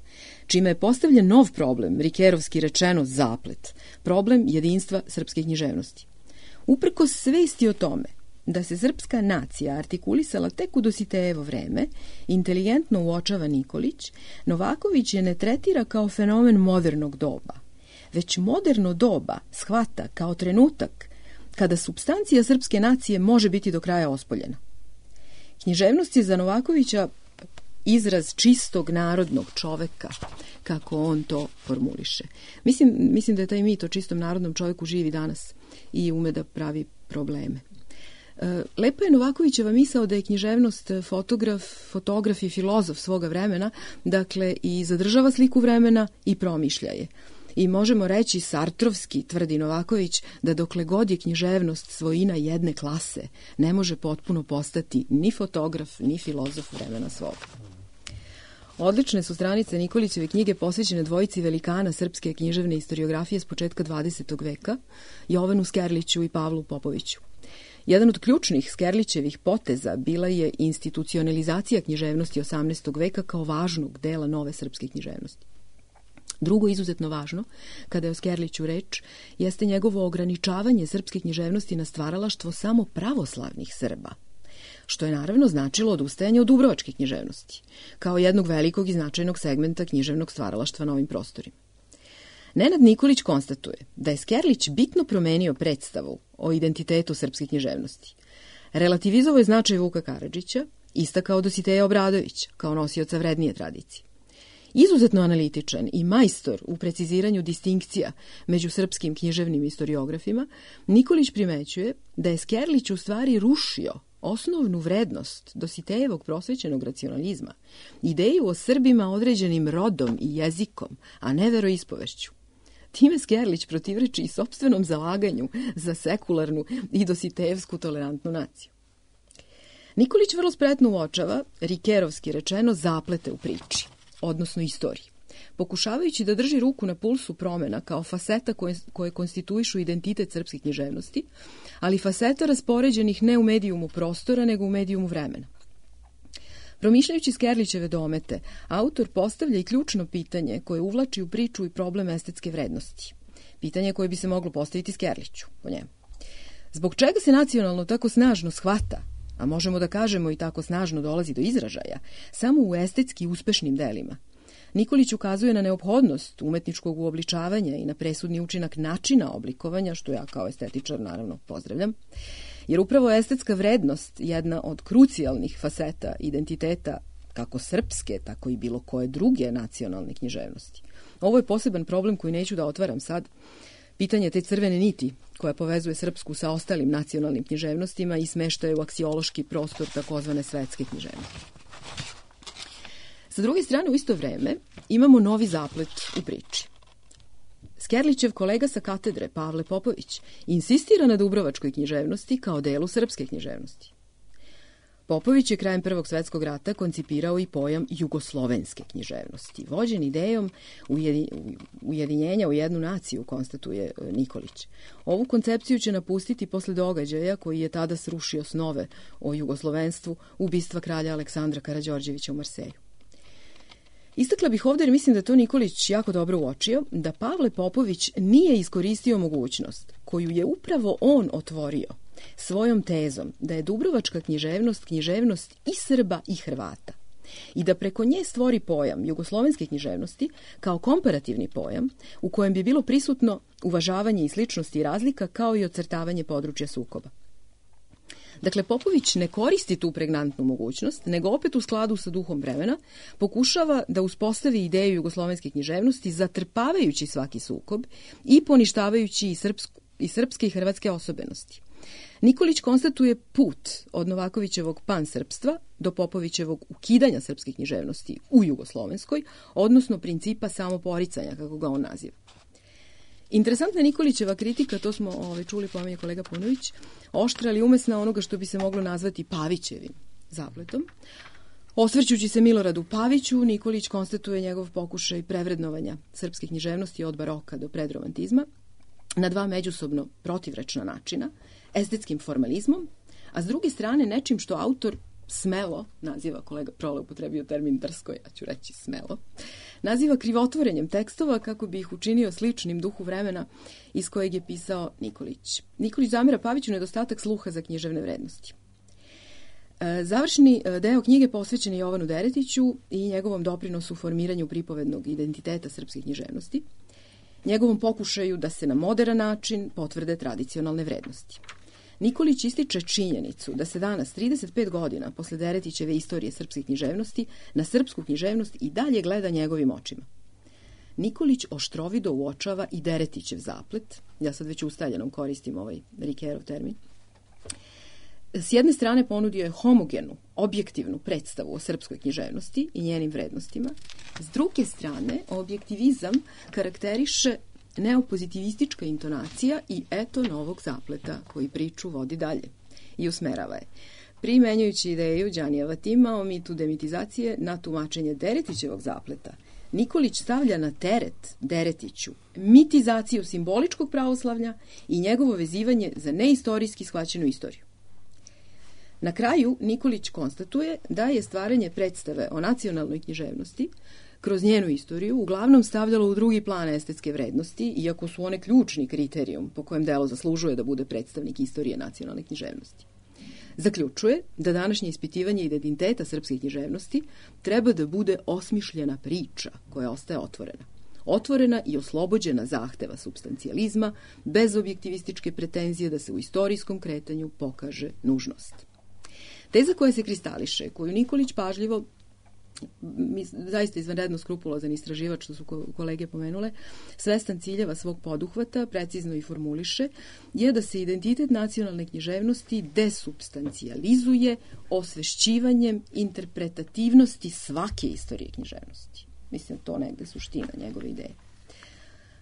čime je postavljen nov problem, rikerovski rečeno zaplet, problem jedinstva srpske književnosti. Uprkos svesti o tome da se srpska nacija artikulisala tek u Dositejevo vreme, inteligentno uočava Nikolić, Novaković je ne tretira kao fenomen modernog doba, već moderno doba shvata kao trenutak kada supstancija srpske nacije može biti do kraja ospoljena. Književnost je za Novakovića izraz čistog narodnog čoveka, kako on to formuliše. Mislim da je taj mit o čistom narodnom čoveku živi danas i ume da pravi probleme. Lepa je Novakovićeva misao da je književnost fotograf i filozof svoga vremena, dakle i zadržava sliku vremena i promišlja je. I možemo reći sartrovski, tvrdi Novaković, da dokle god je književnost svojina jedne klase, ne može potpuno postati ni fotograf, ni filozof vremena svoga. Odlične su stranice Nikolićeve knjige posvećene dvojici velikana srpske književne istoriografije s početka 20. veka, Jovanu Skerliću i Pavlu Popoviću. Jedan od ključnih Skerlićevih poteza bila je institucionalizacija književnosti 18. veka kao važnog dela nove srpske književnosti. Drugo, izuzetno važno, kada je o Skerliću reč, jeste njegovo ograničavanje srpske književnosti na stvaralaštvo samo pravoslavnih Srba, što je naravno značilo odustajanje od dubrovačke književnosti, kao jednog velikog i značajnog segmenta književnog stvaralaštva na ovim prostorima. Nenad Nikolić konstatuje da je Skerlić bitno promenio predstavu o identitetu srpske književnosti. Relativizovao je značaj Vuka Karadžića, istakao Dositeja Obradovića kao nosioca vrednije tradicije. Izuzetno analitičan i majstor u preciziranju distinkcija među srpskim književnim istoriografima, Nikolić primećuje da je Skerlić u stvari rušio osnovnu vrednost Dositejevog prosvećenog racionalizma, ideju o Srbima određenim rodom i jezikom, a ne veroispovešću. Time Skerlić protivreči i sopstvenom zalaganju za sekularnu i dositejevsku tolerantnu naciju. Nikolić vrlo spretno uočava, rikerovski rečeno, zaplete u priči, odnosno istoriji, pokušavajući da drži ruku na pulsu promena kao faseta koje konstituišu identitet srpske književnosti, ali faseta raspoređenih ne u medijumu prostora, nego u medijumu vremena. Promišljajući Skerlićeve domete, autor postavlja i ključno pitanje koje uvlači u priču i problem estetske vrednosti. Pitanje koje bi se moglo postaviti Skerliću, po njemu. Zbog čega se nacionalno tako snažno shvata, a možemo da kažemo i tako snažno dolazi do izražaja, samo u estetski uspešnim delima? Nikolić ukazuje na neophodnost umetničkog uobličavanja i na presudni učinak načina oblikovanja, što ja kao estetičar naravno pozdravljam, jer upravo je estetska vrednost jedna od krucijalnih faseta identiteta kako srpske, tako i bilo koje druge nacionalne književnosti. Ovo je poseban problem koji neću da otvaram sad. Pitanje te crvene niti koja povezuje srpsku sa ostalim nacionalnim književnostima i smeštaje u aksiološki prostor takozvane svetske književnosti. Sa druge strane, u isto vreme, imamo novi zaplet u priči. Skerlićev kolega sa katedre, Pavle Popović, insistira na dubrovačkoj književnosti kao delu srpske književnosti. Popović je krajem Prvog svetskog rata koncipirao i pojam jugoslovenske književnosti. Vođen idejom ujedinjenja u jednu naciju, konstatuje Nikolić. Ovu koncepciju će napustiti posle događaja koji je tada srušio snove o jugoslovenstvu, ubistva kralja Aleksandra Karađorđevića u Marseju. Istakla bih ovdje, jer mislim da to Nikolić jako dobro uočio, da Pavle Popović nije iskoristio mogućnost koju je upravo on otvorio svojom tezom da je dubrovačka književnost i Srba i Hrvata i da preko nje stvori pojam jugoslovenske književnosti kao komparativni pojam u kojem bi bilo prisutno uvažavanje i sličnosti i razlika kao i ocrtavanje područja sukoba. Dakle, Popović ne koristi tu pregnantnu mogućnost, nego opet u skladu sa duhom vremena pokušava da uspostavi ideju jugoslovenske književnosti zatrpavajući svaki sukob i poništavajući i srpske i hrvatske osobenosti. Nikolić konstatuje put od Novakovićevog pansrpstva do Popovićevog ukidanja srpske književnosti u jugoslovenskoj, odnosno principa samoporicanja, kako ga on naziva. Interesantna Nikolićeva kritika, to smo čuli, pominje kolega Punović, oštra ali umesna onoga što bi se moglo nazvati Pavićevim zapletom. Osvrćući se Miloradu Paviću, Nikolić konstatuje njegov pokušaj prevrednovanja srpske književnosti od baroka do predromantizma, na dva međusobno protivrečna načina, estetskim formalizmom, a s druge strane nečim što autor smelo, naziva, kolega Prole upotrebio termin drsko, ja ću reći smelo, naziva krivotvorenjem tekstova kako bi ih učinio sličnim duhu vremena iz kojeg je pisao Nikolić. Nikolić zamera Paviću nedostatak sluha za književne vrednosti. Završni deo knjige posvećen je Jovanu Deretiću i njegovom doprinosu formiranju pripovednog identiteta srpske književnosti, njegovom pokušaju da se na moderan način potvrde tradicionalne vrednosti. Nikolić ističe činjenicu da se danas, 35 godina posle Deretićeve istorije srpske književnosti, na srpsku književnost i dalje gleda njegovim očima. Nikolić oštrovido uočava i Deretićev zaplet, ja sad već ustaljenom koristim ovaj Rikerov termin. S jedne strane ponudio je homogenu, objektivnu predstavu o srpskoj književnosti i njenim vrednostima. S druge strane, objektivizam karakteriše neopozitivistička intonacija i eto novog zapleta koji priču vodi dalje i usmerava je. Primenjujući ideju Đanijeva tima o mitu demitizacije na tumačenje Deretićevog zapleta, Nikolić stavlja na teret Deretiću mitizaciju simboličkog pravoslavlja i njegovo vezivanje za neistorijski shvaćenu istoriju. Na kraju Nikolić konstatuje da je stvaranje predstave o nacionalnoj književnosti kroz njenu istoriju uglavnom stavljalo u drugi plan estetske vrednosti, iako su one ključni kriterijum po kojem delo zaslužuje da bude predstavnik istorije nacionalne književnosti. Zaključuje da današnje ispitivanje identiteta srpske književnosti treba da bude osmišljena priča koja ostaje otvorena. Otvorena i oslobođena zahteva supstancijalizma, bez objektivističke pretenzije da se u istorijskom kretanju pokaže nužnost. Teza koja se kristališe, koju Nikolić pažljivo, zaista izvanredno skrupulozan istraživač, što su kolege pomenule, svestan ciljeva svog poduhvata, precizno i formuliše, je da se identitet nacionalne književnosti desubstancijalizuje osvešćivanjem interpretativnosti svake istorije književnosti. Mislim, to negde suština njegove ideje.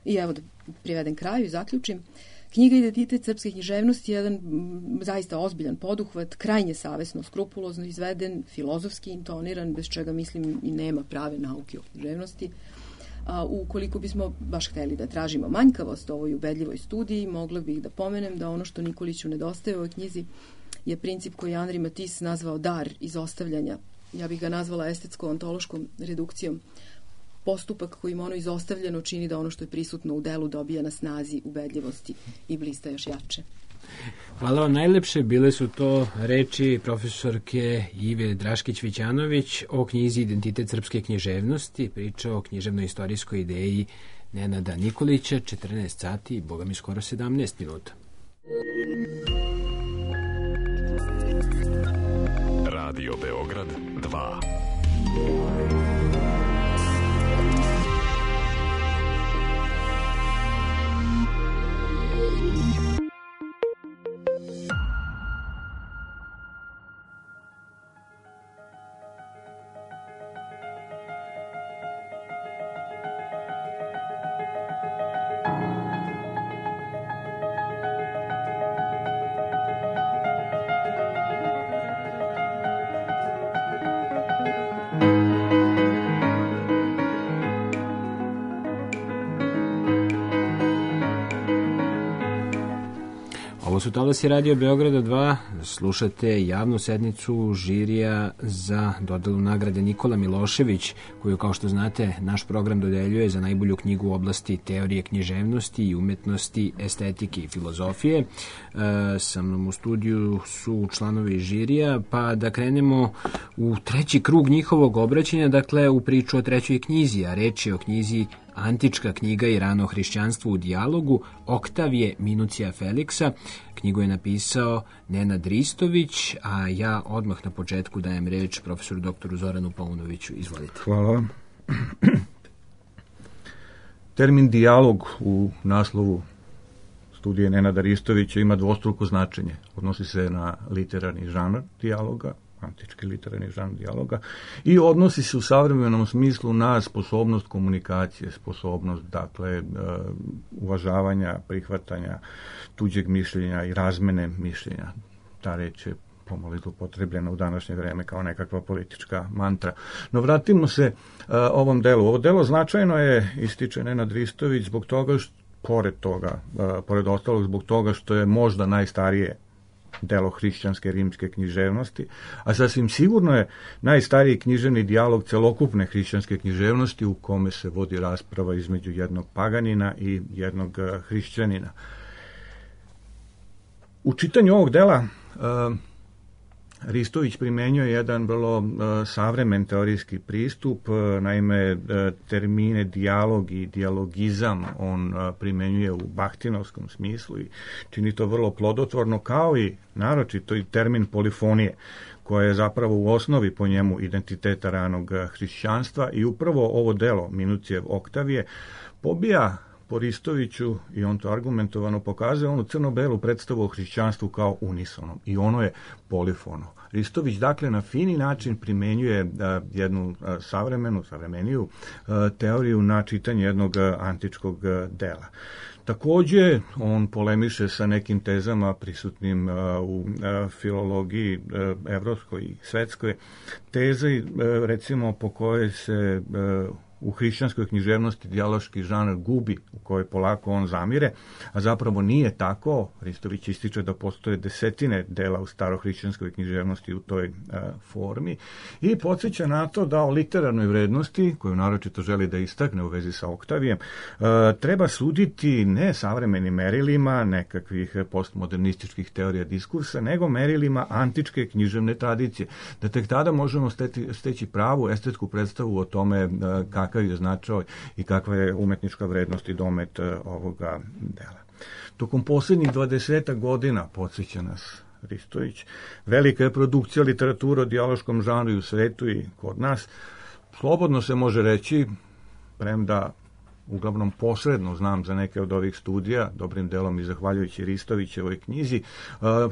I evo da privedem kraju i zaključim. Knjiga Identitet srpske književnosti je jedan zaista ozbiljan poduhvat, krajnje savesno, skrupulozno izveden, filozofski intoniran, bez čega, mislim, i nema prave nauke o književnosti. A ukoliko bismo baš hteli da tražimo manjkavost ovoj ubedljivoj studiji, mogla bih da pomenem da ono što Nikoliću nedostaje u ovoj knjizi je princip koji je Henri Matisse nazvao dar izostavljanja. Ja bih ga nazvala estetsko-ontološkom redukcijom. Postupak kojim ono izostavljeno čini da ono što je prisutno u delu dobija na snazi, ubedljivosti i blista još jače. Hvala vam najlepše. Bile su to reči profesorke Ive Draškić-Vićanović o knjizi Identitet srpske književnosti, priča o književno-istorijskoj ideji Nenada Nikolića, 14 sati i boga mi skoro 17 minuta. Radio Beograd 2. Ovo su talasi Radio Beograda 2, slušate javnu sednicu žirija za dodelu nagrade Nikola Milošević, koju, kao što znate, naš program dodeljuje za najbolju knjigu u oblasti teorije književnosti i umetnosti, estetike i filozofije. Sa mnom u studiju su članovi žirija, pa da krenemo u treći krug njihovog obraćanja, dakle u priču o trećoj knjizi, a reč je o knjizi Antička knjiga i rano hrišćanstvo u dijalogu Oktavije Minucija Feliksa. Knjigu je napisao Nenad Ristović, a ja odmah na početku dajem reč profesoru doktoru Zoranu Paunoviću. Izvolite. Hvala vam. Termin dijalog u naslovu studije Nenada Ristovića ima dvostruko značenje. Odnosi se na literarni žanr dijaloga, antički literarni žanr dijaloga, i odnosi se u savremenom smislu na sposobnost komunikacije, sposobnost, dakle, uvažavanja, prihvatanja tuđeg mišljenja i razmene mišljenja. Ta reč je pomalo upotrebljena u današnje vreme kao nekakva politička mantra. No vratimo se ovom delu. Ovo delo značajno je, ističe Nenad Ristović, zbog toga pored toga, pored ostalog zbog toga što je možda najstarije delo hrišćanske rimske književnosti, a sasvim sigurno je najstariji književni dijalog celokupne hrišćanske književnosti u kome se vodi rasprava između jednog paganina i jednog hrišćanina. U čitanju ovog dela Ristović primenjuje jedan vrlo savremen teorijski pristup, naime termine dijalog i dijalogizam on primenjuje u bahtinovskom smislu i čini to vrlo plodotvorno, kao i naročito i termin polifonije, koja je zapravo u osnovi po njemu identiteta ranog hrišćanstva, i upravo ovo delo Minucijev Oktavije pobija po Ristoviću, i on to argumentovano pokazuje, onu crno-belu predstavu o hrišćanstvu kao unisonom, i ono je polifono. Ristović dakle na fini način primenjuje jednu savremeniju teoriju na čitanje jednog antičkog dela. Takođe, on polemiše sa nekim tezama prisutnim u filologiji evropskoj i svetskoj, teze recimo po kojoj se u hrišćanskoj književnosti dijaloški žanr gubi, u kojoj polako on zamire, a zapravo nije tako. Ristović ističe da postoje desetine dela u starohrišćanskoj književnosti u toj formi i podsjeća na to da o literarnoj vrednosti, koju naročito želi da istakne u vezi sa Oktavijem, treba suditi ne savremenim merilima nekakvih postmodernističkih teorija diskursa, nego merilima antičke književne tradicije. Da tek tada možemo steći pravu estetsku predstavu o tome kakav je značaj i kakva je umetnička vrednost i domet ovoga dela. Tokom posljednjih 20 godina, podsjeća nas Ristović, velika je produkcija literature o dijaloškom žanru i u svetu i kod nas. Slobodno se može reći, premda uglavnom posredno znam za neke od ovih studija, dobrim delom i zahvaljujući Ristovićevoj knjizi,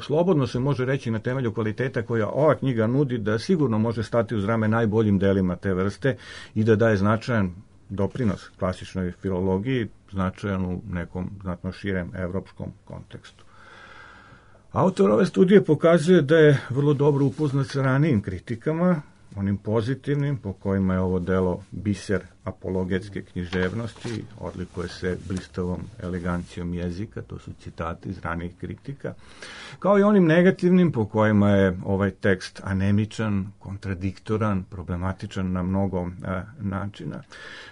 slobodno se može reći na temelju kvaliteta koja ova knjiga nudi, da sigurno može stati uz rame najboljim delima te vrste i da daje značajan doprinos klasičnoj filologiji, značajan u nekom znatno širem evropskom kontekstu. Autor ove studije pokazuje da je vrlo dobro upoznat sa ranijim kritikama, onim pozitivnim po kojima je ovo delo biser apologetske književnosti, odlikuje se blistavom elegancijom jezika, to su citati iz ranijih kritika, kao i onim negativnim po kojima je ovaj tekst anemičan, kontradiktoran, problematičan na mnogo načina.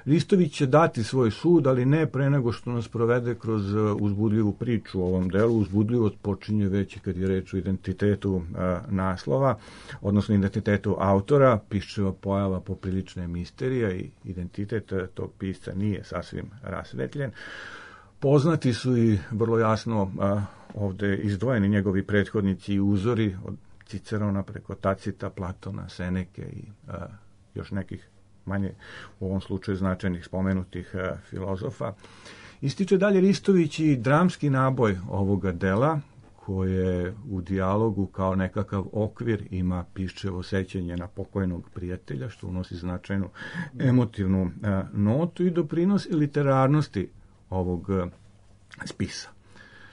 Ristović će dati svoj sud, ali ne pre nego što nas provede kroz uzbudljivu priču o ovom delu. Uzbudljivost počinje već kad je reč o identitetu naslova, odnosno identitetu autora. Piščeva pojava poprilična je misterija i identitet tog pisca nije sasvim rasvetljen. Poznati su i vrlo jasno ovde izdvojeni njegovi prethodnici i uzori od Cicerona preko Tacita, Platona, Seneke i još nekih manje u ovom slučaju značajnih spomenutih filozofa. Ističe dalje Ristović i dramski naboj ovoga dela, koje u dijalogu kao nekakav okvir ima Piščevo sećanje na pokojnog prijatelja, što unosi značajnu emotivnu notu i doprinosi literarnosti ovog spisa.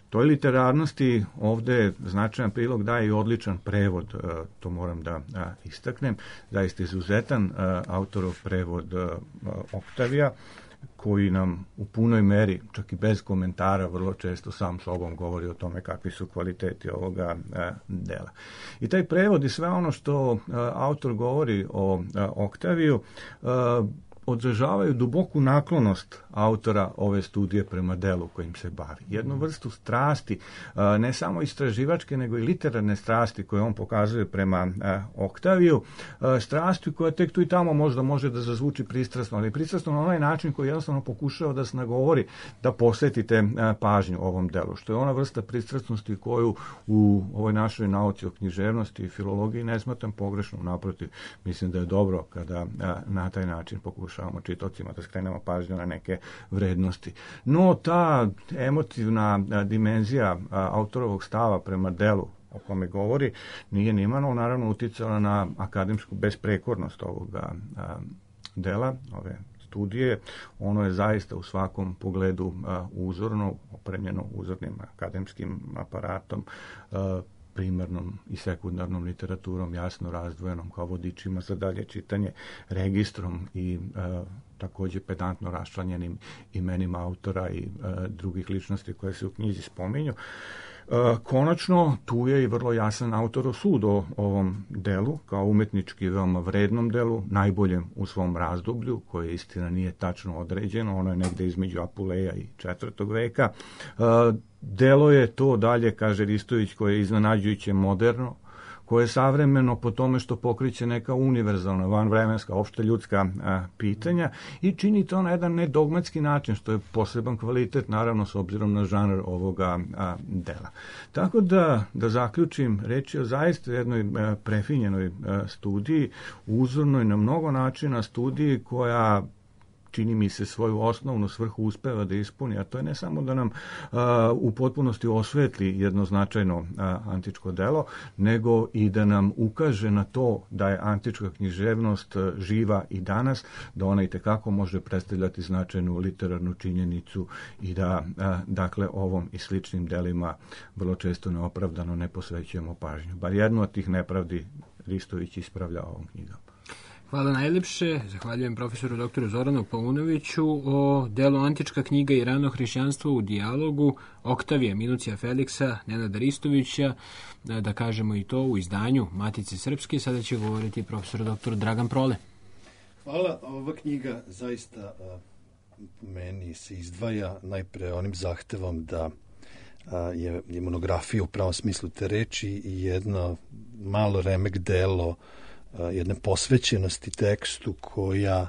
Toj literarnosti ovde značajan prilog daje i odličan prevod, to moram da istaknem, zaista izuzetan autorov prevod Oktavija, koji nam u punoj meri, čak i bez komentara, vrlo često sam sobom govori o tome kakvi su kvaliteti ovoga dela. I taj prevod i sve ono što autor govori o Oktaviju odražavaju duboku naklonost autora ove studije prema delu kojim se bavi. Jednu vrstu strasti, ne samo istraživačke, nego i literarne strasti koje on pokazuje prema Oktaviju, strasti koja tek tu i tamo možda može da zazvuči pristrasno, ali pristrasno na onaj način koji jednostavno pokušava da se nagovori da posvetite pažnju ovom delu, što je ona vrsta pristrasnosti koju u ovoj našoj nauci o književnosti i filologiji ne smatram pogrešno, naprotiv, mislim da je dobro kada na taj način pokušavamo čitaocima da skrenemo pažnju na neke vrednosti. No, ta emotivna dimenzija autorovog stava prema delu o kome govori nije nimalo naravno uticala na akademsku besprekornost ovoga dela, ove studije. Ono je zaista u svakom pogledu uzorno, opremljeno uzornim akademskim aparatom, primarnom i sekundarnom literaturom jasno razdvojenom kao vodičima za dalje čitanje, registrom i takođe pedantno raščlanjenim imenima autora i drugih ličnosti koje se u knjizi spominju. Konačno, tu je i vrlo jasan autorov sud o ovom delu, kao umetnički veoma vrednom delu, najboljem u svom razdoblju, koje istina nije tačno određeno, ono je negde između Apuleja i 4. veka. Delo je to dalje, kaže Ristović, koje je iznenađujuće moderno, koje je savremeno po tome što pokriće neka univerzalna, vanvremenska, opšte ljudska pitanja i čini to na jedan nedogmatski način, što je poseban kvalitet, naravno, s obzirom na žanr ovoga dela. Tako da zaključim, reč je o zaista jednoj prefinjenoj studiji, uzornoj na mnogo načina studiji koja čini mi se svoju osnovnu svrhu uspeva da ispuni, a to je ne samo da nam u potpunosti osvetli jedno značajno antičko delo, nego i da nam ukaže na to da je antička književnost živa i danas, da ona i tekako može predstavljati značajnu literarnu činjenicu i da, dakle, ovom i sličnim delima vrlo često neopravdano ne posvećujemo pažnju. Bar jednu od tih nepravdi Ristović ispravlja ovom knjigom. Hvala najlepše. Zahvaljujem profesoru doktoru Zoranu Paunoviću o delu Antička knjiga i rano hrišćanstvo u dijalogu Oktavija Minucija Feliksa, Nenada Ristovića, da kažemo i to u izdanju Matice Srpske. Sada će govoriti profesor doktor Dragan Prole. Hvala. Ova knjiga zaista meni se izdvaja najpre onim zahtevom da je monografija u pravom smislu te reči i jedno malo remek delo jedne posvećenosti tekstu koja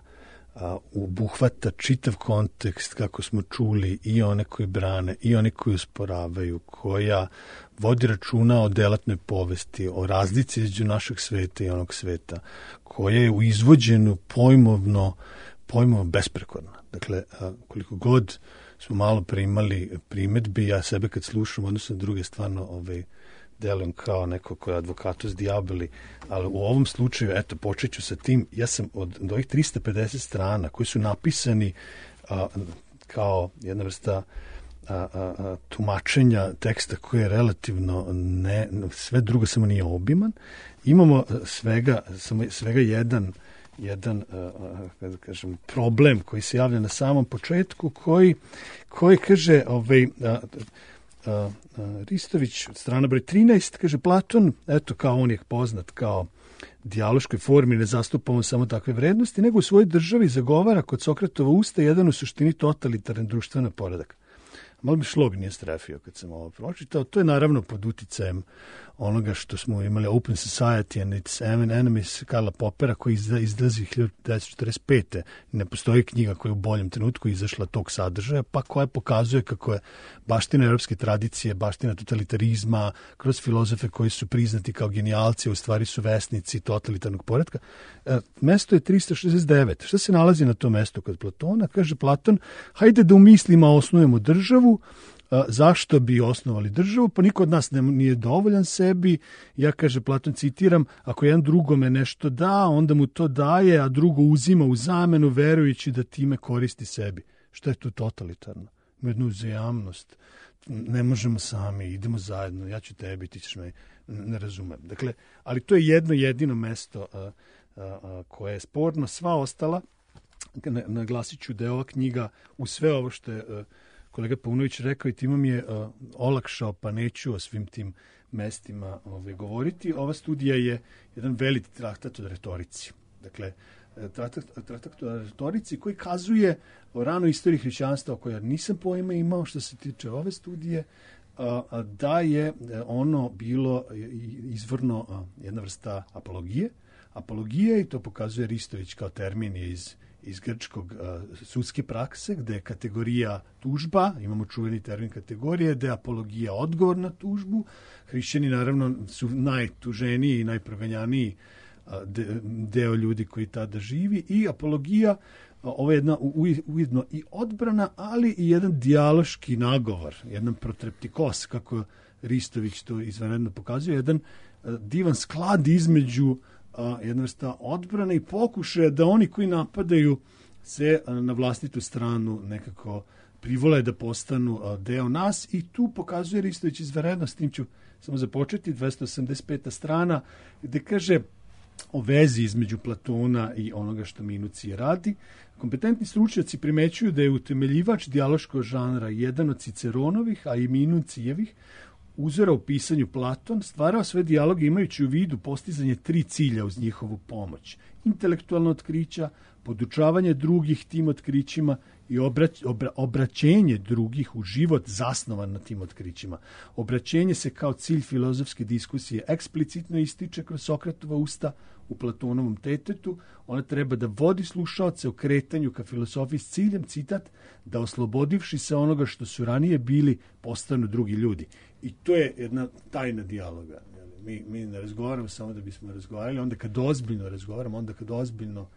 obuhvata čitav kontekst, kako smo čuli, i one koji brane i oni koji usporavaju, koja vodi računa o delatnoj povesti, o razlici između našeg sveta i onog sveta, koja je u izvođenju pojmovno besprekorna. Dakle, koliko god smo malo primali primetbi, ja sebe kad slušam, odnosno na druge, stvarno delujem kao neko ko je advokatus diaboli, ali u ovom slučaju, eto, počet ću sa tim, ja sam od ovih 350 strana koji su napisani kao jedna vrsta tumačenja teksta koji je relativno sve drugo samo nije obiman, imamo svega jedan da kažem, problem koji se javlja na samom početku, koji kaže Ristović od strana broj 13, kaže Platon, eto, kao on je poznat kao dijaloškoj formi, ne zastupa on samo takve vrednosti, nego u svojoj državi zagovara kod Sokratova usta jedan u suštini totalitarni društveni poredak. Malo bi šlog nije strefio kad sam ovo pročitao. To je naravno pod uticajem onoga što smo imali Open Society and its Enemies Karla Popera, koji izlazi 1945. Ne postoji knjiga koja je u boljem trenutku izašla tog sadržaja, pa koja pokazuje kako je baština europske tradicije, baština totalitarizma, kroz filozofe koji su priznati kao genijalci, u stvari su vesnici totalitarnog poretka. Mesto je 369. Šta se nalazi na tom mestu kod Platona? Kaže Platon, hajde da u mislima osnujemo državu. Zašto bi osnovali državu? Pa niko od nas nije dovoljan sebi. Ja, kaže Platon, citiram, ako jedan drugome nešto da, onda mu to daje, a drugo uzima u zamenu, verujući da time koristi sebi. Šta je tu totalitarno? Jednu uzajamnost. Ne možemo sami, idemo zajedno, ja ću tebi, ti ćeš me, ne razumem. Dakle, ali to je jedno jedino mesto koje je sporno. Sva ostala, naglasit ću da je ova knjiga u sve ovo što je kolega Paunović rekao i timom je olakšao, pa neću o svim tim mestima govoriti. Ova studija je jedan veliki traktat o retorici. Dakle, traktat o retorici koji kazuje o ranoj istoriji hrišćanstva, o kojoj nisam pojma imao što se tiče ove studije, da je ono bilo izvorno jedna vrsta apologije. Apologije, i to pokazuje Ristović kao termin je iz grčkog sudske prakse, gde je kategorija tužba, imamo čuveni termin kategorije, gde je apologija odgovor na tužbu. Hrišćani naravno su najtuženiji i najproganjaniji deo ljudi koji tada živi, i apologija, ovo je jedna ujedno i odbrana, ali i jedan dijaloški nagovor, jedan protreptikos, kako Ristović to izvanredno pokazuje, jedan divan sklad između jedna vrsta odbrane i pokušaja da oni koji napadaju se na vlastitu stranu nekako privole da postanu deo nas, i tu pokazuje Ristović izvanredno, s tim ću samo započeti, 285. strana, gde kaže o vezi između Platona i onoga što Minucije radi. Kompetentni stručnjaci primećuju da je utemeljivač dijaloškog žanra jedan od Ciceronovih, a i Minucijevih uzora u pisanju Platon, stvarao sve dijaloge imajući u vidu postizanje 3 cilja uz njihovu pomoć. Intelektualno otkrića, podučavanje drugih tim otkrićima i obraćenje drugih u život zasnovan na tim otkrićima. Obraćenje se kao cilj filozofske diskusije eksplicitno ističe kroz Sokratova usta u Platonovom Tetetu. Ona treba da vodi slušaoce o kretanju ka filosofiji s ciljem, citat, da oslobodivši se onoga što su ranije bili, postanu drugi ljudi. I to je jedna tajna dijaloga. Mi ne razgovaramo samo da bismo razgovarali, onda kad ozbiljno razgovaramo, onda kad ozbiljno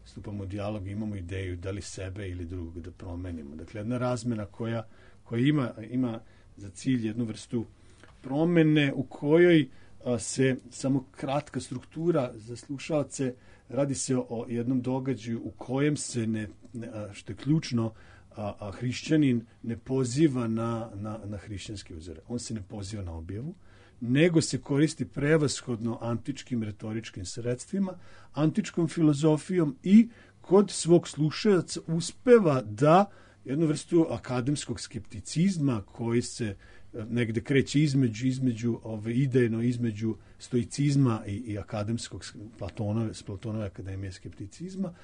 stupamo u dijalog, imamo ideju da li sebe ili drugog da promenimo. Dakle, jedna razmena koja ima za cilj jednu vrstu promene u kojoj se samo kratka struktura za slušalce, radi se o jednom događaju u kojem se, što je ključno, hrišćanin ne poziva na hrišćanske uzore. On se ne poziva na objavu, nego se koristi prevashodno antičkim retoričkim sredstvima, antičkom filozofijom i kod svog slušaoca uspeva da jednu vrstu akademskog skepticizma koji se negde kreće između idejno, između stoicizma i akademskog Platonove akademije skepticizma,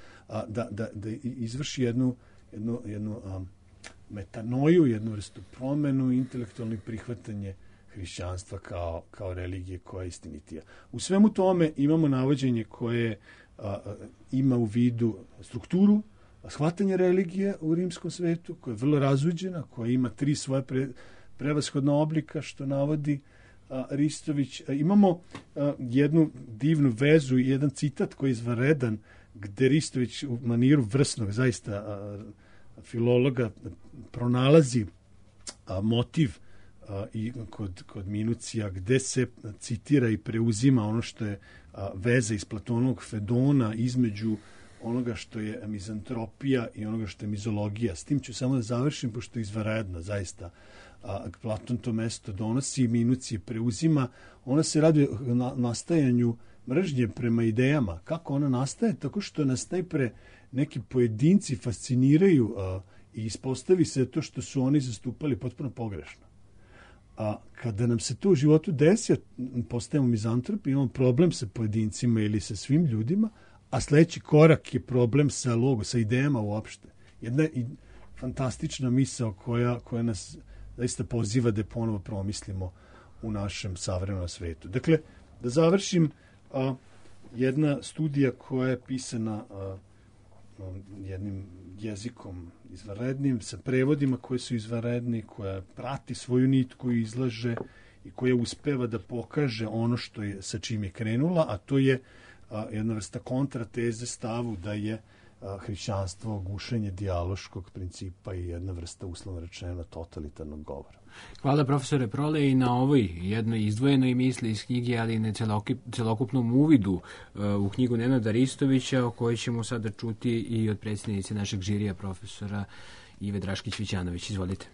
da izvrši jednu metanoju, jednu vrstu promenu, intelektualno prihvatanje hrišćanstva kao religije koja je istinitija. U svemu tome imamo navođenje koje ima u vidu strukturu, shvatanje religije u rimskom svetu, koja je vrlo razuđena, koja ima 3 svoje prevashodna oblika, što navodi Ristović. Imamo jednu divnu vezu i jedan citat koji je izvanredan, gde Ristović u maniru vrsnog, zaista filologa, pronalazi motiv i kod Minucija, gde se citira i preuzima ono što je veza iz Platonovog Fedona između onoga što je mizantropija i onoga što je mizologija. S tim ću samo da završim, pošto je izvanredno, zaista. Platon to mesto donosi, Minucije preuzima. Ona se radi o nastajanju mržnje prema idejama. Kako ona nastaje? Tako što nas najpre neki pojedinci fasciniraju i ispostavi se to što su oni zastupali potpuno pogrešno. A kada nam se to u životu desi, postajemo mizantropi, imamo problem sa pojedincima ili sa svim ljudima, a sledeći korak je problem sa sa idejama uopšte. Jedna fantastična misao koja nas zaista poziva da ponovo promislimo u našem savremenom svetu. Dakle, da završim, jedna studija koja je pisana jednim jezikom izvanrednim, sa prevodima koji su izvanredni, koja prati svoju nit koju izlaže i koja uspeva da pokaže ono što je, sa čim je krenula, a to je jedna vrsta kontrateze stavu da je hrišćanstvo gušenje dijaloškog principa i jedna vrsta, uslovno rečeno, totalitarnog govora. Hvala profesore Prole i na ovoj jednoj izdvojenoj misli iz knjige, ali i na celokupnom uvidu u knjigu Nenada Ristovića, o kojoj ćemo sada čuti i od predsjednice našeg žirija, profesora Ive Draškić-Vićanović. Izvolite.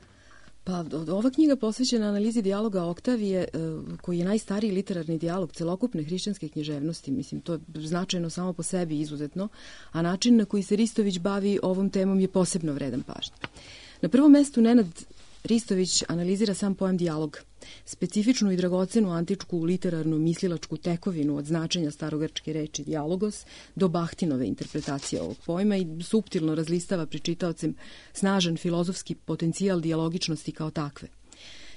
Pa, ova knjiga posvećena analizi dijaloga Oktavije, koji je najstariji literarni dijalog celokupne hrišćanske književnosti, mislim, to je značajno samo po sebi izuzetno, a način na koji se Ristović bavi ovom temom je posebno vredan pažnje. Na prvom mestu Nenad Ristović analizira sam pojam dijalog, specifičnu i dragocenu antičku literarnu mislilačku tekovinu od značenja starogrčke reči dijalogos do Bahtinove interpretacije ovog pojma i suptilno razlistava pred čitaocem snažan filozofski potencijal dijalogičnosti kao takve.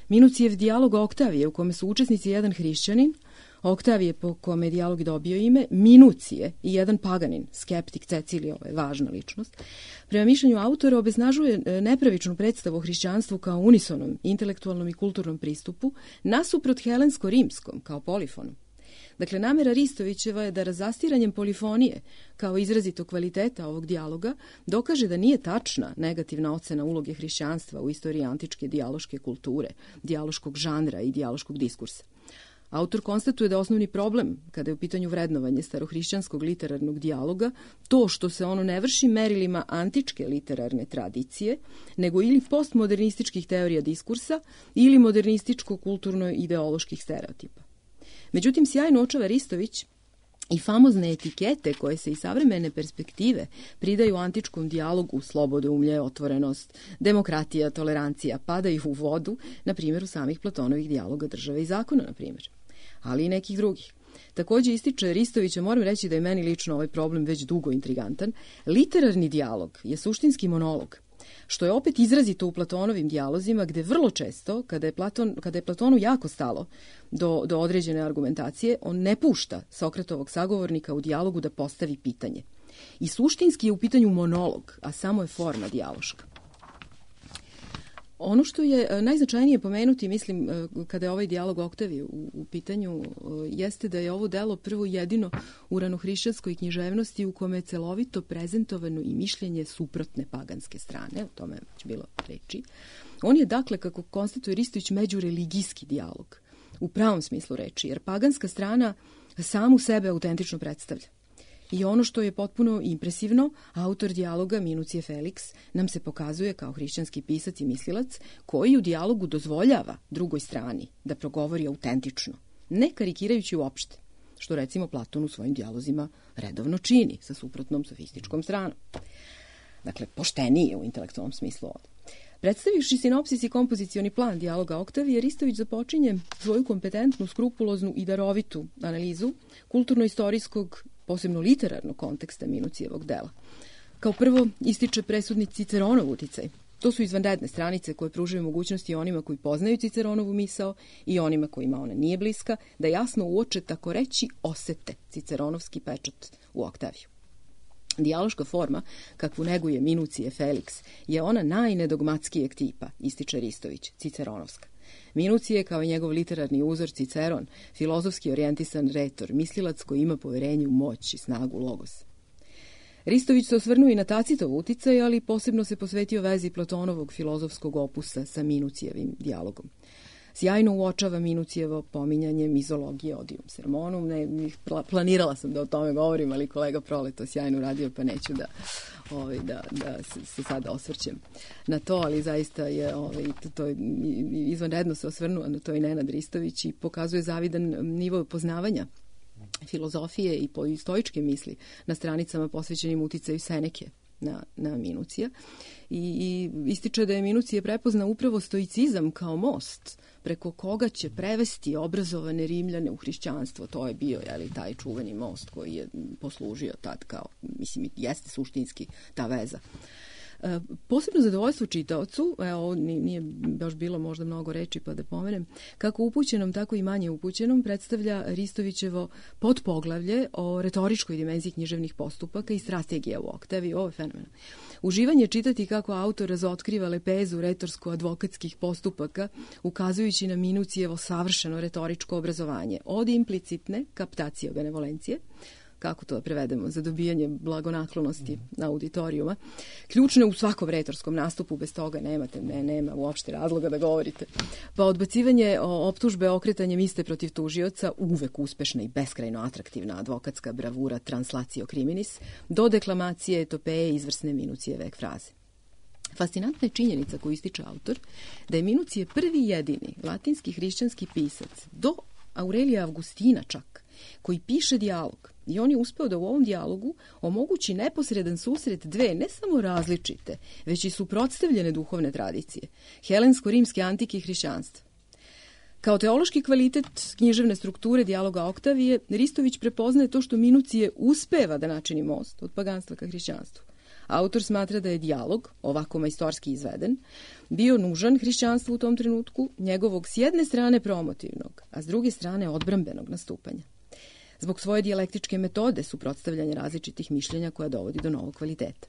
Minucijev dijalog Oktavije, u kome su učesnici jedan hrišćanin, Oktavije po kome je dijalog dobio ime, Minucije i jedan paganin, skeptik Cecilije, ovo je važna ličnost, prema mišljenju autora obeznažuje nepravičnu predstavu o hrišćanstvu kao unisonom, intelektualnom i kulturnom pristupu, nasuprot helensko-rimskom, kao polifonu. Dakle, namera Ristovićeva je da razastiranjem polifonije, kao izrazito kvaliteta ovog dijaloga, dokaže da nije tačna negativna ocena uloge hrišćanstva u istoriji antičke dijaloške kulture, dijaloškog žanra i dijaloškog diskursa. Autor konstatuje da osnovni problem, kada je u pitanju vrednovanje starohrišćanskog literarnog dijaloga, to što se ono ne vrši merilima antičke literarne tradicije, nego ili postmodernističkih teorija diskursa ili modernističko-kulturno-ideoloških stereotipa. Međutim, sjajno uočava Ristović i famozne etikete koje se iz savremene perspektive pridaju antičkom dijalogu, slobodoumlje, otvorenost, demokratija, tolerancija, padaju u vodu, na primjer u samih Platonovih dijaloga države i zakona, na primjer, ali i nekih drugih. Takođe ističe Ristovića, moram reći da je meni lično ovaj problem već dugo intrigantan, literarni dijalog je suštinski monolog, što je opet izrazito u Platonovim dijalozima, gde vrlo često, kada je Platonu jako stalo do određene argumentacije, on ne pušta Sokratovog sagovornika u dijalogu da postavi pitanje. I suštinski je u pitanju monolog, a samo je forma dijaloška. Ono što je najznačajnije pomenuti, mislim, kada je ovaj dijalog Oktavije u pitanju, jeste da je ovo delo prvo jedino u ranohrišćanskoj književnosti u kome je celovito prezentovano i mišljenje suprotne paganske strane, o tome je već bilo reči. On je, dakle, kako konstatuje Ristović, međureligijski dijalog, u pravom smislu reči, jer paganska strana samu sebe autentično predstavlja. I ono što je potpuno impresivno, autor dijaloga Minucije Felix nam se pokazuje kao hrišćanski pisac i mislilac koji u dijalogu dozvoljava drugoj strani da progovori autentično, ne karikirajući uopšte, što recimo Platon u svojim dijalozima redovno čini sa suprotnom sofističkom stranom. Dakle, pošteniji u intelektualnom smislu ovdje. Predstavivši sinopsis i kompozicioni plan dijaloga Oktavije, Ristović započinje svoju kompetentnu, skrupuloznu i darovitu analizu kulturno-istorijskog, posebno literarnog konteksta Minucijevog dela. Kao prvo ističe presudni Ciceronov uticaj. To su izvanredne stranice koje pružaju mogućnosti onima koji poznaju Ciceronovu misao i onima kojima ona nije bliska, da jasno uoče, tako reći, osete Ciceronovski pečat u Oktaviju. Dijaloška forma, kakvu neguje Minucije Felix, je ona najnedogmatskijeg tipa, ističe Ristović, ciceronovska. Minucije, kao i njegov literarni uzor Ciceron, filozofski orijentisan retor, mislilac koji ima poverenje u moć i snagu logos. Ristović se osvrnuo i na Tacitov uticaj, ali posebno se posvetio vezi Platonovog filozofskog opusa sa Minucijevim dijalogom. Sjajno uočava Minucijevo pominjanje mizologije odium sermonum. Planirala sam da o tome govorim, ali kolega Prole to sjajno uradio, pa neću da se sada osvrćem na to, ali zaista je to izvanredno se osvrnuo na to i Nenad Ristović i pokazuje zavidan nivo poznavanja filozofije i stoičke misli na stranicama posvećenim uticaju Seneke na Minucija i ističe da je Minucije prepozna upravo stoicizam kao most preko koga će prevesti obrazovane Rimljane u hrišćanstvo. To je bio taj čuveni most koji je poslužio tad kao, mislim, jeste suštinski ta veza. Posebno zadovoljstvo čitaocu, ovo nije baš bilo možda mnogo reči pa da pomenem, kako upućenom, tako i manje upućenom predstavlja Ristovićevo podpoglavlje o retoričkoj dimenziji književnih postupaka i strategija u Oktaviji. Ovo je fenomenalno. Uživanje čitati kako autor razotkriva lepezu retorsko-advokatskih postupaka, ukazujući na Minucijevo savršeno retoričko obrazovanje, od implicitne kaptacije benevolencije, kako to prevedemo, za dobijanje blagonaklonosti na auditorijuma, ključne u svakom retorskom nastupu, bez toga nema uopšte razloga da govorite. Pa odbacivanje optužbe okretanjem iste protiv tužioca, uvek uspešna i beskrajno atraktivna advokatska bravura translatio criminis, do deklamacije etopeje izvrsne Minucijeve fraze. Fascinantna je činjenica koju ističe autor, da je Minucije prvi jedini latinski hrišćanski pisac, do Aurelija Avgustina čak, koji piše dijalog. I on je uspeo da u ovom dijalogu omogući neposredan susret dve ne samo različite, već i suprotstavljene duhovne tradicije, helensko-rimske antike i hrišćanstva. Kao teološki kvalitet književne strukture dijaloga Oktavije, Ristović prepoznaje to što Minucije uspeva da načini most od paganstva ka hrišćanstvu. Autor smatra da je dijalog, ovako majstorski izveden, bio nužan hrišćanstvu u tom trenutku, njegovog s jedne strane promotivnog, a s druge strane odbrambenog nastupanja. Zbog svoje dijalektičke metode suprotstavljanja različitih mišljenja koja dovodi do novog kvaliteta.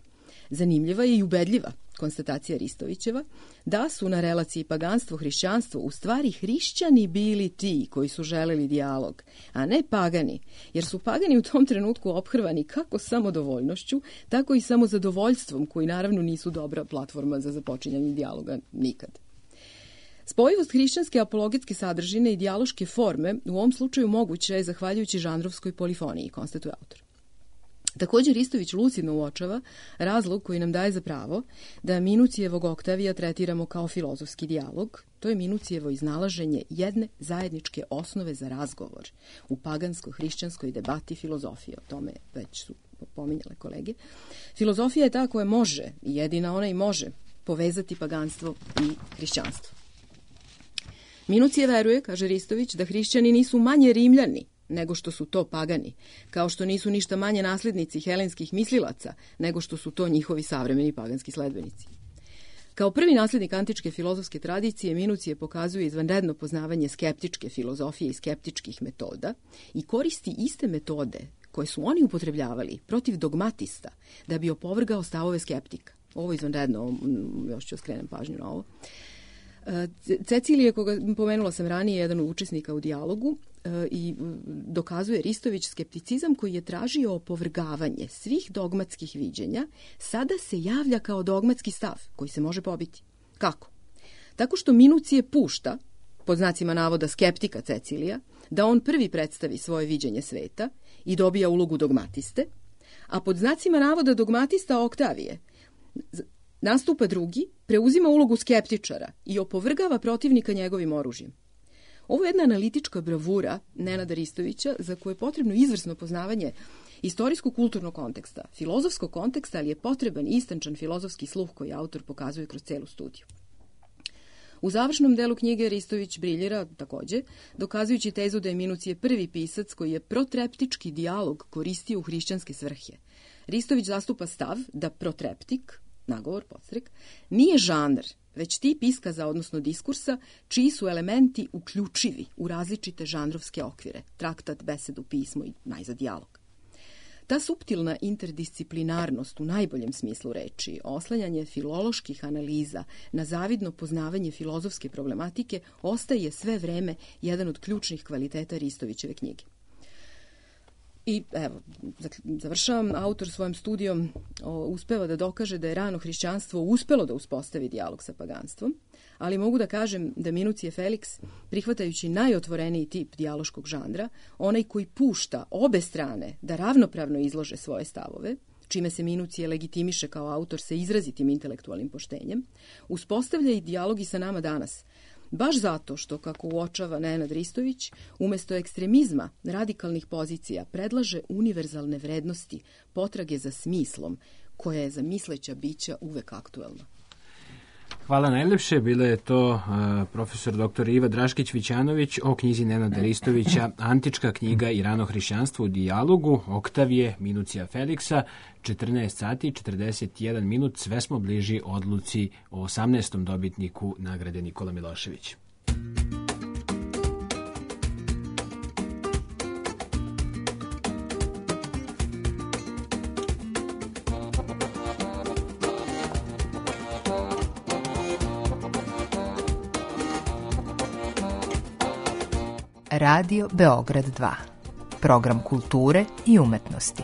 Zanimljiva je i ubedljiva konstatacija Ristovićeva da su na relaciji paganstvo-hrišćanstvo u stvari hrišćani bili ti koji su želeli dijalog, a ne pagani, jer su pagani u tom trenutku ophrvani kako samodovoljnošću, tako i samozadovoljstvom, koji naravno nisu dobra platforma za započinjanje dijaloga nikad. Spojivost hrišćanske apologetske sadržine i dijaloške forme u ovom slučaju moguća je zahvaljujući žanrovskoj polifoniji, konstatuje autor. Također Ristović lucidno uočava razlog koji nam daje za pravo da Minucijevog Oktavija tretiramo kao filozofski dijalog. To je Minucijevo iznalaženje jedne zajedničke osnove za razgovor u pagansko-hrišćanskoj debati filozofije. O tome već su pominjale kolege. Filozofija je ta koja može, i jedina ona i može, povezati paganstvo i hrišćanstvo. Minucije veruje, kaže Ristović, da hrišćani nisu manje Rimljani nego što su to pagani, kao što nisu ništa manje naslednici helenskih mislilaca nego što su to njihovi savremeni paganski sledbenici. Kao prvi naslednik antičke filozofske tradicije, Minucije pokazuje izvanredno poznavanje skeptičke filozofije i skeptičkih metoda i koristi iste metode koje su oni upotrebljavali protiv dogmatista da bi opovrgao stavove skeptika. Ovo je izvanredno, još ću skrenem pažnju na ovo. Cecilije, koga pomenula sam ranije, jedan od učesnika u dijalogu i dokazuje Ristović skepticizam koji je tražio opovrgavanje svih dogmatskih viđenja, sada se javlja kao dogmatski stav koji se može pobiti. Kako? Tako što Minucije pušta, pod znacima navoda skeptika Cecilija, da on prvi predstavi svoje viđenje sveta i dobija ulogu dogmatiste, a pod znacima navoda dogmatista Oktavije nastupa drugi, preuzima ulogu skeptičara i opovrgava protivnika njegovim oružjem. Ovo je jedna analitička bravura Nenada Ristovića za koje je potrebno izvrsno poznavanje istorijsko-kulturnog konteksta, filozofskog konteksta, ali je potreban istančan filozofski sluh koji autor pokazuje kroz celu studiju. U završnom delu knjige Ristović briljira takođe, dokazujući tezu da je Minucije prvi pisac koji je protreptički dijalog koristio u hrišćanske svrhe. Ristović zastupa stav da protreptik, nagovor, podstrek, nije žanr, već tip iskaza, odnosno diskursa, čiji su elementi uključivi u različite žanrovske okvire, traktat, besedu, pismo i najzad dijalog. Ta suptilna interdisciplinarnost u najboljem smislu reči, oslanjanje filoloških analiza na zavidno poznavanje filozofske problematike, ostaje sve vreme jedan od ključnih kvaliteta Ristovićeve knjige. I evo, završavam, autor svojom studijom uspeva da dokaže da je rano hrišćanstvo uspelo da uspostavi dijalog sa paganstvom, ali mogu da kažem da Minucije Feliks, prihvatajući najotvoreniji tip dijaloškog žanra, onaj koji pušta obe strane da ravnopravno izlože svoje stavove, čime se Minucije legitimiše kao autor sa izrazitim intelektualnim poštenjem, uspostavlja i dijalog i sa nama danas, baš zato što, kako uočava Nenad Ristović, umesto ekstremizma radikalnih pozicija predlaže univerzalne vrednosti, potrage za smislom, koja je za misleća bića uvek aktuelna. Hvala najlepše. Bila je to profesor dr. Iva Draškić-Vićanović o knjizi Nenada Ristovića Antička knjiga i rano hrišćanstvo u dijalogu, Oktavije Minucija Feliksa, 14 sati 41 minut. Sve smo bliži odluci o 18. dobitniku nagrade Nikola Milošević. Radio Beograd 2. Program kulture i umetnosti.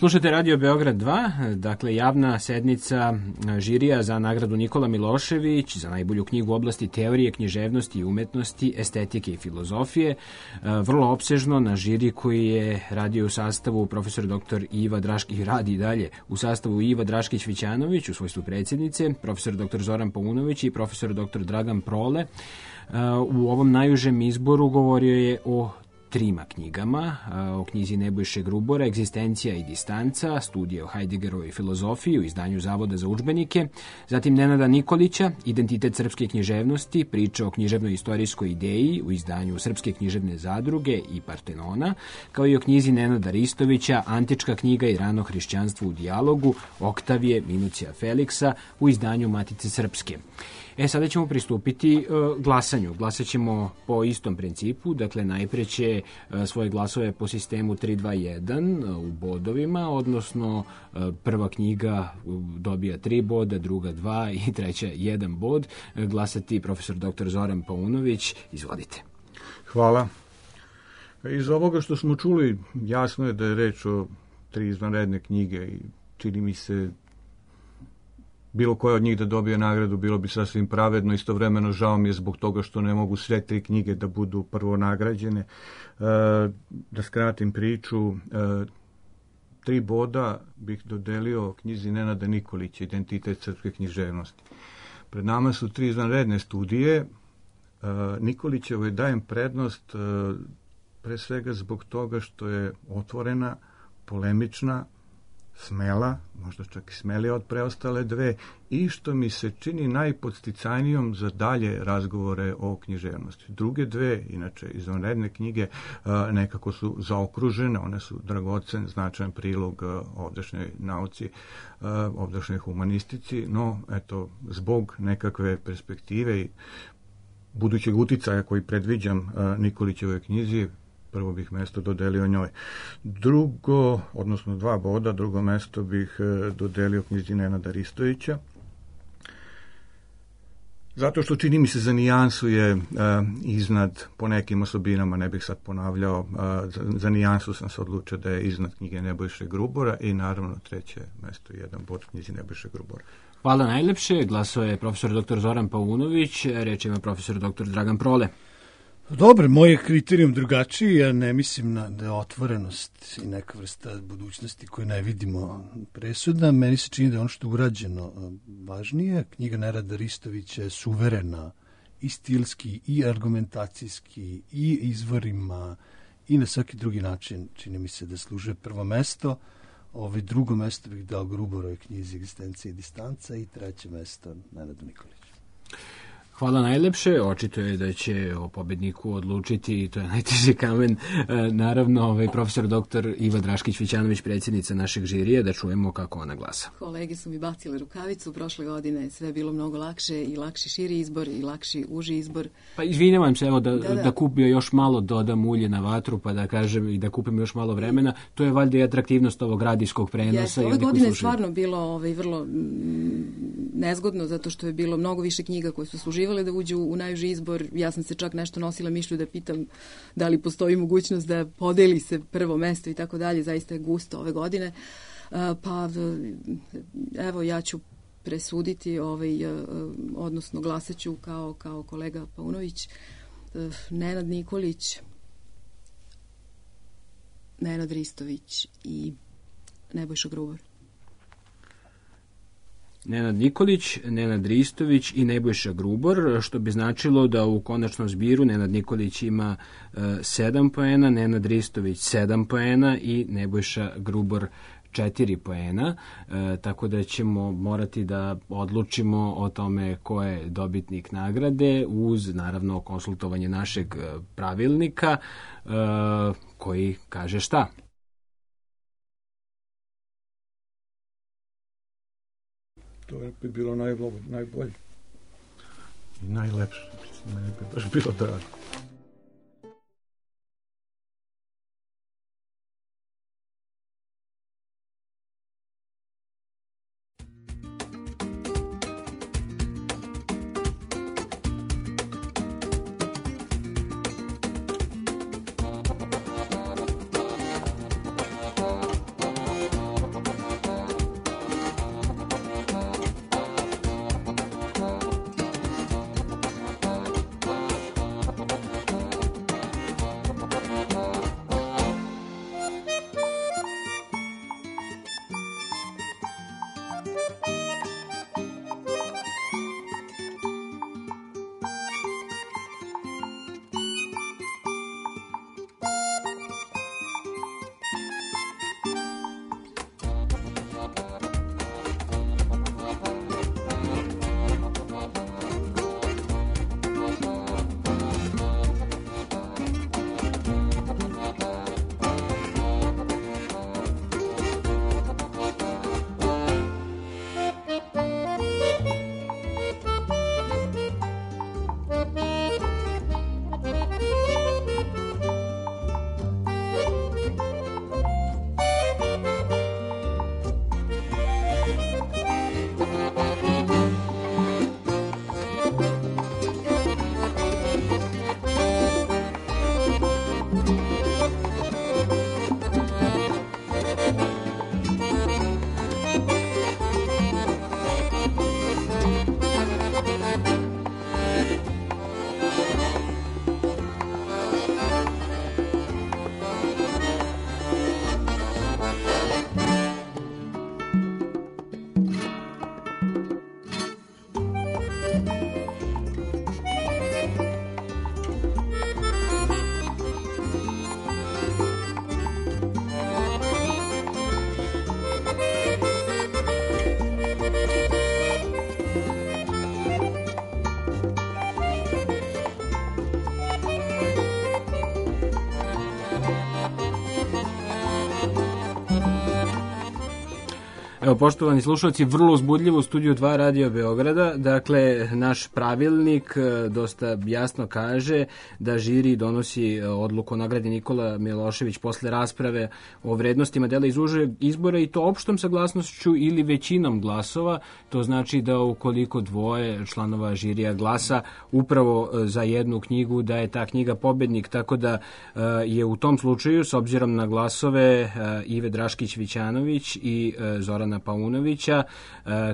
Slušate Radio Beograd 2, dakle javna sednica žirija za nagradu Nikola Milošević za najbolju knjigu u oblasti teorije, književnosti i umetnosti, estetike i filozofije. Vrlo opsežno na žiri koji je radio u sastavu profesor dr. Iva Draškić, radi dalje u sastavu Iva Draškić-Vićanović u svojstvu predsjednice, profesor dr. Zoran Paunović i profesor dr. Dragan Prole. U ovom najužem izboru govorio je o trima knjigama, o knjizi Nebojše Grubora, Egzistencija i distanca, studije o Heideggerovoj filozofiji u izdanju Zavoda za udžbenike, zatim Nenada Nikolića, Identitet srpske književnosti, priča o književnoj istorijskoj ideji u izdanju Srpske književne zadruge i Partenona, kao i o knjizi Nenada Ristovića, Antička knjiga i rano hrišćanstvo u dijalogu, Oktavije Minucija Feliksa u izdanju Matice Srpske. Sada ćemo pristupiti glasanju. Glasat ćemo po istom principu, dakle najpre će svoje glasove po sistemu 3-2-1 u bodovima, odnosno prva knjiga dobija 3 boda, druga 2 i treća 1 bod. Glasati profesor dr. Zoran Paunović. Izvolite. Hvala. Iz ovoga što smo čuli, jasno je da je reč o 3 izvanredne knjige i čini mi se bilo koja od njih da dobije nagradu bilo bi sasvim pravedno, istovremeno žao mi je zbog toga što ne mogu sve 3 knjige da budu prvo nagrađene. Da skratim priču, 3 boda bih dodelio knjizi Nenada Nikolića, Identitet srpske književnosti. Pred nama su 3 izvanredne studije. Nikolićevoj dajem prednost pre svega zbog toga što je otvorena, polemična, smela, možda čak i smelija od preostale 2, i što mi se čini najpodsticajnijom za dalje razgovore o književnosti. Druge 2, inače izvanredne knjige, nekako su zaokružene, one su dragocen, značajan prilog ovdašnjoj nauci, ovdašnjoj humanistici, no eto, zbog nekakve perspektive i budućeg uticaja koji predviđam Nikolićevoj knjizi, prvo bih mesto dodelio njoj. Drugo, odnosno 2 boda, drugo mesto bih dodelio knjizi Nenada Ristovića. Zato što čini mi se za nijansu je iznad po nekim osobinama, ne bih sad ponavljao, za nijansu sam se odlučio da je iznad knjige Nebojše Grubora i naravno 3. mesto 1 bod knjizi Nebojše Grubora. Hvala najlepše. Glasao je profesor dr. Zoran Paunović, reč ima profesor dr. Dragan Prole. Dobro, moj je kriterijum drugačiji, ja ne mislim da je otvorenost i neka vrsta budućnosti koju ne vidimo presudna. Meni se čini da je ono što je urađeno važnije. Knjiga Nenada Ristovića je suverena i stilski, i argumentacijski, i izvorima, i na svaki drugi način čini mi se da služe prvo mesto. Drugo mesto bih dao Gruborovoj knjizi Egzistencija i distanca i 3. mesto Nenadu Nikoliću. Hvala najlepše. Očito je da će o pobedniku odlučiti, i to je najteži kamen, naravno profesor dr. Iva Draškić-Vićanović, predsjednica našeg žirija, da čujemo kako ona glasa. Kolege su mi bacile rukavicu, prošle godine sve je bilo mnogo lakše i lakši širi izbor i lakši uži izbor. Pa izvinjavam se, evo da kupio još malo, dodam ulje na vatru, pa da kažem i da kupim još malo vremena. To je valjda i atraktivnost ovog radijskog prenosa. Ove godine je stvarno bilo vrlo nezgodno, zato što je bilo mnogo više knjiga koje su služivale da uđu u najuži izbor. Ja sam se čak nešto nosila mišlju da pitam da li postoji mogućnost da podeli se prvo mesto i tako dalje. Zaista je gusto ove godine. Pa evo, ja ću presuditi, odnosno glasat ću kao kolega Paunović. Nenad Nikolić, Nenad Ristović i Nebojša Grubor. Nenad Nikolić, Nenad Ristović i Nebojša Grubor, što bi značilo da u konačnom zbiru Nenad Nikolić ima 7 poena, Nenad Ristović 7 poena i Nebojša Grubor 4 poena, tako da ćemo morati da odlučimo o tome ko je dobitnik nagrade uz, naravno, konsultovanje našeg pravilnika koji kaže šta. To bi bilo najbolje i najlepše. Meni bi baš bilo drago. Evo, poštovani slušalci, vrlo uzbudljivo u studiju 2 Radio Beograda. Dakle, naš pravilnik dosta jasno kaže da žiri donosi odluku o nagradi Nikola Milošević posle rasprave o vrednostima dela iz užeg izbora i to opštom saglasnošću ili većinom glasova. To znači da ukoliko dvoje članova žirija glasa upravo za jednu knjigu, da je ta knjiga pobednik. Tako da je u tom slučaju, s obzirom na glasove Ive Draškić-Vićanović i Zorana Paunovića,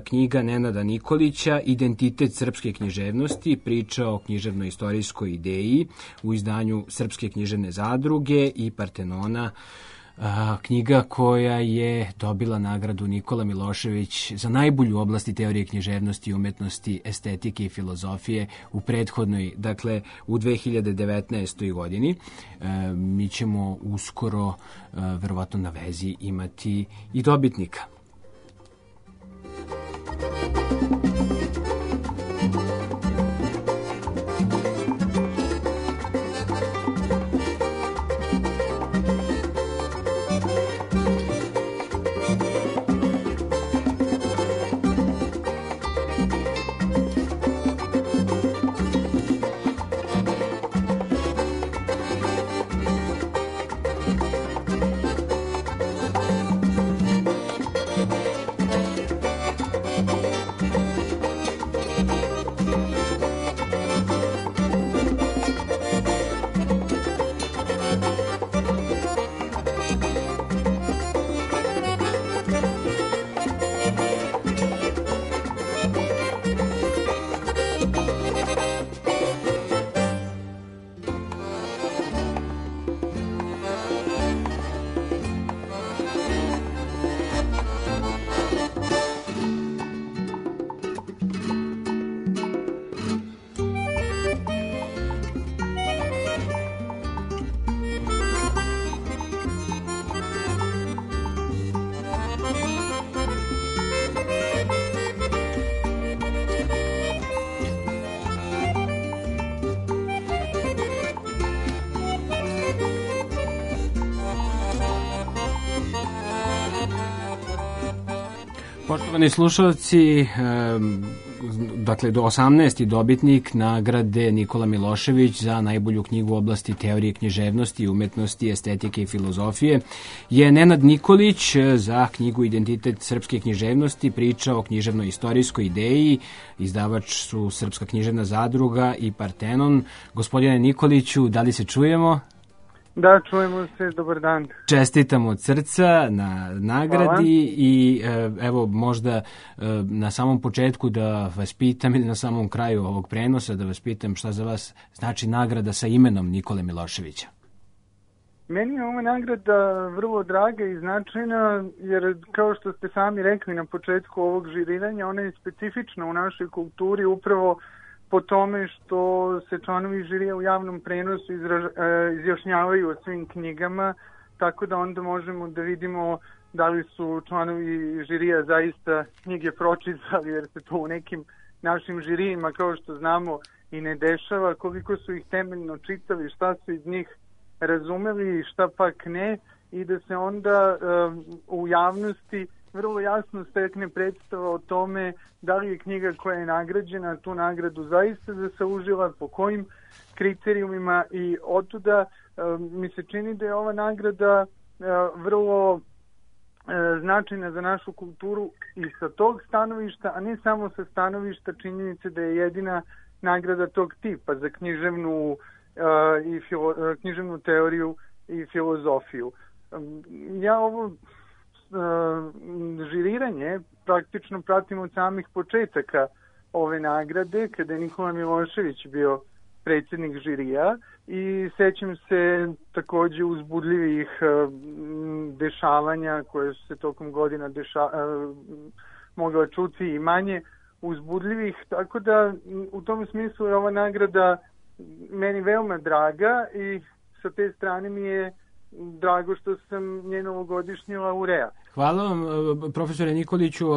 knjiga Nenada Nikolića Identitet srpske književnosti, priča o književno-istorijskoj ideji u izdanju Srpske književne zadruge i Partenona, knjiga koja je dobila nagradu Nikola Milošević za najbolju u oblasti teorije književnosti, umetnosti, estetike i filozofije u prethodnoj, dakle u 2019. godini. Mi ćemo uskoro, verovatno na vezi, imati i dobitnika. Poštovani slušalci, dakle do 18. dobitnik nagrade Nikola Milošević za najbolju knjigu u oblasti teorije književnosti, umetnosti, estetike i filozofije je Nenad Nikolić za knjigu Identitet srpske književnosti, priča o književno-istorijskoj ideji. Izdavač su Srpska književna zadruga i Partenon. Gospodine Nikoliću, da li se čujemo? Da, čujemo se, dobar dan. Čestitam od srca na nagradi. Hvala. I evo možda na samom početku da vas pitam ili na samom kraju ovog prenosa da vas pitam šta za vas znači nagrada sa imenom Nikole Miloševića. Meni je ova nagrada vrlo draga i značajna jer kao što ste sami rekli na početku ovog žiriranja, ona je specifična u našoj kulturi upravo po tome što se članovi žirija u javnom prenosu izjašnjavaju o svim knjigama, tako da onda možemo da vidimo da li su članovi žirija zaista knjige pročitali, jer se to u nekim našim žirijima, kao što znamo, i ne dešava, koliko su ih temeljno čitali, šta su iz njih razumeli i šta pak ne, i da se onda u javnosti vrlo jasno stekne predstava o tome da li je knjiga koja je nagrađena tu nagradu zaista zaslužila, po kojim kriterijumima, i otuda mi se čini da je ova nagrada vrlo značajna za našu kulturu i sa tog stanovišta, a ne samo sa stanovišta činjenice da je jedina nagrada tog tipa za književnu teoriju i filozofiju. Ja ovo žiriranje praktično pratim od samih početaka ove nagrade, kada je Nikola Milošević bio predsjednik žirija, i sećam se takođe uzbudljivih dešavanja koje su se tokom godina mogla čuti i manje uzbudljivih, tako da u tom smislu je ova nagrada meni veoma draga i sa te strane mi je drago što sam njen ovogodišnji laureat. Hvala vam, profesore Nikoliću,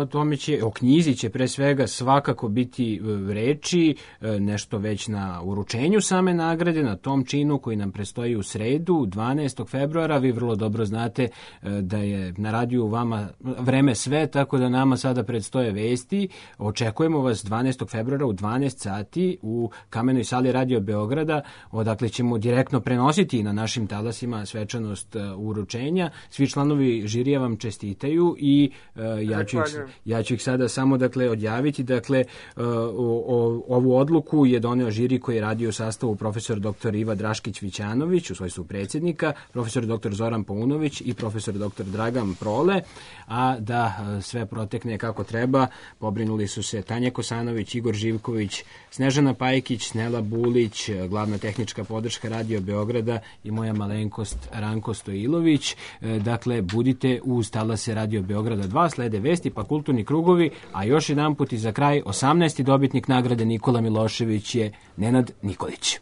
o knjizi će pre svega svakako biti reči, nešto već na uručenju same nagrade, na tom činu koji nam predstoji u sredu, 12. februara. Vi vrlo dobro znate da je na radiju vama vreme sve, tako da nama sada predstoje vesti. Očekujemo vas 12. februara u 12 sati u Kamenoj sali Radio Beograda, odakle ćemo direktno prenositi na našim talasima svečanost uručenja. Svi članovi žirija vam čestitaju i ja ću ih sada samo odjaviti. Ovu odluku je doneo žiri koji je radio u sastavu profesor dr. Iva Draškić-Vićanović u svojstvu predsjednika, profesor dr. Zoran Paunović i profesor dr. Dragan Prole, a da sve protekne kako treba, pobrinuli su se Tanja Kosanović, Igor Živković, Snežana Pajkić, Nela Bulić, glavna tehnička podrška Radio Beograda i moja malenkost Ranko Stojilović. Budite uz talase Radio Beograda 2, slede vesti pa kulturni krugovi, a još jedan put i za kraj 18. dobitnik nagrade Nikola Milošević je Nenad Nikolić.